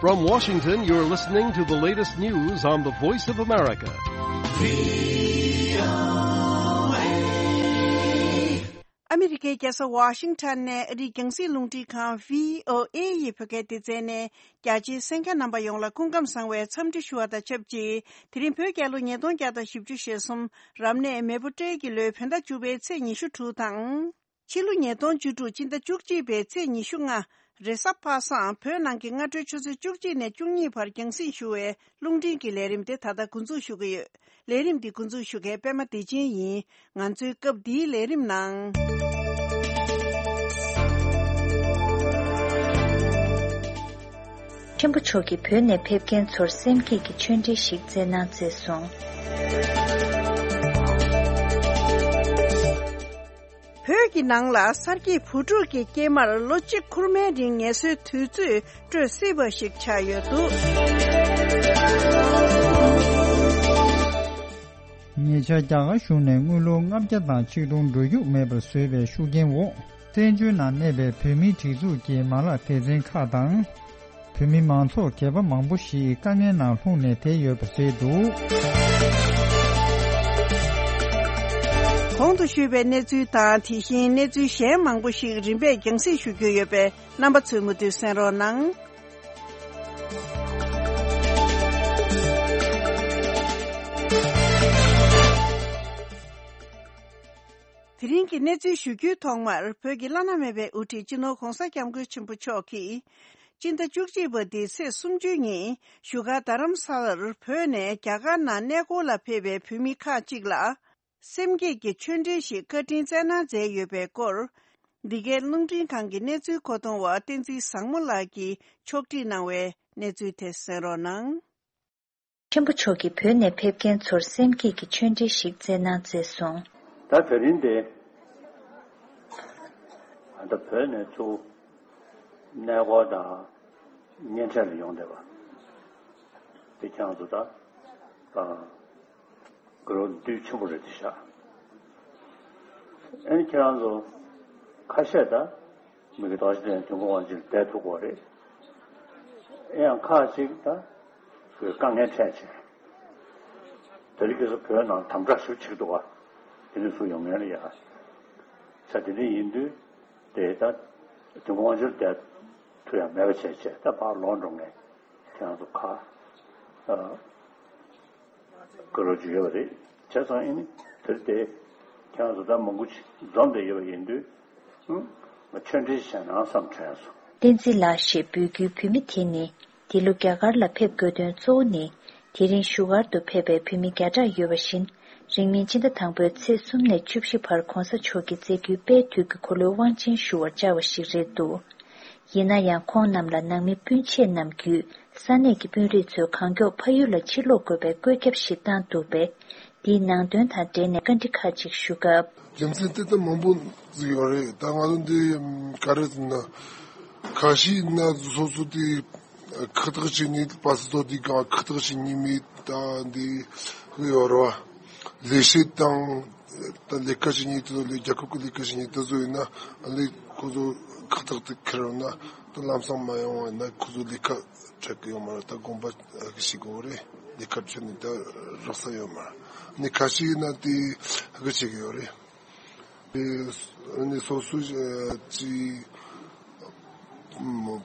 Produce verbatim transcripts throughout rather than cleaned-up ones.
From Washington, you're listening to the latest news on the Voice of America. ཨ་མི་རི་ཀའི་རྒྱལ་ས་ཝ་ཤིང་ཊོན་ནས་ཨ་རིའི་རྒྱང་སྲིང་རླུང་འཕྲིན་ཁང་བྷི་ཨོ་ཨེ་ཡི་བོད་སྐད་སྡེ་ཚན་ནས་རྒྱ་ཆེའི་གསན་མཁན་རྣམ་པ་ཡོངས་ལ་སྐུ་ཁམས་བཟང་བའི་འཚམས་འདྲི་ཞུ་བ་དང་ཆབས་ཅིག་དེ་རིང་བོད་རྒྱལ་ལོ་ཉིས་སྟོང་བརྒྱ་དང་བཞི་བཅུ་ཞེ་གསུམ་རབ་གནས་མེ་ཕོ་སྤྲེལ་གྱི་ལོའི་བོད་ཟླ་བཅུ་པའི་ཚེས་ཉི་ཤུ་དྲུག་དང་། ཕྱི་ལོ་ཉིས་སྟོང་བཅུ་དྲུག་སྤྱི་ཟླ་བཅུ་གཅིག་པའི་ཚེས་ཉི་ཤུ་ལྔ། རེས་གཟའ་པ་སངས་བོད་ནང་གི་སྔ་དྲོའི་ཆུ་ཚོད་བཅུ་གཅིག་ནས་བཅུ་གཉིས་བར་རྒྱང་སྲིང་ཞུ་བའི་རླུང་འཕྲིན་གྱི་ལས་རིམ་དེ་ད་ལྟ་འགོ་འཛུགས་ཞུ་གི་ཡོད། ལས་རིམ་འདི་འགོ་འཛུགས་ཞུ་མཁན་པད་མ་བདེ་ཆེན་ཡིན། ང་ཚོའི་སྐབས་འདིའི་ལས་རིམ་ནང་། ཆེན་པོ་མཆོག་གིས་བོད་ནས་ཕེབས་མཁན་ཚོར་སེམས་བསྐྱེད་ཀྱི་ཆོས་འབྲེལ་ཞིག་བསྩལ་གནང་མཛད་སོང་། བོད་ཀྱི་ནང་ལ་གསར་སྐྱེས་བུ་ཕྲུག་གི་སྐྱེས་མར་ལོ་གཅིག་འཁོར་མའི་རིང་ངལ་གསོའི་དུས་ཚོད་སྤྲོད་སྲིད་པ་ཞིག་ཆགས་ཡོད་འདུག། ཉེ་ཆར་རྒྱ་གར་གཞུང་ནས་དངུལ་ལོར་ལྔ་བརྒྱ་དང་ཆིག་སྟོང་འགྲོ་རྒྱུ་མེད་པར་བཟོས་པའི་ཤུགས་རྐྱེན་འོག་བཙན་བྱོལ་ནང་གནས་པའི་བོད་མིའི་སྒྲིག་འཛུགས་ཀྱི་མ་ལག་སྡེ་ཚན་ཁག་དང་། བོད་མི་མང་ཚོགས་སྒེར་པ་མང་པོ་ཞིག་དཀའ་ངལ་ནང་ལྷུང་ནས་བསྡད་ཡོད་པ་རེད་འདུག། གོང་དུ་ཞུས་པའི་གནས་ཚུལ་དང་དེ་བཞིན་གནས་ཚུལ་གཞན་མང་པོ་ཞིག་རིམ་པས་རྒྱང་སྲིང་ཞུ་རྒྱུ་ཡོད་པས་རྣམ་པ་ཚོས་མུ་མཐུད་གསན་རོགས་གནང་། དེ་རིང་གི་གནས་ཚུལ་ཞུ་རྒྱུའི་ཐོག་མར་བོད་ཀྱི་བླ་ན་མེད་པའི་དབུ་ཁྲིད་སྤྱི་ནོར་༧གོང་ས་༧སྐྱབས་མགོན་ཆེན་པོ་མཆོག་གིས། སྤྱི་ཟླ་བཅུ་གཅིག་པ་འདིའི་ཚེས་སུམ་ཅུ་ཉིན་བཞུགས་སྒར་རྡ་རམ་ས་ལར་བོད་ནས་རྒྱ་གར་ནང་གནས་སྐོར་ལ་ཕེབས་པའི་བོད་མི་ཁག་ཅིག་ལ། སེམས་བསྐྱེད་ཀྱི་ཆོས་འབྲེལ་ཞིག་བཀའ་དྲིན་བསྩལ་གནང་མཛད་ཡོད་པའི་སྐོར། འདི་གའི་རླུང་འཕྲིན་ཁང་གི་གནས་ཚུལ་མཁོ་གཏོང་བ་བསྟན་འཛིན་བཟང་མོ་ལགས་ཀྱིས་ཕྱོགས་སྒྲིག་གནང་བའི་གནས་ཚུལ་དེ་གསན་རོགས་གནང་། ཆེན་པོ་མཆོག་གིས་བོད་ནས་ཕེབས་མཁན་ཚོར་སེམས་བསྐྱེད་ཀྱི་ཆོས་འབྲེལ་ཞིག་བསྩལ་གནང་མཛད་སོང་། ད་དེ་རིང་དེ། ད་བོད་ནས་ཚུར་གནས་སྐོར་དང་གཉེན་འཕྲད་ལ་ཡོང་བསྡད་པ། དེ་ཁྱེད་རང་ཚོ་ད། དགའ་རབ་འདུས་ཆེན་པོ་རེད་དེ་ཤག། ཨ་ནི་ཁྱེད་རང་ཚོ་ཁ་ཤས་ད་མི་གི་དོགས་གཞི་དེ་དུས་འཁོར་དབང་ཕྱུག་ལ་བསྡད་ཐུབ་ཀྱི་རེད། ཨེ་ཡང་ཁག་ཅིག་ད་དཀའ་ངལ་འཕྲད་བྱས། དེ་རིང་ཁ་སང་བོད་ནང་དམ་དྲག་ཞུ་བྱེད་འདུག་ག། དེ་འདྲ་ཚུར་ཡོང་མཁན་ལ་ཡ། ས་དེ་འདྲ་ཡིན་དུས་དེ་ད་དུས་འཁོར་དབང་ཕྱུག་ལ་བསྡད་ཐུབ་ཡ་མེད་པ་བྱས་བྱས་ད་ཕར་ལོག་འགྲོ་མཁན་ཁྱེད་རང་ཚོ་ཁ། ཨ། བཀའ་སློབ་ཅིག་ཡོད་པ་རེད། བྱས་ཙང་ཨེ་ནི་དེར་དེ་ཁྱེད་རང་ཚོ་ད་མང་པོ་ཅིག་འཛོམས་བསྡད་ཡོད་པ་ཡིན་དུས། ཨུ། ང་ཆོས་འབྲེལ་བྱས་ན་བསམ་དྲན་སོང་། བསྟན་འཛིན་ལགས་ཞེས་འབོད་སྐུལ་བོད་མི་དེ་ནི་འདི་ལོ་རྒྱ་གར་ལ་ཕེབས་དགོས་དོན་གཙོ་བོ་ནི། དེ་རིང་བཞུགས་སྒར་དུ་ཕེབས་པའི་བོད་མི་བརྒྱ་ཕྲག་ཡོད་པ་བཞིན། རིང་མིན་ཕྱི་ཟླ་དང་པོའི་ཚེས་གསུམ་ནས་བཅུ་བཞི་བར་༧གོང་ས་མཆོག་གིས་མཛད་རྒྱུའི་དཔལ་དུས་ཀྱི་འཁོར་ལོའི་དབང་ཆེན་ཞུ་བར་བཅར་བ་ཞིག་རེད་འདུག། ཡིན་ན་ཡང་ཁོང་རྣམས་ལ་ནང་མི་སྤུན་མཆེད་རྣམས་བརྒྱུད་ས་གནས་ཀྱི་དཔོན་རིགས་ཚོས་གང་མགྱོགས་ཕ་ཡུལ་ལ་ཕྱིར་ལོག་དགོས་པའི་བཀོད་ཁྱབ་ཞིག་བཏང་འདུག་པས། འདིའི་ནང་དོན་དང་འབྲེལ་ནས་བཀའ་འདྲི་ཁག་ཅིག་ཞུ་སྐབས། རྒྱུ་མཚན་དེ་ལྟར་མང་པོ་ཟིག་ཡོད་རེད། ད་ང་ཚོ་འདི་ག་རེ་ཟེར་ན། ཁ་ཤས་ན་སོ་སོ་དེ་ཁག་ཐེག་བྱེད་ནས་པ་སི་ཏོ་དེ་གང་ཁག་ཐེག་བྱེད་ཉན་མེད་ད་འདི་ཡོད་རེད་བ། ལས་བྱེད་དང་ད་ལས་ཀ་བྱེད་ཉན་དེ་ཚོ་ལས་རྒྱལ་ཁབ་ཀྱི་ལས་ཀ་བྱེད་ཉན་དེ་ཚོ་ཡིན་ན་ཨ་ལས་ཁོ་ཚོ་ཁག་ཐེག་དེ་ཁྱེར་ཡོང་ན་ད་ལམ་སང་མ་ཡོང་བ་ཡིན་ན་ཁོ་ཚོ་ལས་ཀ་འཕྲད་ཀྱི་ཡོད་མ་རེད། ད་དགོངས་པ་ཞིག་དགོས་རེད། ལས་ཀ་འཕྲད་ནས་ད་རག་ས་ཡོད་མ་རེད། ནི་ཁ་ཤས་ཡིན་ན་དེ་ཧ་གི་བྱེད་ཀྱི་ཡོད་རེད། ཨ་ནི་སོ་སོ་ཅི་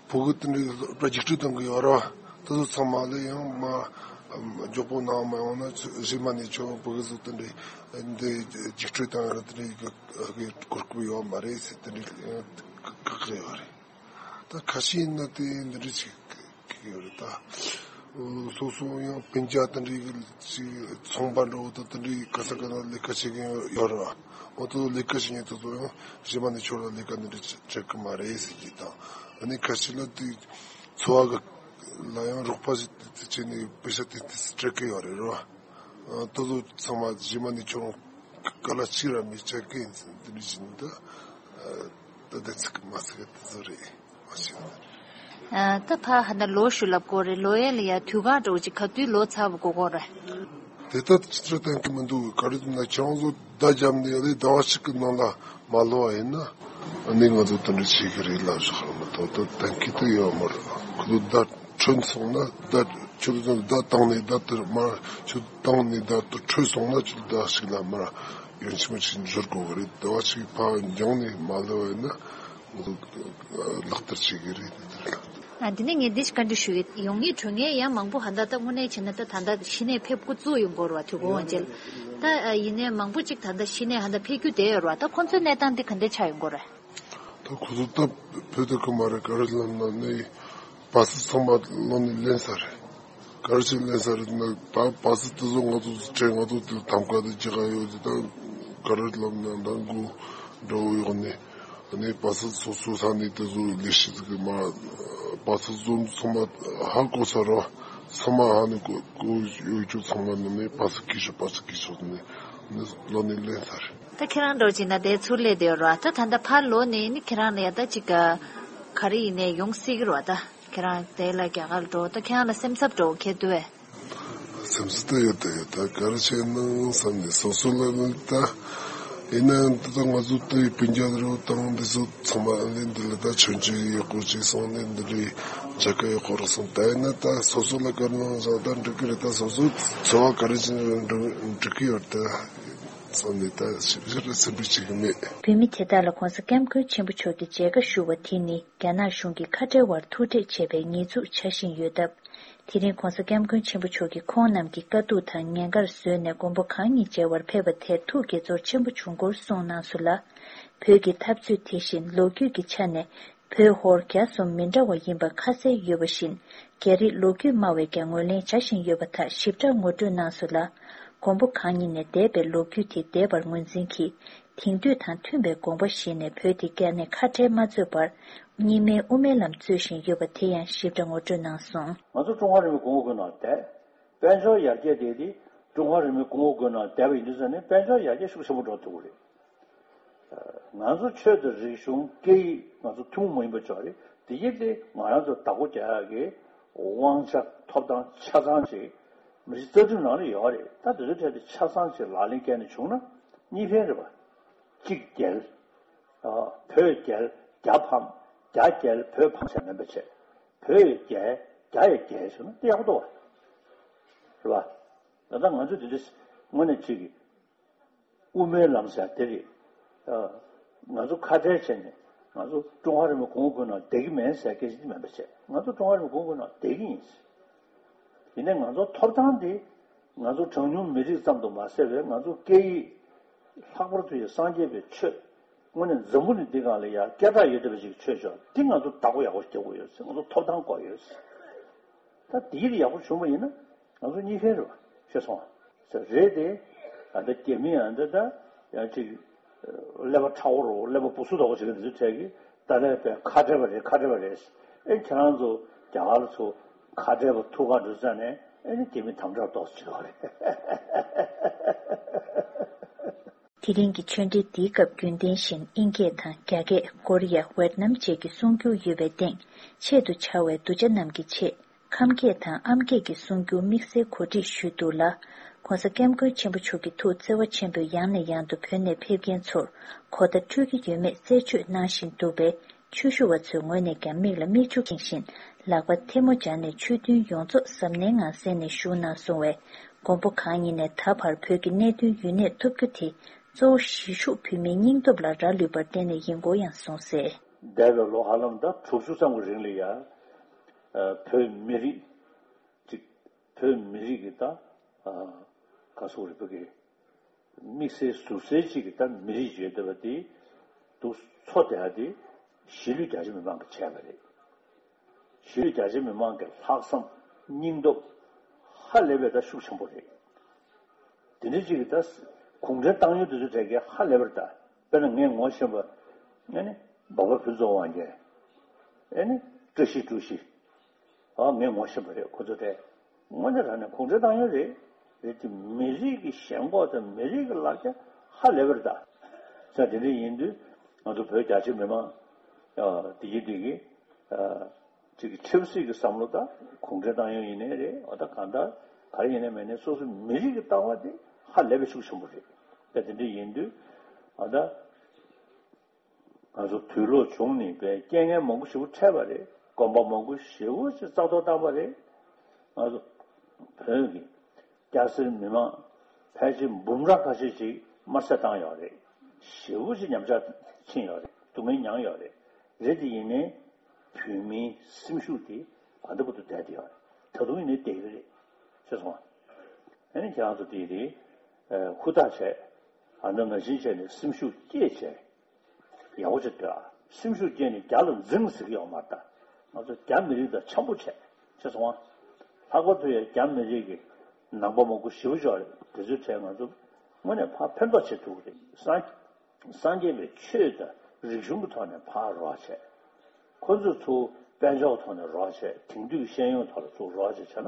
བོད་གི་དེ་འདྲའི་རྒྱུགས་སྤྲོད་གཏོང་གི་ཡོད་རེད་བ། དེ་ཚོ་ཚང་མ་ལ་ཡང་མ་མགྱོགས་པོ་གནང་མ་ཡོང་ན་རྗེས་མ་ནས་ཁྱོད་བོད་གི་ཚོ་དེ་འདྲའི་འདི་རྒྱུགས་སྤྲོད་བཏང་ཡོད་རེད། དེ་འདྲའི་གི་གོ་སྐབས་ཡོད་མ་རེད་ཟེར་དེ་འདྲའི་བཀག་གི་ཡོད་རེད། ད་ཁ་ཤས་ཡིན་ན་དེ་འདི་འདྲ་ཅིག་ཡོད་རེད་ད། སོ་སོ་ཡང་སྤུན་ཀྱག་དེ་འདྲའི་ཅིག་ཚོང་པ་འདྲ་བོ་དང་དེ་འདྲའི་ག་ས་ག་ན་ལས་ཀ་བྱེད་མཁན་ཡོད་རེད་བ། འོ་དེ་ཚོ་ལས་ཀ་བྱེད་མཁན་དེ་ཚོ་ཡང་གཞན་པ་ནས་ཁྱོད་ལ་ལས་ཀ་འདི་འདྲ་སྤྲད་གི་མ་རེད་ཟེར་གྱི་དང་། ཨ་ནི་ཁ་ཤས་ལ་དེ་འཚོ་བ་གི་ལ་ཡང་རོགས་པ་ཞིག་བྱས་ནས་པེ་ཤ་དེ་དེ་སྤྲད་གི་ཡོད་རེད་རེད་བ། ཨ། དེ་ཚོ་ཚང་མ་རྗེས་མ་ནས་ཁྱོད་རང་ག་ལ་གཅིག་ར་མི་བྱེད་ཀི་ཡིན་ཟེར་འདི་འདྲ་བྱས་ནས་ད། ཨ། ད་དེ་ཚིག་མ་ཚིག་དེ་ཚོ་རེད་མ་བྱེད་ན། ཨ། ད་ཕ་ཧ་ན་ལོ་ཞུ་ལབ་དགོས་རེད། ལོ་ཡན་ལ་ཡ་དུས་གང་འགྲོ་ཅིག་ག་དུས་ལོ་ཚར་བ་གོ་གོ་རེད། དེ་ལྟར་ཅི་ཚོད་གཏན་གི་མི་འདུག། ག་རེ་ཟེར་ན་ཁྱེད་རང་ཚོ་བརྡ་བརྒྱབ་ནས་ཡ་ལས་ཟླ་བ་གཅིག་གི་ནང་ལ་མ་ལོ་བ་ཡིན་ན། ཨ་ནི་ང་ཚོ་དེ་འདྲ་བྱེད་ཀི་རེད་ལབ་བཞག་ར་མ་གཏོགས་ད་གཏན་གི་དུ་ཡོད་མ་རེད། ཁོ་ཚོ་བརྡ། ཐོན་སོང་ན་ད་ཁྱོད་ཚོ་ད་བཏང་ནས་ད་དེར་མར་ཁྱོད་བཏང་ནས་ད་དུ་འཕྲོད་སོང་ན་ཁྱོད་ད་ཞིག་ལ་མར་ཡོན་ཆི་མ་ཞིག་འབྱོར་དགོས་གི་རེད། དེ་བ་ཞིག་ཕ་འགྱངས་ནས་མ་ལེ་བས་ན་ང་ཚོ་ལག་བསྟར་བྱེད་གི་རེད། དེ་དེར་ལ། ཨ། འདི་ནས་ངས་འདི་ཞིག་བཀའ་འདྲི་ཞུ་ཡི། ཡོང་ངེས་འགྲོ་ངེས་ཡང་མང་པོ་ཧ་ད་ད་དངོས་གནས་བྱས་ན་ད་ད་ད་གཞི་ནས་ཕེབས་འགོ་བཙུགས་ཡོང་གོ་ར་བ། དུས་གོ་འོང་རྗེས་ད་ཡིན་ནའི་མང་པོ་ཅིག་ད་ད་གཞི་ནས་ཧ་ད་ཕེབས་རྒྱུ་བསྡད་ཡོད་ར་བ། ད་ཁོང་ཚོའི་གནས་སྟངས་འདི་ག་འདྲ་ཆགས་ཡོང་གོ་ར། ད་ཁོ་ཚོ་སྟབས་བོད་དུ་ཁུ་མ་རེད། ག་རེ་ལབ་ན་ནི་བ་སི་ཚང་མ་ལོ་ནི་ལེན་ས་རེད། ག་རེ་བྱས་ལེན་ས་རེད་ན་ད་བ་སི་དེ་ཚོ་ང་ཚོ་ཚོ་ཁྲལ་ང་ཚོ་དེ་ཐམ་ཀ་དེ་རྒྱག་ག་ཡོད་དེ། ད་ག་རེ་ལབ་ན་ད་མགོ་འགྲོ་ཡོང་ནི་ནི་བ་སི་སོ་སོ་ས་ནི་དེ་ཚོ་ལས་བྱེད་ཀྱི་མ་བ་སི་ཚོ་ཚང་མ་ཧ་གོ་ས་ར། ཚང་མ་ཧ་ནི་གོ་གོ་ཡོད་རྒྱུ་ཚང་མ་ནི་ནི་བ་སི་ཀི་ཤོ་བ་སི་ཀི་ཤོ་ནི་ནི་ལོ་ནི་ལེན་ས་རེད། ད་ཁྱེད་རང་འགྲོ་ཅིག་ན་དེ་ཚུར་སླེབས་བསྡད་ཡོད་ར། ད་ད་ལྟ་ཕར་ལོག་ནས་ནི་ཁྱེད་རང་ལ་ཡ་ད་ཅིག་ག་ག་རེ་ཡིན་ནའི་ཡོང་སྲིད་ཀྱི་ར་བ། ད་ཁྱེད་རང་དེ་ལ་རྒྱ་གར་འགྲོ། ད་ཁྱེད་རང་ལ་སེམས་འཚབ་འགྲོ་ཁྱེད་འདུག་བས། སེམས་འཚབ་ད་ཡོད་ད་ཡོད། ད་ག་རེ་བྱས་ན་བསམ་ནས་སོ་སོ་ལ་ནི་ད་ཡིན་ན་ཡང་ད་ང་ཚོ་ད་སྤུན་ཀྱག་རུ་དང་འདི་ཚོ་ཚང་མ་ཨ་ནི་འདི་ལ་ད་ཆོས་ཆོས་ཡག་པོ་ཅིག་སོང་ནས་འདི་ལ་མཇལ་ཁ་ཡག་པོ་རག་སོང་། ད་ཡིན་ན་ད་སོ་སོ་ལ་ག་རེ་གནང་བཞག་ད་འགྲིག་གི་རེད། ད་སོ་སོ་འཚོ་བ་ག་རེ་བྱས་ན་འགྲིག་གི་ཡོད་ད། སོང་ནས་ད་ཞིབ་ཞིབ་ལ་སེམས་པའི་བྱེད་ཀྱི་མེད། བོད་མི་དེ་དག་ལ་༸གོང་ས་༸སྐྱབས་མགོན་ཆེན་པོ་མཆོག་གིས་མཇལ་ཁ་ཞུ་བ་དེ་ནི་རྒྱ་ནག་གཞུང་གིས་ཁ་བྲལ་བར་ཐུག་འཕྲད་བྱས་པའི་ཉེས་འཛུགས་བྱ་བཞིན་ཡོད་སྟབས། དེ་རིང་༸གོང་ས་༸སྐྱབས་མགོན་ཆེན་པོ་མཆོག་གིས་ཁོང་རྣམས་ཀྱི་དཀའ་སྡུག་དང་ཉེན་ཁར་བཟོས་ནས་མགོན་པོ་གང་ཉིད་མཇལ་བར་ཕེབས་པ་དེར་ཐུགས་དགྱེས་ཚོར་ཆེན་པོ་བྱུང་སྐོར་གསུངས་གནང་སོང་ལ། བོད་ཀྱི་འཐབ་རྩོད་དེ་བཞིན་ལོ་རྒྱུས་ཀྱི་ཆ་ནས། བོད་ཧོར་རྒྱ་གསུམ་མི་འདྲ་བ་ཡིན་པ་ཁ་གསལ་ཡོད་པ་བཞིན། རྒྱ་རིགས་ལོ་རྒྱུས་སྨྲ་བས་ཀྱང་ངོས་ལེན་བྱ་བཞིན་ཡོད་པ་དག་ཞིབ་ཕྲ་ངོ་སྤྲོད་གནང་སོང་ལ། མགོན་པོ་གང་ཉིད་ནས་འདས་པའི་ལོ་རྒྱུས་དེ་འདས་པར་ངོས་འཛིན་གྱིས། དེང་དུས་དང་མཐུན་པའི་དགོངས་པ་བཞེས་ནས་བོད་དེ་རྒྱ་ནས་ཁ་བྲལ་མ་བཟོས་པར། གཉིས་སྨན་དབུ་མའི་ལམ་རྩོད་བཞིན་ཡོད་པ་དེ་ཡང་ཞིབ་ཕྲ་ངོ་སྤྲོད་གནང་སོང་། ང་ཚོ་ཀྲུང་ཧྭ་རིན་པོའི་གོང་འོག་སྒོ་ནང་བསྡད། དཔལ་འབྱོར་ཡར་རྒྱས་དེ་དེ་ཀྲུང་ཧྭ་རིན་པོའི་གོང་འོག་སྒོ་ནང་བསྡད་པ་ཡིན་དུས་ཙང་ནས་དཔལ་འབྱོར་ཡར་རྒྱས་ཤུགས་ཆེན་པོ་འགྲོ་ཐུབ་ཀྱི་རེད། ང་ཚོ་ཆོས་དང་རིག་གཞུང་སྐད་ཡིག་ང་ཚོ་ཐུན་མོང་མ་ཡིན་པ་ཅིག་རེད། དེ་ཡིན་ཏེ་ང་རང་ཚོ་བདག་པོ་རྒྱག་ཡག་གི་དབང་ཆ་ཐོབ་ཐང་ཆ་ཚང་ཅིག་མི་རིགས་རྩ་ཁྲིམས་ནང་ལ་ཡོད་རེད། ད་དེ་ཚོའི་གྲས་དེ་ཆ་ཚང་ཅིག་ལག་ལེན་བཀལ་ནས་བྱུང་ན་གཉིས་ཕན་རེད་པ། གཅིག་རྒྱལ། ཨ། བོད་རྒྱལ། རྒྱ་ཕམ། རྒྱ་རྒྱལ་བོད་ཕམ་ཟེར་མིན་པ་བྱས། བོད་རྒྱལ། རྒྱ་ཡི་རྒྱལ་ཟེར་ན་དེ་ཡག་པོ་འདུག་བ། རེད་པ། ད་ལྟ་ང་ཚོ་དེ་འདྲ་དངོས་གནས་ཅིག་གི་དབུ་མའི་ལམ་ཟེར་དེ་རེད། ཨ། ང་ཚོ་ཁ་བྲལ་བྱས་ནས་ང་ཚོ་ཀྲུང་ཧྭ་རིན་པོའི་གོང་འོག་སྒོ་ནང་བསྡད་ཀྱི་མེད་ཟེར་སྐད་ཆ་དེ་མིན་པ་བྱས། ང་ཚོ་ཀྲུང་ཧྭ་རིན་པོའི་གོང་འོག་སྒོ་ནང་བསྡད་ཀྱི་ཡིན། ཡིན་ནའི་ང་ཚོ་ཐོབ་ཐང་དེ་ང་ཚོ་གྲངས་ཉུང་མི་རིགས་ཙམ་དུ་མ་ཟད་པའི་ང་ཚོ་སྐད་ཡིག་ལྷག་པར་དུ་ཡང་སངས་རྒྱས་པའི་ཆོས། དངོས་གནས་འཛམ་བུ་གླིང་འདི་སྒང་ལ་ཡང་སྐད་གྲགས་ཡོད་བསྡད་པ་ཞིག་གི་ཆོས་ཕྱོགས་འདི་ང་ཚོ་བདག་པོ་ཡག་པོ་རྒྱག་དགོས་ཡོད་ཟེར། ང་ཚོ་ཐོབ་ཐང་དགོས་ཡོད་ཟེར། ད་འདི་ཡིན་ཡག་པོ་བྱུང་བ་ཡིན་ན་ང་ཚོ་གཉིས་ཕན་རེད་པ། ཤེས་སོང་ཨ། ཟེར་རེད་དེ། ད་ལྟ་རྒྱ་མི་ཨ་འདི་ད་ཡང་ཅིག་ཀླད་པ་ཁྲ་བོ་རོ་ཀླད་པ་སྦུ་སུ་དོག་པོ་བྱེད་མཁན་འདི་ཚོ་གྲས་ཀྱིས་ད་ལྟ་བས་ཁ་བྲལ་བ་རེད། ཁ་བྲལ་བ་རེད། ཨེ་ཁྱེད་རང་ཚོ་རྒྱ་གར་ཚོ་ཁ་བྲལ་བ་ཐུག་ག་འགྲོ་ས་ནས་ཨེ་ནི་རྒྱ་མི་དམ་དྲག་ཏོག་ཙམ་བྱེད་རོགས་རེད། དེ་རིང་གི་ཆོས་འབྲེལ་འདིའི་སྐབས་རྒྱུན་ལྡན་བཞིན་ཨིན་སྐད་དང་རྒྱ་སྐད། ཀོ་རི་ཡ། ཝེད་ནམ་བཅས་ཀྱི་གསུང་སྒྱུར་ཡོད་པའི་སྟེང་ཆེད་དུ་བཅར་བའི་གདུལ་བྱ་རྣམས་ཀྱི་ཆེད། ཁམས་སྐད་དང་ཨམ་སྐད་ཀྱི་གསུང་སྒྱུར་དམིགས་བསལ་གོ་སྒྲིག་ཞུས་འདུག་ལ། ༸གོང་ས་༸སྐྱབས་མགོན་ཆེན་པོ་མཆོག་གི་ཐུགས་བརྩེ་བ་ཆེན་པོས་ཡང་ནས་ཡང་དུ་བོད་ནས་ཕེབས་མཁན་ཚོར་གོ་བརྡ་འཕྲོད་ཀྱི་ཡོད་མེད་རྩད་གཅོད་གནང་བཞིན་འདུག་པས། ཆོས་ཞུ་བ་ཚོའི་ངོས་ནས་ཀྱང་མིག་ལ་མིག་ཆུ་འཁྱེར་བཞིན་ལག་པ་ཐལ་མོ་སྦྱར་ནས་ཆོས་མཐུན་ཡོངས་རྫོགས་གཟབ་ནན་ངང་གསན་ནས་བཞུགས་གནང་གསུང་བས། མགོན་པོ་གང་ཉིད་ནས་ད་བར་བོད་ཀྱི་གནད་དོན་ཡུན་གནས་ཐུབ་རྒྱུ་དེ་གཙོ་བོ་གཞིས་བཞུགས་བོད་མིའི་སྙིང་སྟོབས་ལ་རག་ལུས་པར་བརྟེན་ནས་ཡིན་སྐོར་ཡང་གསུངས་གསལ། འདས་པའི་ལོ་ཧ་ལམ་ད་དྲུག་ཅུ་ཙམ་གྱི་རིང་ལ་ཡ། ཨ། བོད་མི་རིགས་ཅིག་བོད་མི་རིགས་ཀྱི་ད། ཨ། ག་སོག་རིག་པ་གི་དམིགས་བསལ་ཟུར་གསལ་ཅིག་གི་ད་མི་རིགས་བརྗོད་བསྡད་པ་དེ་འདུག་འཚོ་བསྡད་ཡ་དེ་གཞིས་ལུས་རྒྱ་ཆེ་མི་མང་གིས་བྱས་པ་རེད། གཞིས་ལུས་རྒྱ་ཆེ་མི་མང་གི་ལྷག་བསམ་སྙིང་སྟོབས་ཧ་ལས་པའི་ད་ཤུགས་ཆེན་པོ་རེད། དེ་འདྲ་ཅིག་གི་ད་གུང་ཁྲན་ཏང་ཡོན་དེ་ཚོ་གྲས་ཀྱིས་ཧ་ལས་པར་ད། དཔེར་ན་ངས་ངོ་ཤེས་པ། ཨ་ནི་འབའ་པ་ཕུན་ཚོགས་དབང་རྒྱལ། ཨ་ནི་བཀྲ་ཤིས་བཀྲ་ཤིས། ཨ། ངས་ངོ་ཤེས་པ་རེད་ཁོ་ཚོ་དེ། དངོས་གནས་དྲང་གནས་གུང་ཁྲན་ཏང་ཡོན་རེད། རེད་དེ་མི་རིགས་ཀྱི་ཞེན་ཁོག་དང་མི་རིགས་ཀྱི་ལག་ཆ་ཧ་ལས་པར་ད། ས་དེ་འདྲ་ཡིན་དུས་ང་ཚོ་བོད་རྒྱ་ཆེ་མི་མང་། ཨ། དེ་གི་དེ་གི། ཨ། ཅིག་གི་ཆབ་སྲིད་ཀྱི་བསམ་བློ་དང་གུང་ཁྲན་ཏང་ཡོན་ཡིན་ནའི་རེད། འོ་ད་གང་ལྟར་ག་རེ་ཡིན་ནའི་མིན་ནའི་སོ་སོ་མི་རིགས་ཀྱི་ལྟ་བ་དེ་ཧ་ལས་པའི་ཤུགས་ཆེན་པོ་རེད། ད་དེ་འདྲ་ཡིན་དུས་ཨ་ད་ང་ཚོ་དུས་ལོག་བྱུང་ནས་པའི་རྐྱེན་ངན་མང་པོ་ཞིག་འཕྲད་པ་རེད། དགོན་པ་མང་པོ་ཞེ་པོ་ཅིག་རྩ་གཏོར་བཏང་པ་རེད། ང་ཚོ་བོད་ཀྱི་སྐྱ་སེར་མི་མང་ཕལ་ཆེར་འབུམ་རམས་ཁ་ཤས་ཅིག་དམར་གསོད་བཏང་ཡོད་རེད། ཞེ་པོ་ཅིག་ཉམས་ཆག་ཕྱིན་ཡོད་རེད། སྡུག་བསྔལ་མྱངས་ཡོད་རེད། རེད་དེ་ཡིན་ནའི་བོད་མིའི་སེམས་ཤུགས་དེ་ག་འདྲ་པོ་འདུག་བསྡད་དེ་ཡོད་རེད། ད་དུང་ཡིན་ནའི་བསྡད་ཀྱི་རེད། ཤེས་སོང་ཨ། ཨ་ནི་ཁྱེད་རང་ཚོ་དེ་རེད། ཧུར་ཐག་བྱས། ཨ་ནི་ང་བཞིན་བྱས་ནས་སེམས་ཤུགས་བསྐྱེད་བྱས། ཡག་པོ་ཅིག་སྡོད་ཨ། སེམས་ཤུགས་བསྐྱེད་ནས་རྒྱ་ལ་འཛིང་ཟེར་གྱི་ཡོད་མ་རེད་ད། ང་ཚོ་རྒྱ་མི་རིགས་དང་འཆམ་པོ་བྱས། ཤེས་སོང་ཨ། ལྷག་པར་དུ་ཡང་རྒྱ་མི་རིགས་ཀྱི་ནང་པ་མང་པོ་ཞེ་པོ་ཅིག་ཡོད་རེད། དེ་ཚོའི་གྲས་ང་ཚོ་དངོས་གནས་ཕར་ཕན་ཐོགས་བྱེད་ཐུབ་ཀྱི་རེད། སངས་སངས་རྒྱས་པའི་ཆོས་དང་རིག་གཞུང་གི་ཐོག་ནས་ཕར་རོགས་བྱས། ཁོ་ཚོས་ཚུར་དཔལ་འབྱོར་ཐོག་ནས་རོགས་བྱས། དེང་དུས་ཀྱི་ཤེས་ཡོན་ཐོག་ལ་ཚུར་རོགས་བྱས་བྱས་ན་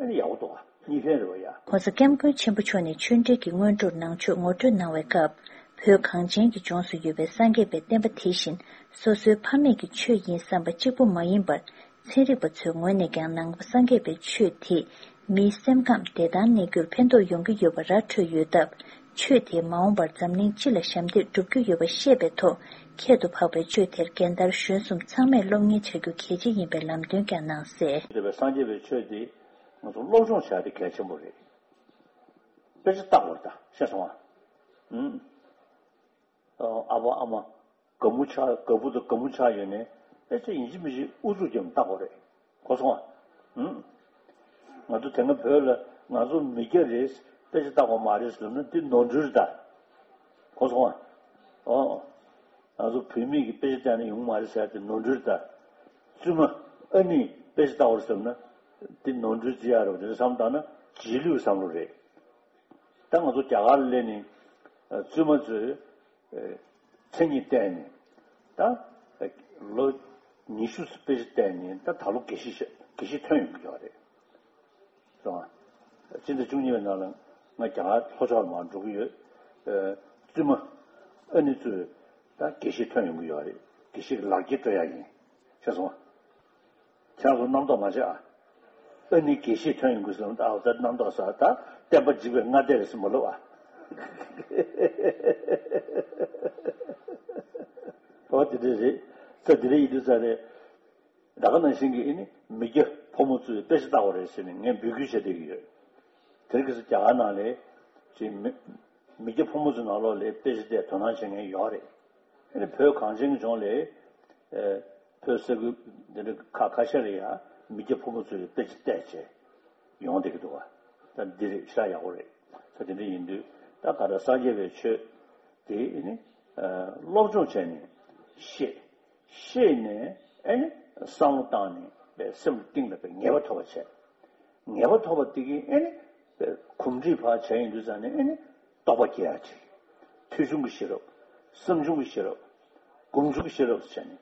ཨ་ནི་ཡག་པོ་འདུག་ག་གཉིས་ཕན་རེད་པ་ཡ། ༸གོང་ས་༸སྐྱབས་མགོན་ཆེན་པོ་མཆོག་ནས་ཆོས་འབྲེལ་གྱི་སྔོན་འགྲོར་ནང་ཆོས་ངོ་སྤྲོད་གནང་བའི་སྐབས། བོད་གངས་ཅན་གྱི་ལྗོངས་སུ་ཡོད་པའི་སངས་རྒྱས་པའི་བསྟན་པ་དེ་བཞིན་སོ་སོའི་ཕ་མེས་ཀྱི་ཆོས་ཡིན་བསམ་པ་གཅིག་པུ་མ་ཡིན་པར། ཚན་རིག་པ་ཚོའི་ངོས་ནས་ཀྱང་ནང་པ་སངས་རྒྱས་པའི་ཆོས་དེས་མིའི་སེམས་ཁམས་བདེ་ཐང་གནས་རྒྱུར་ཕན་ཐོགས་ཡོང་གི་ཡོད་པ་ར་འཕྲོད་ཡོད་སྟབས། ཆོས་དེས་མ་འོངས་པར་འཛམ་གླིང་སྤྱི་ལ་ཞབས་འདེགས་སྒྲུབ་རྒྱུ་ཡོད་པ་ཤེས་པའི་ཐོག་ཁྱད་དུ་འཕགས་པའི་ཆོས་དེར་རྒན་དར་གཞོན་གསུམ་ཚང་མས་སློབ་གཉེར་བྱ་རྒྱུ་གལ་ཆེ་ཡིན་པའི་ལམ་སྟོན་ཀྱང་གནང་གསལ། འདས་པའི་སངས་རྒྱས་པའི་ཆོས་འདི་ང་ཚོ་སློབ་སྦྱོང་བྱ་ཡ་དེ་གལ་ཆེན་པོ་རེད། དཔེ་ཆ་ལྟ་དགོས་རེད་ད། ཤེས་སོང་ཨ། ཨུམ། ཨ་ཕ་ཨ་མ་དགའ་མོ་ཆགས། དགའ་པོ་དང་དགའ་མོ་ཆགས་ཡོད་ནའི་ཨེ་ཅེ་ཡིན་གཅིག་མིན་གཅིག་ཨུ་ཚུགས་རྒྱབ་ནས་ལྟ་དགོས་རེད། གོ་སོང་ཨ། ཨུམ། ང་ཚོ་དེ་སྔ་བོད་ལ་ང་ཚོ་མི་སྐྱ་རེད། དཔེ་ཆ་ལྟ་དགོས་མ་རེད་ཟེར་ན་འདི་ནོར་འཁྲུལ་རེད་ད། གོ་སོང་ཨ། ཨོ། ང་ཚོ་བུད་མེད་ཀྱིས་དཔེ་ཆ་བལྟས་ན་ཡོང་མ་རེད་ཟེར་ཏེ་ནོར་འཁྲུལ་ད། བཙུན་མ་ཨ་ནེས་དཔེ་ཆ་ལྟ་བར་བསམ་ན་འདི་ནོར་འཁྲུལ་ཅི་ཡང་རེད་པ། དེ་འདྲ་བསམ་བཏང་ན་རྗེས་ལུས་བསམ་བློ་རེད། ད་ང་ཚོ་རྒྱ་གར་ལ་སླེབས་ནས་བཙུན་མ་ཚོས་མཚན་ཉིད་བལྟས་ནས་ད་ལོ་ཉི་ཤུ་དཔེ་ཆ་བལྟས་ནས་ད་ད་ལོ་དགེ་བཤེས་དགེ་བཤེས་ཐོན་ཡོང་གི་ཡོད་རེད། སོང་ང་། སྤྱི་ཟླ་བཅུ་གཉིས་པའི་ནང་ལ་ང་རྒྱ་གར་ལྷོ་ཕྱོགས་ལ་མར་འགྲོ་གི་ཡོད། ཨ། བཙུན་མ་ཨ་ནེ་ཚོས་ད་དགེ་བཤེས་ཐོན་ཡོང་གི་ཡོད་རེད། དགེ་བཤེས་ཀྱི་ལག་འཁྱེར་སྤྲོད་ཡག་ཡིན། ཤེས་སོང་ང་། ཁྱེད་རང་ཚོ་རྣམ་རྟོག་མ་བྱེད་ཨ། ཨ་ནེ་དགེ་བཤེས་ཐོན་ཡོང་གི་ཟེར་ན་ད་ཨ་ད་རྣམ་རྟོག་ཟ། ད་བསྟན་པ་འཇིག་པའི་སྔ་ལྟས་རེད་ཟེར་མ་ལབ་ཨ། ཨོ་དེ་འདྲ་རེད། ད་དེ་འདྲ་ཡིན་དུས་ཙང་ནས། ད་ག་ནང་བཞིན་གྱི་ཨེ་ནི་མི་སྐྱ་ཕོ་མོ་ཚོས་དཔེ་ཆ་ལྟ་བ་རེད་ཟེར་ནས་ངས་འབོད་སྐུལ་བྱེད་བསྡད་ཀྱི་ཡོད། དེ་རིང་ཁ་སང་རྒྱ་གར་ནང་ལ་ཅིག་མི་མི་སྐྱ་ཕོ་མོ་ཚོའི་ནང་ལོགས་ལ་དཔེ་ཆ་བལྟས་དོ་སྣང་བྱེད་མཁན་ཡོད་རེད། ཨེ་ནི་བོད་གངས་ཅན་གྱི་ལྗོངས་ལ་ཨེ་བོད་ས་ཁུལ་འདི་འདྲ་ཁག་ཁ་ཤས་ལ་ཡང་མི་སྐྱ་ཕོ་མོ་ཚོས་དཔེ་ཆ་བལྟས་བྱས་ཡོང་བསྡད་ཀྱི་འདུག་བ། ད་འདི་རེད། ཤ་ཡག་པོ་རེད། ད་དེ་འདྲ་ཡིན་དུས་ད་ག་ད་སངས་རྒྱས་པའི་ཆོས་དེ་ཨེ་ནི་ཨ་སློབ་སྦྱོང་བྱས་ནས་ཤེས། ཤེས་ནས་ཨེ་ནི་བསམ་བློ་བཏང་ནས་པའི་སེམས་གཏིང་ལ་པའི་ངེས་པ་ཐོབ་པ་བྱས། ངེས་པ་ཐོབ་པ་དེ་གིས་ཨེ་ནི་པའི་གོམས་འདྲིས་ཕར་བྱས་ཡིན་དུས་ཙང་ནས་ཨེ་ནི་རྟོགས་པ་སྐྱེ་ཡག་ཅིག་ཐོས་བྱུང་གི་ཤེས་རབ། བསམ་བྱུང་གི་ཤེས་རབ། སྒོམ་བྱུང་གི་ཤེས་རབ་ཟེར་བྱས་ནས་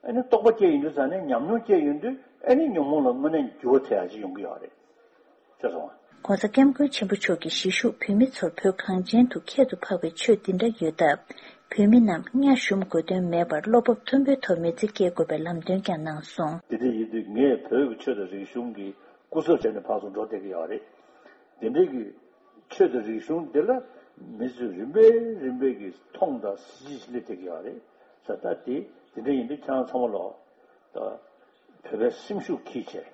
ཨེ་ནི་རྟོགས་པ་སྐྱེ་ཡིན་དུས་ཙང་ནས་ཉམས་མྱོང་སྐྱེ་ཡོང་དུས་ཨེ་ནི་ཉོན་མོངས་ལ་དངོས་གནས་འགྱུར་བ་ཐེབས་ཡག་ཅིག་ཡོང་གི་ཡོད་རེད། ཤེས་སོང་ང་། ༸གོང་ས་༸སྐྱབས་མགོན་ཆེན་པོ་མཆོག་གིས་གཞིས་བཞུགས་བོད་མི་ཚོར་བོད་གངས་ཅན་དུ་ཁྱད་དུ་འཕགས་པའི་ཆོས་འདི་འདྲ་ཡོད་སྟབས། བོད་མི་རྣམས་གཉའ་ཞུམ་དགོས་དོན་མེད་པར་བློ་སྤོབས་མཐོན་པོའི་ཐོག་མི་ཚེ་སྐྱེལ་དགོས་པའི་ལམ་སྟོན་ཀྱང་གནང་སོང་། དེ་འདྲ་ཡིན་དུས་ངས་བོད་ཀྱི་ཆོས་དང་རིག་གཞུང་གི་སྐུ་ཚབ་བྱས་ནས་ཕར་ཚུར་འགྲོ་བསྡད་ཀྱི་ཡོད་རེད། དེ་འདྲའི་གི་ཆོས་དང་རིག་གཞུང་འདི་ལ་མི་ཚོས་རིམ་པས་རིམ་པས་ཀྱིས་མཐོང་དང་གཟི་བརྗིད་སླེབས་བསྡད་ཀྱི་ཡོད་རེད། ས་ད་དེ་དེ་འདྲ་ཡིན་དུས་ཁྱེད་རང་ཚང་མ་ལོ། ད་བོད་པའི་སེམས་ཤུགས་འཁྱེར་བྱས།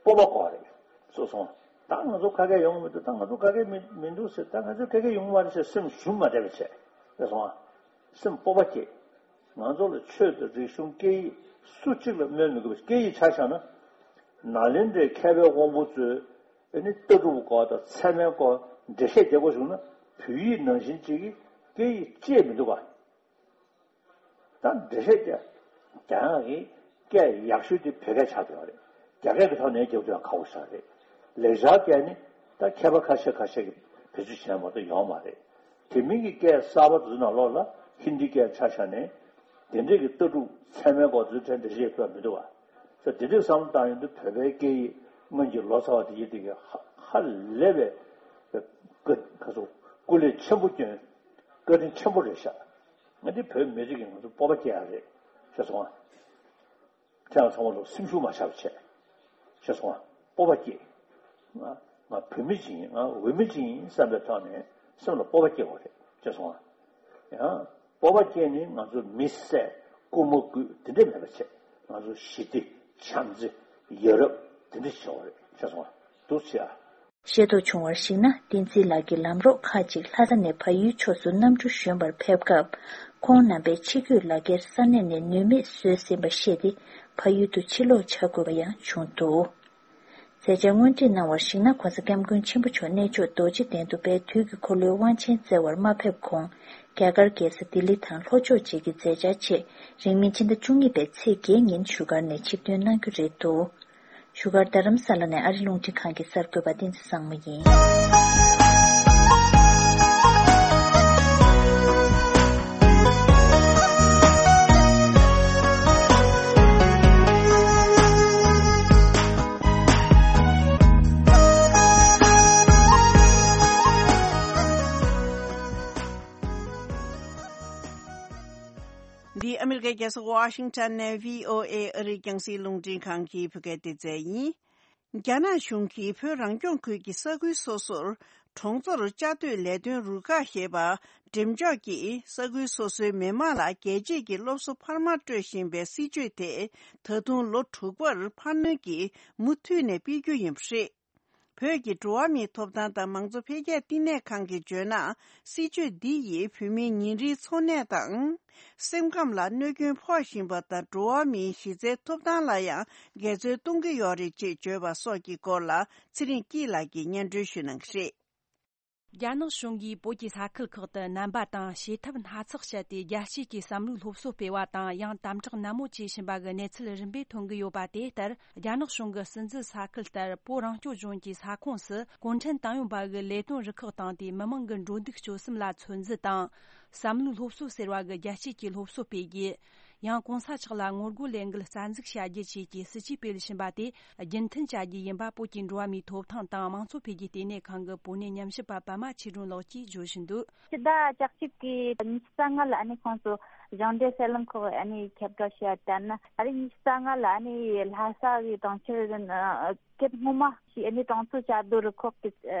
སྤོབས་པ་དགོས་རེད། སོ་སོ། ད་ང་ཚོ་ཁ་སྐད་ཡོང་གི་མི་འདུག་ད་ང་ཚོ་ཁ་སྐད་མི་མི་འདུག་ཟེར། ད་ང་ཚོ་ཁ་སྐད་ཡོང་གི་མ་རེད་ཟེར་སེམས་ཞུམ་མ་བསྡད་པ་བྱས། རེད་སོང་ཨ། སེམས་སྤོབས་པ་སྐྱེ། ང་ཚོ་ལ་ཆོས་དང་རིག་གཞུང་སྐད་ཡིག་སུ་གཅིག་ལ་སྨོན་མི་དགོས་པ། སྐད་ཡིག་ཆ་བཞག་ན། ནཱ་ལེནྡྲའི་མཁས་པའི་དབང་པོ་ཚོས་ཨ་ནི་ལྟ་གྲུབ་སྐོར་དང་ཚད་མའི་སྐོར་འགྲེལ་བཤད་རྒྱག་དགོས་བྱུང་ན་བོད་ཡིག་ནང་བཞིན་གཅིག་གིས་སྐད་ཡིག་བཅད་མི་འདུག་ག་ད་འགྲེལ་བཤད་རྒྱག་རྒྱག་ཡག་གི་སྐད་ཡག་ཤོས་དེ་བོད་སྐད་ཆགས་བསྡད་པ་རེད། རྒྱ་སྐད་ཀྱི་ཐོག་ནས་རྒྱག་རྒྱུ་ཡང་ཁག་པོ་ཞིག་རེད། ལེགས་སྦྱར་སྐད་ནི་ད་མཁས་པ་ཁ་ཤས་ཁ་ཤས་ཀྱིས་བེད་སྤྱོད་བྱས་མ་གཏོགས་ཡོད་མ་རེད། དེ་མིན་གྱི་སྐད་གསར་པ་དེ་ཚོ་ནང་ལོགས་ལ་ཧིན་དི་སྐད་ཆ་བཞག་ནས་དེ་འདྲས་ཀྱི་ལྟ་གྲུབ་ཚད་མའི་སྐོར་དེ་ཚོའི་གྲས་འགྲེལ་བཤད་ཕུལ་བ་མི་འདུག་བ། ས་དེ་འདྲས་བསམ་བློ་བཏང་ཡོང་དུས་བོད་པའི་སྐད་ཡིག་སྔོན་གྱི་ལོ་ཙཱ་བ་དེ་ཡིན་དེ་གི་ཧ་ཧ་ལས་པའི་ཀ་ཁ་སོ་སྐུ་ལས་ཆེན་པོ་བསྐྱོན། བཀའ་དྲིན་ཆེན་པོ་རེད་ཤག་ང་འདི་བོད་མི་རིགས་ཀྱི་ང་ཚོ་སྤོབས་པ་སྐྱེ་ཡག་རེད། ཤེས་སོང་ཨ། ཁྱེད་རང་ཚང་མ་ལོ་སེམས་ཤུགས་མ་ཆག་པ་བྱས། ཤེས་སོང་ཨ། སྤོབས་པ་སྐྱེ། ང་ང་བོད་མི་ཅིག་ཡིན། ང་འོས་མི་ཅིག་ཡིན་བསམ་པའི་ཐོག་ནས་སེམས་ལ་སྤོབས་པ་སྐྱེ་དགོས་རེད། ཤེས་སོང་ཨ། ཡང་སྤོབས་པ་སྐྱེས་ནས་ང་ཚོ་མི་བསད་རྐུ་མ་རྐུ་དེ་འདྲས་མེད་པ་བྱས། ང་ཚོ་ཞི་བདེ་ བྱམས་བརྩེ། ཡ་རབས། དེ་འདྲ་བྱུང་བ་རེད། ཤེས་སོང་ང་། འདུག་ཟེར་ཨ། ཤེས་རྟོགས་བྱུང་བར་གཞིགས་ན། བསྟན་འཛིན་ལགས་ཀྱི་ལམ་གྲོགས་ཁག་ཅིག་ལྷ་ས་ནས་བལ་ཡུལ་ཕྱོགས་སུ་གནམ་གྲུ་བཞོན་པར་ཕེབས་སྐབས། ཁོང་རྣམ་པས་ཕྱི་སྐྱོད་ལག་འཁྱེར་ས་གནས་ནས་ནུས་མེད་བཟོས་ཟིན་པ་ཤེས་ཏེ། བལ་ཡུལ་དུ་ཕྱིར་ལོག་བྱ་དགོས་པ་ཡང་བྱུང་འདུག། མཛད་འཆར་སྔོན་སྒྲིག་གནང་བར་གཞིགས་ན། ྋགོང་ས་ྋསྐྱབས་མགོན་ཆེན་པོ་མཆོག་གནས་མཆོག་རྡོ་རྗེ་གདན་དུ་དཔལ་དུས་ཀྱི་འཁོར་ལོའི་དབང་ཆེན་བསྩལ་བར་མ་ཕེབས་གོང་། རྒྱ་གར་རྒྱལ་ས་ལྡི་ལི་དང་ལྷོ་ཕྱོགས་བཅས་ཀྱི་མཛད་འཆར་ཆེད། རིང་མིན་ཕྱི་ཟླ་བཅུ་གཉིས་པའི་ཚེས་བརྒྱད་ཉིན་བཞུགས་སྒར་ནས་ཆིབས་ཐོན་གནང་རྒྱུ་རེད་འདུག། བཞུགས་སྒར་རྡ་རམ་ས་ལ་ནས་ཨ་རི་རླུང་འཕྲིན་ཁང་གི་གསར་འགོད་པ་བསྟན་འཛིན་བཟང་མོ་ཡིན། འདི་ཨ་མི་རི་ཀའི་རྒྱལ་ས་ཝ་ཤིང་ཊོན་ནས་བྷི་ཨོ་ཨེ་ཨ་རིའི་རྒྱང་སྲིང་རླུང་འཕྲིན་ཁང་གི་བོད་སྐད་སྡེ་ཚན་ཡིན། རྒྱ་ནག་གཞུང་གིས་བོད་རང་སྐྱོང་ཁུལ་གྱི་ས་ཁུལ་སོ་སོར་གྲོང་ཚོར་བཅའ་སྡོད་ལས་དོན་རུ་ཁག་ཞེས་པ་འགྲེམས་འཇོག་གིས། ས་ཁུལ་སོ་སོའི་མི་མང་ལ་རྒྱལ་གཅེས་ཀྱི་སློབ་གསོ་འཕར་མ་སྤྲོད་བཞིན་པའི་སྲིད་བྱུས་དེ། ད་དུང་ལོ་དྲུག་པར་འཕར་སྣོན་གྱིས་མུ་མཐུད་ནས་སྤེལ་རྒྱུ་ཡིན་པ་རེད། བོད་ཀྱི་འགྲོ་བ་མིའི་ཐོབ་ཐང་དང་མང་གཙོ་འཕེལ་རྒྱས་བསྟི་གནས་ཁང་གིས་བརྗོད་ན། སྲིད་བྱུས་འདི་ཡིས་བོད་མིའི་ཉིན་རེའི་འཚོ་གནས་དང་། སེམས་ཁམས་ལ་གནོད་སྐྱོན་ཕོག་བཞིན་པ་དང་། འགྲོ་བ་མིའི་གཞི་རྩའི་ཐོབ་ཐང་ལ་ཡང་འགལ་འཛོལ་གཏོང་གི་ཡོད་རེད་ཅེས་བརྗོད་པ་སོགས་ཀྱི་སྐོར་ལ། ཚེ་རིང་སྐྱིད་ལགས་ཀྱིས་སྙན་སྒྲོན་ཞུ་གནང་གི་རེད། རྒྱ་ནག་གཞུང་གིས་བོད་ཀྱི་ས་ཁུལ་ཁག་ཏུ་སྣམ་པ་དང་བྱེད་ཐབས་སྣ་ཚོགས་སྤྱད་དེ། རྒྱལ་སྤྱིའི་བསམ་བློའི་སློབ་གསོ་སྤེལ་བ་དང་། ཡང་དམ་དྲག་ནན་མོ་བྱེད་བཞིན་པ་གི་གནས་ཚུལ་རིམ་པས་ཐོན་གྱི་ཡོད་པ། དེ་ལྟར། རྒྱ་ནག་གཞུང་གི་སྲིད་འཛིན་ས་ཁུལ་ལྟར། བོད་རང་སྐྱོང་ལྗོངས་ཀྱི་ས་ཁོངས་སུ་གུང་ཁྲན་ཏང་ཡོན་པ་གི་ལས་དོན་རུ་ཁག་བཏང་སྟེ། མི་མང་གི་འགྲོ་འདུག་སྤྱོད་གསུམ་ལ་ཚོད་འཛིན་དང་། བསམ་བློའི་སློབ་གསོ་ཟེར་བ་གི་རྒྱལ་སྤྱིའི་སློབ་གསོ་སྤེལ་རྒྱུ། ཡང་གོང་ས་མཆོག་ལ་ངོ་རྒོལ་ལས་འགུལ་རྩ་འཛུགས་བྱ་རྒྱུ་བཅས་ཀྱི་སྲིད་ཇུས་སྤེལ་བཞིན་པ་དེ་རྒྱུན་མཐུད་བྱ་རྒྱུ་ཡིན་པ། བོད་ཀྱི་འགྲོ་བ་མིའི་ཐོབ་ཐང་དང་མང་གཙོ་འཕེལ་རྒྱས་ལྟེ་གནས་ཁང་གི་བོད་གནས་ཉམས་ཞིབ་པ་པད་མ་ཆོས་སྒྲོན་ལགས་ཀྱིས་བརྗོད་བཞིན་འདུག། ཕྱི་ཟླ་བཅུ་གཅིག་གི་ཉི་ཤུ་རྩ་ལྔ་ལ་ཨ་ནི་ཁོང་ཚོ་གཞུང་འབྲེལ་གསར་ལམ་ཁག་ཨ་ནི་ཁྱབ་བསྒྲགས་བྱས་པ་ལྟར་ན། ཨ་རིའི་ཉི་ཤུ་རྩ་ལྔ་ལ་ཨ་ནི་ལྷ་ས་གི་གྲོང་ཁྱེར་སྐབས་སྔོན་མ་ཞིག་ཨ་ནི་གྲོང་ཚོ་བཅའ་སྡོད་རུ་ཁག་གི་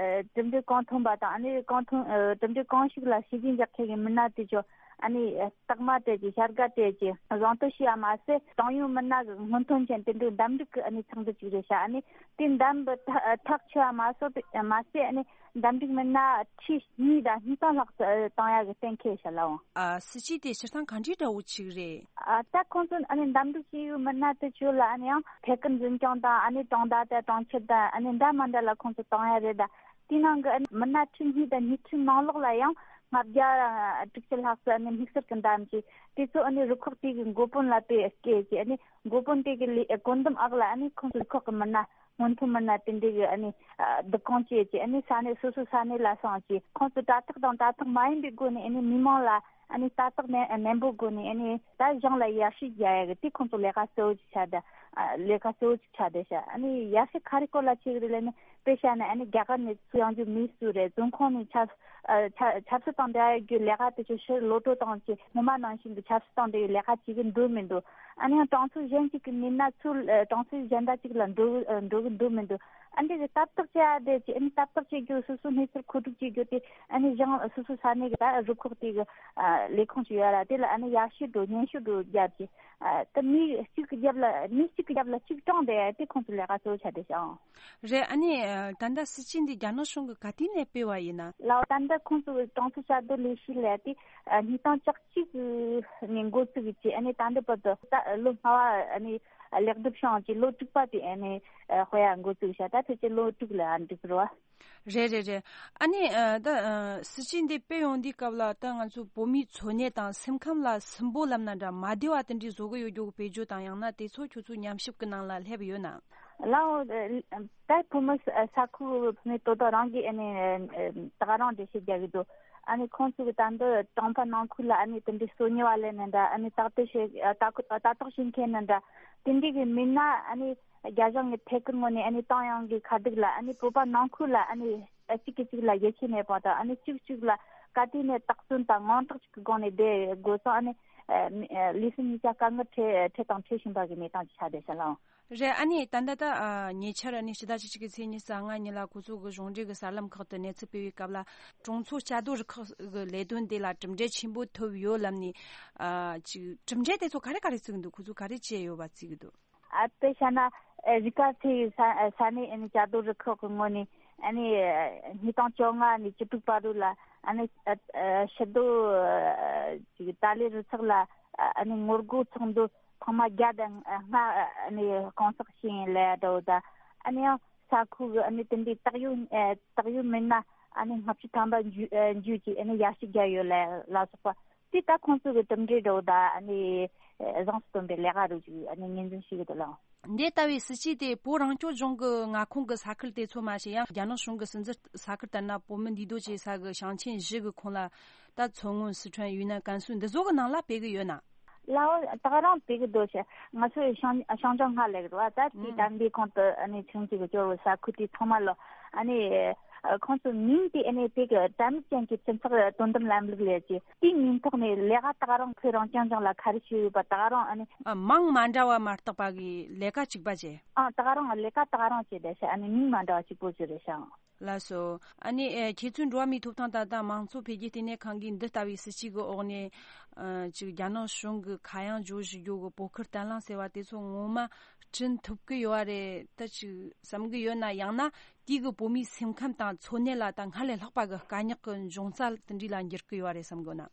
གྲུབ་འབྲས་གང་ཐོན་པ་དང་། ཨ་ནི་གང་ཐོན་གྲུབ་འབྲས་གང་ཞིག་ལ་བྱས་རྗེས་འཇོག་མཁན་གྱི་མི་སྣ་དེ་ཚོ་ཨ་ནི་རྟགས་མ་སྤྲད་ཀྱི་བྱ་དགའ་སྤྲད་ཀྱི་གཟེངས་བསྟོད་ཞུས་པ་མ་ཟད། ཏང་ཡོན་མི་སྣ་གི་སྔོན་ཐོན་ཅན་དེ་འདྲའི་འདེམས་སྒྲུག་གི་ཨ་ནི་ཚོགས་འདུ་ཅིག་རེད་ཤག། ཨ་ནི་དེ་འདེམས་པ་ཐག་ཐག་ཆོད་པ་མ་སོ་མ་ཟད། ཨ་ནི་འདེམས་སྒྲུག་མི་སྣ་ཁྲི་གཉིས་དང་ཉིས་སྟོང་ལྷག་ཙམ་བཏང་ཡག་གི་གཏན་འཁེལ་ཤག་ལགས། ཨ། སྲིད་ཇུས་དེ་སྤྱིར་བཏང་ག་འདྲའི་འདྲ་བོ་ཅིག་རེད། ཨ། ད་ཁོང་ཚོ་ཨ་ནི་འདེམས་སྒྲུག་བྱས་ཡོད་མི་སྣ་དེ་ཚོ་ལ་ཨ་ནི་ཡང་ཐད་ཀར་འཛིན་སྐྱོང་དང་། ཨ་ནི་གྲོང་རྡལ་དང་གྲོང་ཁྱེར་དང་། ཨ་ནི་འདྲ་མི་འདྲ་ལ་ཁོང་ཚོ་བཏང་ཡག་རེད། ད་དེའི་ནང་གི་ཨ་ནི་མི་སྣ་ཁྲི་གཉིས་དང་ཉི་ཁྲིའི་ནང་ལོགས་ལ་ཡང་ལྔ་བརྒྱ་དྲུག་ཅུ་ལྷག་ཙམ་ཨ་ནི་དམིགས་བསལ་གྱི་འདེམས་ཀྱི། དེ་ཚོ་ཨ་ནི་རུ་ཁག་དེ་གི་འགོ་དཔོན་ལ་དཔེ་བསྐོས་ཀྱི། ཨ་ནི་འགོ་དཔོན་དེ་གི་ལས་བཀོད་འདོམས་འོག་ལ་ཨ་ནི་ཁོང་ཚོ་རུ་ཁག་གི་མི་སྣ། སྔོན་ཐོན་མི་སྣ་དེ་འདྲ་གི་ཨ་ནི་བསྡུ་སྐོང་བྱས་ཀྱི། ཨ་ནི་ས་གནས་སོ་སོའི་ས་གནས་ལ་སོང་ཀྱི། ཁོང་ཚོས་དྲ་ཐག་དང་དྲ་ཐག་མ་ཡིན་པའི་སྒོ་ནས་ཨ་ནི་མི་མང་ལ་ཨ་ནི་ལྟ་རྟོག་ནན་ནན་པོའི་སྒོ་ནས། ཨ་ནི་ད་གཞུང་ལ་ཡར་ཞུ་རྒྱག་ཡག་གི་དེ་ཁོང་ཚོ་ལས་ཀ་གཙོ་བོ་ཅིག་ཆགས་བསྡད། ཨ། ལས་ཀ་གཙོ་བོ་ཅིག་ཆགས་བསྡད་ཤག། ཨ་ནི་ཡར་ཞུ་ག་རེ་སྐོར་ལ་བྱེད་ཀྱི་རེད་ལབ་ན། དཔེ་བཞག་ན་ཨ་ནི་རྒྱ་གར་ནས་ཚུར་ཡོང་རྒྱུ་མི་སུ་རེད། རྫོང་ཁོངས་ནས་ཆབ་ཨ། ཆབ་ཆབ་སྲིད་དང་འབྲེལ་བའི་ལས་ཀ་དེ་ཚོ་ཕྱིར་ལོག་འགྲོ་བཏང་ཀྱི། སྔོན་མ་ནང་བཞིན་གྱི་ཆབ་སྲིད་དང་འབྲེལ་བའི་ལས་ཀ་བྱེད་ཀྱི་འདུག་མི་འདུག། ཨ་ནི་ཡང་གྲོང་ཚོ་གཞན་ཞིག་གི་མི་སྣ་ཚུར་ཨ། གྲོང་ཚོ་གཞན་དག་ཅིག་ལ་འགྲོ་ཨ། འགྲོ་གི་འདུག་མི་འདུག། ཨ་འདྲ་གི་ལྟ་རྟོག་བྱེད་ཡ་དེ་ཅིག། ཨ་ནི་ལྟ་རྟོག་བྱེད་རྒྱུ། སོ་སོའི་གནས་ཚུལ་མཁོ་སྒྲུབ་བྱེད་རྒྱུ་དེ་ཨ་ནི་གཞུང་སོ་སོའི་ས་གནས་ཀྱི་ད་རུ་ཁག་དེ་གི་ཨ། ལས་ཁུངས་ཅིག་ཡོད་ར། དེ་ལ་ཨ་ནི་ཡར་ཞུ་འགྲོ། སྙན་ཞུ་འགྲོ་རྒྱབ་ཀྱི། ཨ། ད་མི་གཅིག་གི་རྒྱབ་ལ། མི་གཅིག་གི་རྒྱབ་ལ་གཅིག་གྲོངས་བསྡད་ཡ་དེ་ཁོང་ཚོའི་ལས་ཀ་གཙོ་བོ་ཆགས་བསྡད་ཤག། རེད། ཨ་ནི་ད་ལྟ་སྲིད་ཇུས་འདི་རྒྱ་ནག་གཞུང་གིས་ག་དུས་ནས་སྤེལ་བ་ཡིན་ན། ལགས། ད་ལྟ་ཁོང་ཚོ་གྲོང་ཚོ་བཅའ་སྡོད་ལས་གཞི་ལས་དེ་ཉིས་སྟོང་བཅུ་གཅིག་ནས་འགོ་བཙུགས་ཀྱི། ཨ་ནི་ད་ལྟ་བར་དུ་ད་ལོ་ལྔ་པ་ཨ་ནི་ལེགས་གྲུབ་བྱུང་ཅིག། ལོ་དྲུག་པ་དེ་ཨ་ནི་སྤེལ་ཡ་འགོ་བཙུགས་ཤག། ད་ཕལ་ཆེར་ལོ་དྲུག་ལ་འགྲོ་གི་རེད་བ། རེད་རེད་རེད། ཨ་ནི་ད་སྲིད་ཇུས་འདི་སྤེལ་ཡོང་དུས་སྐབས་ལ་ད་ང་ཚོ་བོད་མིའི་འཚོ་གནས་དང་སེམས་ཁམས་ལ་སུན་པོ་ལབ་ན་འདྲ། མ་བདེ་བ་དེ་འདྲའི་བཟོ་གི་ཡོད་རྒྱུ་གི་དཔེར་བརྗོད་དང་། ཡང་ན་དེ་ཚོ་ཁྱོད་ཚོའི་ཉམས་ཞིབ་གི་ནང་ལ་སླེབས་ཡོད་ན། ལགས། ད་བོད་མི་ས་ཁུལ་བོད་མི་དོ་དོ་རང་གིས་ཨ་ནི་ད་ག་རང་འགྲེལ་བཤད་རྒྱག་གི་འདུག། ཨ་ནི་ཁོང་ཚོ་གི་ད་འདི་གྲོང་པ་ནང་ཁུལ་ལ་ཨ་ནི་དེ་འདྲའི་སོ་ཉུལ་བ་ལས་ནི་འདྲ། ཨ་ནི་ལྟ་རྟོག་བྱེད་ལྟ་ལྟ་རྟོག་བྱེད་མཁན་ནི་འདྲ། དེ་འདྲའི་གི་མི་སྣ་ཨ་ནི་རྒྱ་གཞུང་གི་ཐད་ཀར་ངོས་ནས། ཨ་ནི་ཏང་ཡོན་གྱི་ཁ་བསྡུར་ལ། ཨ་ནི་བོད་པ་ནང་ཁུལ་ལ་ཨ་ནི་གཅིག་གིས་གཅིག་ལ་ཡིད་ཆེས་མེད་པ་དང་། ཨ་ནི་གཅིག་གཅིག་ལ་ག་དུས་ནས་དག་བཙོན་དང་དངངས་སྐྲག་ཅིག་གི་སྒོ་ནས་བསྡད་དགོས་སོང་། ཨ་ནི་ལུས་སེམས་གཉིས་ཀ་དཀའ་ངལ་འཕྲད་འཕྲད་དང་འཕྲད་བཞིན་པ་གི་གནས་སྟངས་ཅིག་ཆགས་བསྡད་ཤག་ལགས། རེད། ཨ་ནི་ད་ལྟ་ད་ཉེ་ཆར་ཨ་ནི་ཕྱི་ཟླ་བཅུ་གཅིག་གི་ཚེས་ཉི་ཤུ་རྩ་ལྔ་ཉིན་ལ་ཁོ་ཚོ་གི་གཞུང་འབྲེལ་གི་གསར་ལམ་ཁག་ཏུ་གནས་ཚུལ་སྤེལ་བའི་སྐབས་ལ། གྲོང་ཚོ་བཅའ་སྡོད་རུ་ཁག་གི་ལས་དོན་དེ་ལ་གྲུབ་འབྲས་ཆེན་པོ་ཐོབ་ཡོད་ལབ་ནས། ཨ། ཅིག་གྲུབ་འབྲས་དེ་ཚོ་ག་རེ་ག་རེ་བརྩི་གི་འདུག། ཁོ་ཚོས་ག་རེ་བྱས་ཡོད་པ་བརྩི་གི་འདུག། ཨ་དཔེ་བཞག་ན་ཨ་རི་ཀ་ཚེ་ས་ས་གནས་ཨ་ནི་བཅའ་སྡོད་རུ་ཁག་གི་ངོས་ནས་ཨ་ནི་ཉིས་སྟོང་བཅོ་ལྔ་ནས་བཅུ་དྲུག་བར་དུ་ལ་ཨ་ནི་ཨ་ཨ་ཕྱི་སྡོད་ཨ་ཅིག་ཏཱ་ལའི་རུ་ཚོགས་ལ་ཨ་ནི་ངོ་རྒོལ་ཚོགས་འདུ་ཐེངས་མ་བརྒྱ་དང་ལྔ་ཨ་ནི་གང་ཟག་ཕྱིན་ཡིན་ལབ་འདྲ་བོ་དང་། ཨ་ནི་ཡང་ས་ཁུལ་གི་ཨ་ནི་དེ་འདྲའི་བཏགས་ཡོད་ཨ་བཏགས་ཡོད་མིན་ན་ཨ་ནི་ལྔ་བཅུ་ཐམ་པ་འཇུ་ཨ་འཇུ་ཅིག་ཨ་ནི་ཡར་ཞུ་རྒྱག་ཡོད་ལ་ལ་སོགས་པ། དེ་ད་ཁོང་ཚོ་གི་གྲུབ་འབྲས་འདྲ་བོ་དང་ཨ་ནི་བཟང་དུ་སྟོན་པའི་ལས་ཀ་རུ་ཅིག་ཨ་ནི་ངོས་འཛིན་བྱེད་ཀྱི་འདུག་ལགས། འདི་ལྟ་བུའི་སྲིད་ཇུས་དེ་བོད་རང་སྐྱོང་ལྗོངས་ཀྱི་མངའ་ཁོངས་ཀྱི་ས་ཁུལ་དེ་ཚོ་མ་ཟད་ཡང་རྒྱ་ནག་གཞུང་གི་སྲིད་འཛིན་ས་ཁུལ་ལྟར་ན་བོད་མི་འདུས་སྡོད་བྱེད་ས་གི་ཞིང་ཆེན་བཞི་གི་ཁོངས་ལ་ད་མཚོ་སྔོན། སི་ཁྲོན། ཡུན་ནན། ཀན་སུའུ་འདི་ཚོ་གི་ནང་ལ་སྤེལ་གི་ཡོད་ན། ལའོ་ད་ག་རང་སྤེལ་གི་འདུག་ཤག་ང་ཚོའི་ཤང་ཤང་ཅང་ཧ་ལས་གི་རེད་བ། ད་དེ་ཨུམ། དམ་པའི་ཁོངས་དུ་ཨ་ནི་ཆུང་ཆུང་གི་སྐྱོར་བའི་ས་ཁུལ་དེ་ཚང་མ་ལ་ཨ་ནི་ཁོང་ཚོའི་མིང་དེ་ཨ་ནི་དེ་གི་དྲ་མིག་ཅན་གྱི་སྤྱི་ཚོགས་དོ་དམ་ལམ་ལུགས་ལས་ཀྱི་དེའི་མིང་ཐོག་ནས་ལས་ཀ་ད་ག་རང་ཁོས་རང་རྐྱང་རྐྱང་ལ་ག་རེ་བྱས་ཡོད་པ་ད་ག་རང་ཨ་ནི། ཨ། མིང་མ་འདྲ་བ་མ་གཏོགས་པ་གི་ལས་ཀ་གཅིག་པ་བྱས། ཨ་ད་ག་རང་ལས་ཀ་ད་ག་རང་བྱས་བསྡད་ཤག་ཨ་ནི་མིང་མ་འདྲ་བ་གཅིག་པོ་ཅིག་རེད་ཤག་ལགས་སོ། ཨ་ནི་ཨེ་ཁྱེད་ཚོའི་འགྲོ་བ་མིའི་ཐོབ་ཐང་དང་དང་མང་གཙོ་འཕེལ་རྒྱས་ལྟེ་གནས་ཁང་གིས་འདི་ལྟ་བུའི་སྲིད་ཇུས་ཀྱི་འོག་ནས་ཨ་ཅིག་རྒྱ་ནག་གཞུང་གི་ཁ་གཡང་བརྗོད་བཞིན་ཡོད་གི་བོད་ཁུལ་བརྟན་ལྷིང་ཟེར་བ་དེ་ཚོ་ངོ་མ་བསྐྲུན་ཐུབ་ཀྱི་ཡོད་རེད་ད་ཅིག་བསམ་གི་ཡོད་ན། ཡང་ན་དེ་གི་བོད་མིའི་སེམས་ཁམས་དང་འཚོ་གནས་ལ་ད་སྔར་ལས་ལྷག་པ་གི་དཀའ་རྙོག་གི་འབྱུང་རྩ་དེ་འདྲ་ལ་འགྱུར་གི་ཡོད་རེད་བསམ་གི་ཡོད་ན།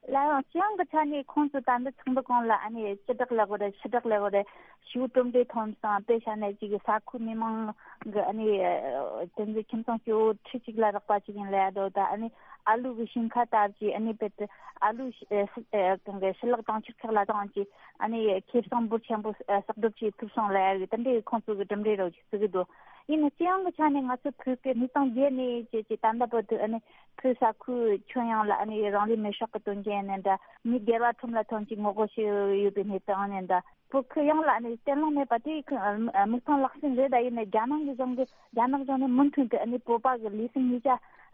ལའང་སྤྱི་ཡོངས་ཀྱི་ཆ་ནས་ཁོང་ཚོ་ད་འདི་ཚོགས་འདུ་སྒང་ལ་ཨ་ནི་སྤྱི་བསྒྲགས་ལབ་དགོས་རེད། ཕྱི་བསྒྲགས་ལབ་དགོས་རེད། ཞི་བའི་གྲུབ་འབྲས་ཐོན་སོང་། དཔེ་བཞག་ན་ཅིག་ས་ཁུལ་མི་མང་གི་ཨ་ནི་དེ་ཚོ་ཁྱིམ་ཚང་སྐྱོ་བོ་ཁྲི་གཅིག་ལ་རག་པ་ཅིག་ཡིན་ལབ་ཡ་འདྲ་བོ་དང་། ཨ་ནི་ཨ་ལུ་གི་ཞིང་ཁ་ལྟ་བུ་ཅིག་ཨ་ནི་དཔེ་དེ་ཨ་ལུ་གང་གི་ཞུ་ལག་གྲོང་ཁྱེར་ཁག་ལ་བཏང་ཅིག་ཨ་ནི་ཁེ་བཟང་འབོར་ཆེན་པོ་གསོག་སྒྲུབ་བྱེད་ཐུབ་སོང་ལབ་ཡ་གི་དེ་འདྲའི་ཁོང་ཚོ་གི་གྲུབ་འབྲས་རོགས་ཅིག་བརྩི་གི་འདུག་ཡིན་ན་སྤྱི་ཡོངས་ཀྱི་ཆ་ནས་ང་ཚོ་བོད་སྐད་ཉིས་སྟོང་བརྒྱད་ནས་བྱས་ཀྱི་ད་ལྟ་བར་དུ་ཨ་ནི་བོད་ས་ཁུལ་ཁྱོན་ཡོངས་ལ་ཨ་ནི་རང་ལུས་མེར་སྲེག་གི་དོན་རྐྱེན་ནས་འདྲ། མི་སྒེར་བ་ཁྲོམ་ལ་ཐོན་གྱི་ངོ་རྒོལ་བྱས་ཡོད་པའི་གནས་སྟངས་ནས་འདྲ། བོད་ཁུལ་ཡོངས་ལ་ཨ་ནི་གཏན་ལོག་མེད་པ་དེ་ཁུ་ཨ་མིག་མཐོང་ལག་ཟིན་རེད། ད་ཡིན་ནའི་རྒྱ་ནག་གི་གཞུང་གི་རྒྱ་ནག་གཞུང་ནས་མུ་མཐུད་དུ་ཨ་ནི་བོད་པ་གི་ལུས་སེམས་གཉིས་ཆ་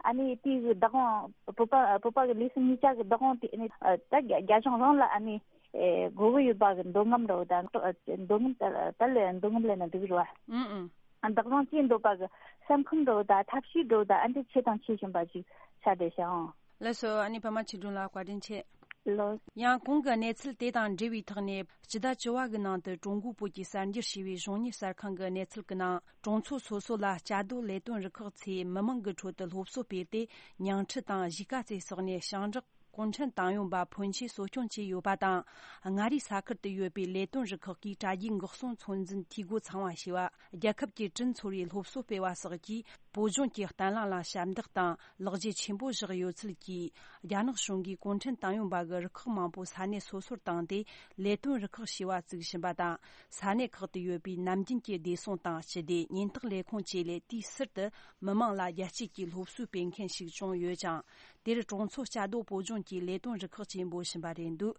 ཨ་ནི་དེའི་གི་བདག་དབང་བོད་པ་བོད་པ་གི་ལུས་སེམས་གཉིས་ཆ་གི་བདག་དབང་དེ་ཨ་ནི་ད་རྒྱ་རྒྱ་གཞུང་རང་ལ་ཨ་ནི་ཨེ་དགོས་ཀྱི་ཡོད་པ་གི་འདོད་རྔམ་འདྲ་བོ་དང་འདོད་རྔམ་ད་ད་ལས་འདོད་རྔམ་ལས་ན་འདུག་རེད་བ། ཨང་ཨང་། བདག་དབང་ཅན་འདོད་པ་གི་སེམས་ཁམས་འདྲ་བོ་དང་ཐབས་ཤེས་འདྲ་བོ་དང་ཨ་འདི་ཆེ་དང་ཆེ་བཞིན་པ་ཅིག་ཆགས་བསྡད་ཤག་ཨང་། ལགས་སོ། ཨ་ནི་པདྨ་ཆོས་སྒྲོན་ལགས་བཀའ་དྲིན་ཆེ། ལགས། ཡང་གོང་གི་གནས་ཚུལ་དེ་དང་འབྲེལ་བའི་ཐོག་ནས་སྤྱི་ཟླ་བཅུ་བ་གི་ནང་དུ་ཀྲུང་གོ་བོད་ཀྱི་གསར་འགྱུར་ཞེས་པའི་གཞུང་གཉེར་གསར་ཁང་གི་གནས་ཚུལ་གྱི་ནང་གྲོང་ཚོ་སོ་སོ་ལ་བཅའ་སྡོད་ལས་དོན་རུ་ཁག་ཚོས་མི་མང་གི་ཁྲོད་དུ་སློབ་གསོ་སྤེལ་ཏེ་ཉིང་ཁྲི་དང་གཞིས་ཀ་རྩེ་སོགས་ནས་ཞིང་འབྲོག་གུང་ཁྲན་ཏང་ཡོན་པ་ཕོན་ཆེ་གསོ་སྐྱོང་བྱས་ཡོད་པ་དང་། མངའ་རིས་ས་ཁུལ་དུ་ཡོད་པའི་ལས་དོན་རུ་ཁག་གིས་དྲ་རྒྱའི་འགག་སྲུང་ཚོད་འཛིན་འཐུས་སྒོ་ཚང་བ་བྱས་པ། རྒྱལ་ཁབ་ཀྱི་དྲིན་ཚོར་བའི་སློབ་གསོ་སྤེལ་བ་སོགས་ཀྱིས་བོད་ལྗོངས་ཀྱི་བརྟན་ལྷིང་ལ་ཞབས་འདེགས་དང་ལེགས་སྐྱེས་ཆེན་པོ་བཞག་ཡོད་ཚུལ་གྱིས། རྒྱ་ནག་གཞུང་གིས་གུང་ཁྲན་ཏང་ཡོན་པ་གི་རུ་ཁག་མང་པོ་ས་གནས་སོ་སོར་བཏང་སྟེ་ལས་དོན་རུ་ཁག་བྱས་པ་བཙུགས་བཞིན་པ་དང་། ས་གནས་ཁག་ཏུ་ཡོད་པའི་ནམ་རྒྱུན་གྱི་བདེ་སྲུང་དང་སྤྱི་བདེ་ཉེན་རྟོག་ལས་ཁུངས་བཅས་ལས་དུས་ཟུར་དུ་མི་མང་ལ་རྒྱལ་གཅེས་ཀྱི་སློབ་གསོའི་སྤེལ་མཁན་ཞིག་བྱུང་ཡོད་ཅིང་། དེར་གྲོང་ཚོ་བཅའ་སྡོད་བོད་ལྗོངས་ཀྱི་ལས་དོན་རུ་ཁག་ཅེས་འབོད་བཞིན་པ་རེད་འདུག་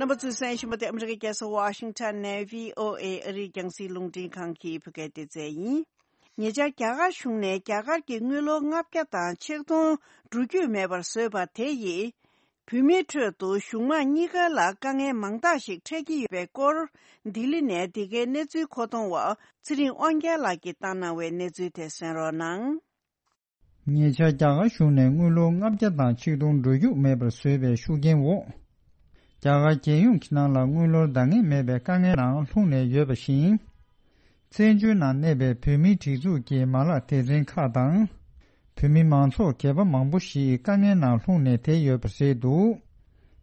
རྣམ་པ་ཚོས་གསན་བཞིན་པ་དེ་ཨ་མི་རི་ཀའི་རྒྱལ་ས་ཝ་ཤིང་ཊོན་ནས་བྷི་ཨོ་ཨེ་ཨ་རིའི་རྒྱང་སྲིང་རླུང་འཕྲིན་ཁང་གི་བོད་སྐད་སྡེ་ཚན་ཡིན། ཉེ་ཆར་རྒྱ་གར་གཞུང་ནས་རྒྱ་གར་གྱི་དངུལ་ལོར་ལྔ་བརྒྱ་དང་ཆིག་སྟོང་འགྲོ་རྒྱུ་མེད་པར་བཟོས་པ་དེ་ཡིས། བོད་མིའི་ཁྲོད་དུ་གཞུང་དམངས་གཉིས་ཀ་ལ་དཀའ་ངལ་མང་དག་ཞིག་འཕྲད་ཀྱི་ཡོད་པའི་སྐོར། ལྡི་ལི་ནས་འདི་གའི་གནས་ཚུལ་མཁོ་གཏོང་བ་ཚེ་རིང་དབང་རྒྱལ་ལགས་ཀྱིས་བཏང་གནང་བའི་གནས་ཚུལ་དེ་གསན་རོགས་གནང་། ཉེ་ཆར་རྒྱ་གར་གཞུང་ནས་དངུལ་ལོར་ལྔ་བརྒྱ་དང་ཆིག་སྟོང་འགྲོ་རྒྱུ་མེད་པར་བཟོས་པའི་ཤུགས་རྐྱེན་འོག་རྒྱ་གར་རྒྱལ་ཡོངས་ཀྱི་ནང་ལ་དངུལ་ལོར་འདང་ངེས་མེད་པའི་དཀའ་ངལ་ནང་ལྷུང་ནས་ཡོད་པ་བཞིན། བཙན་བྱོལ་ནང་གནས་པའི་བོད་མིའི་སྒྲིག་འཛུགས་ཀྱི་མ་ལག་སྡེ་ཚན་ཁག་དང་། བོད་མི་མང་ཚོགས་སྒེར་པ་མང་པོ་ཞིག་དཀའ་ངལ་ནང་ལྷུང་ནས་བསྡད་ཡོད་པ་རེད་འདུག་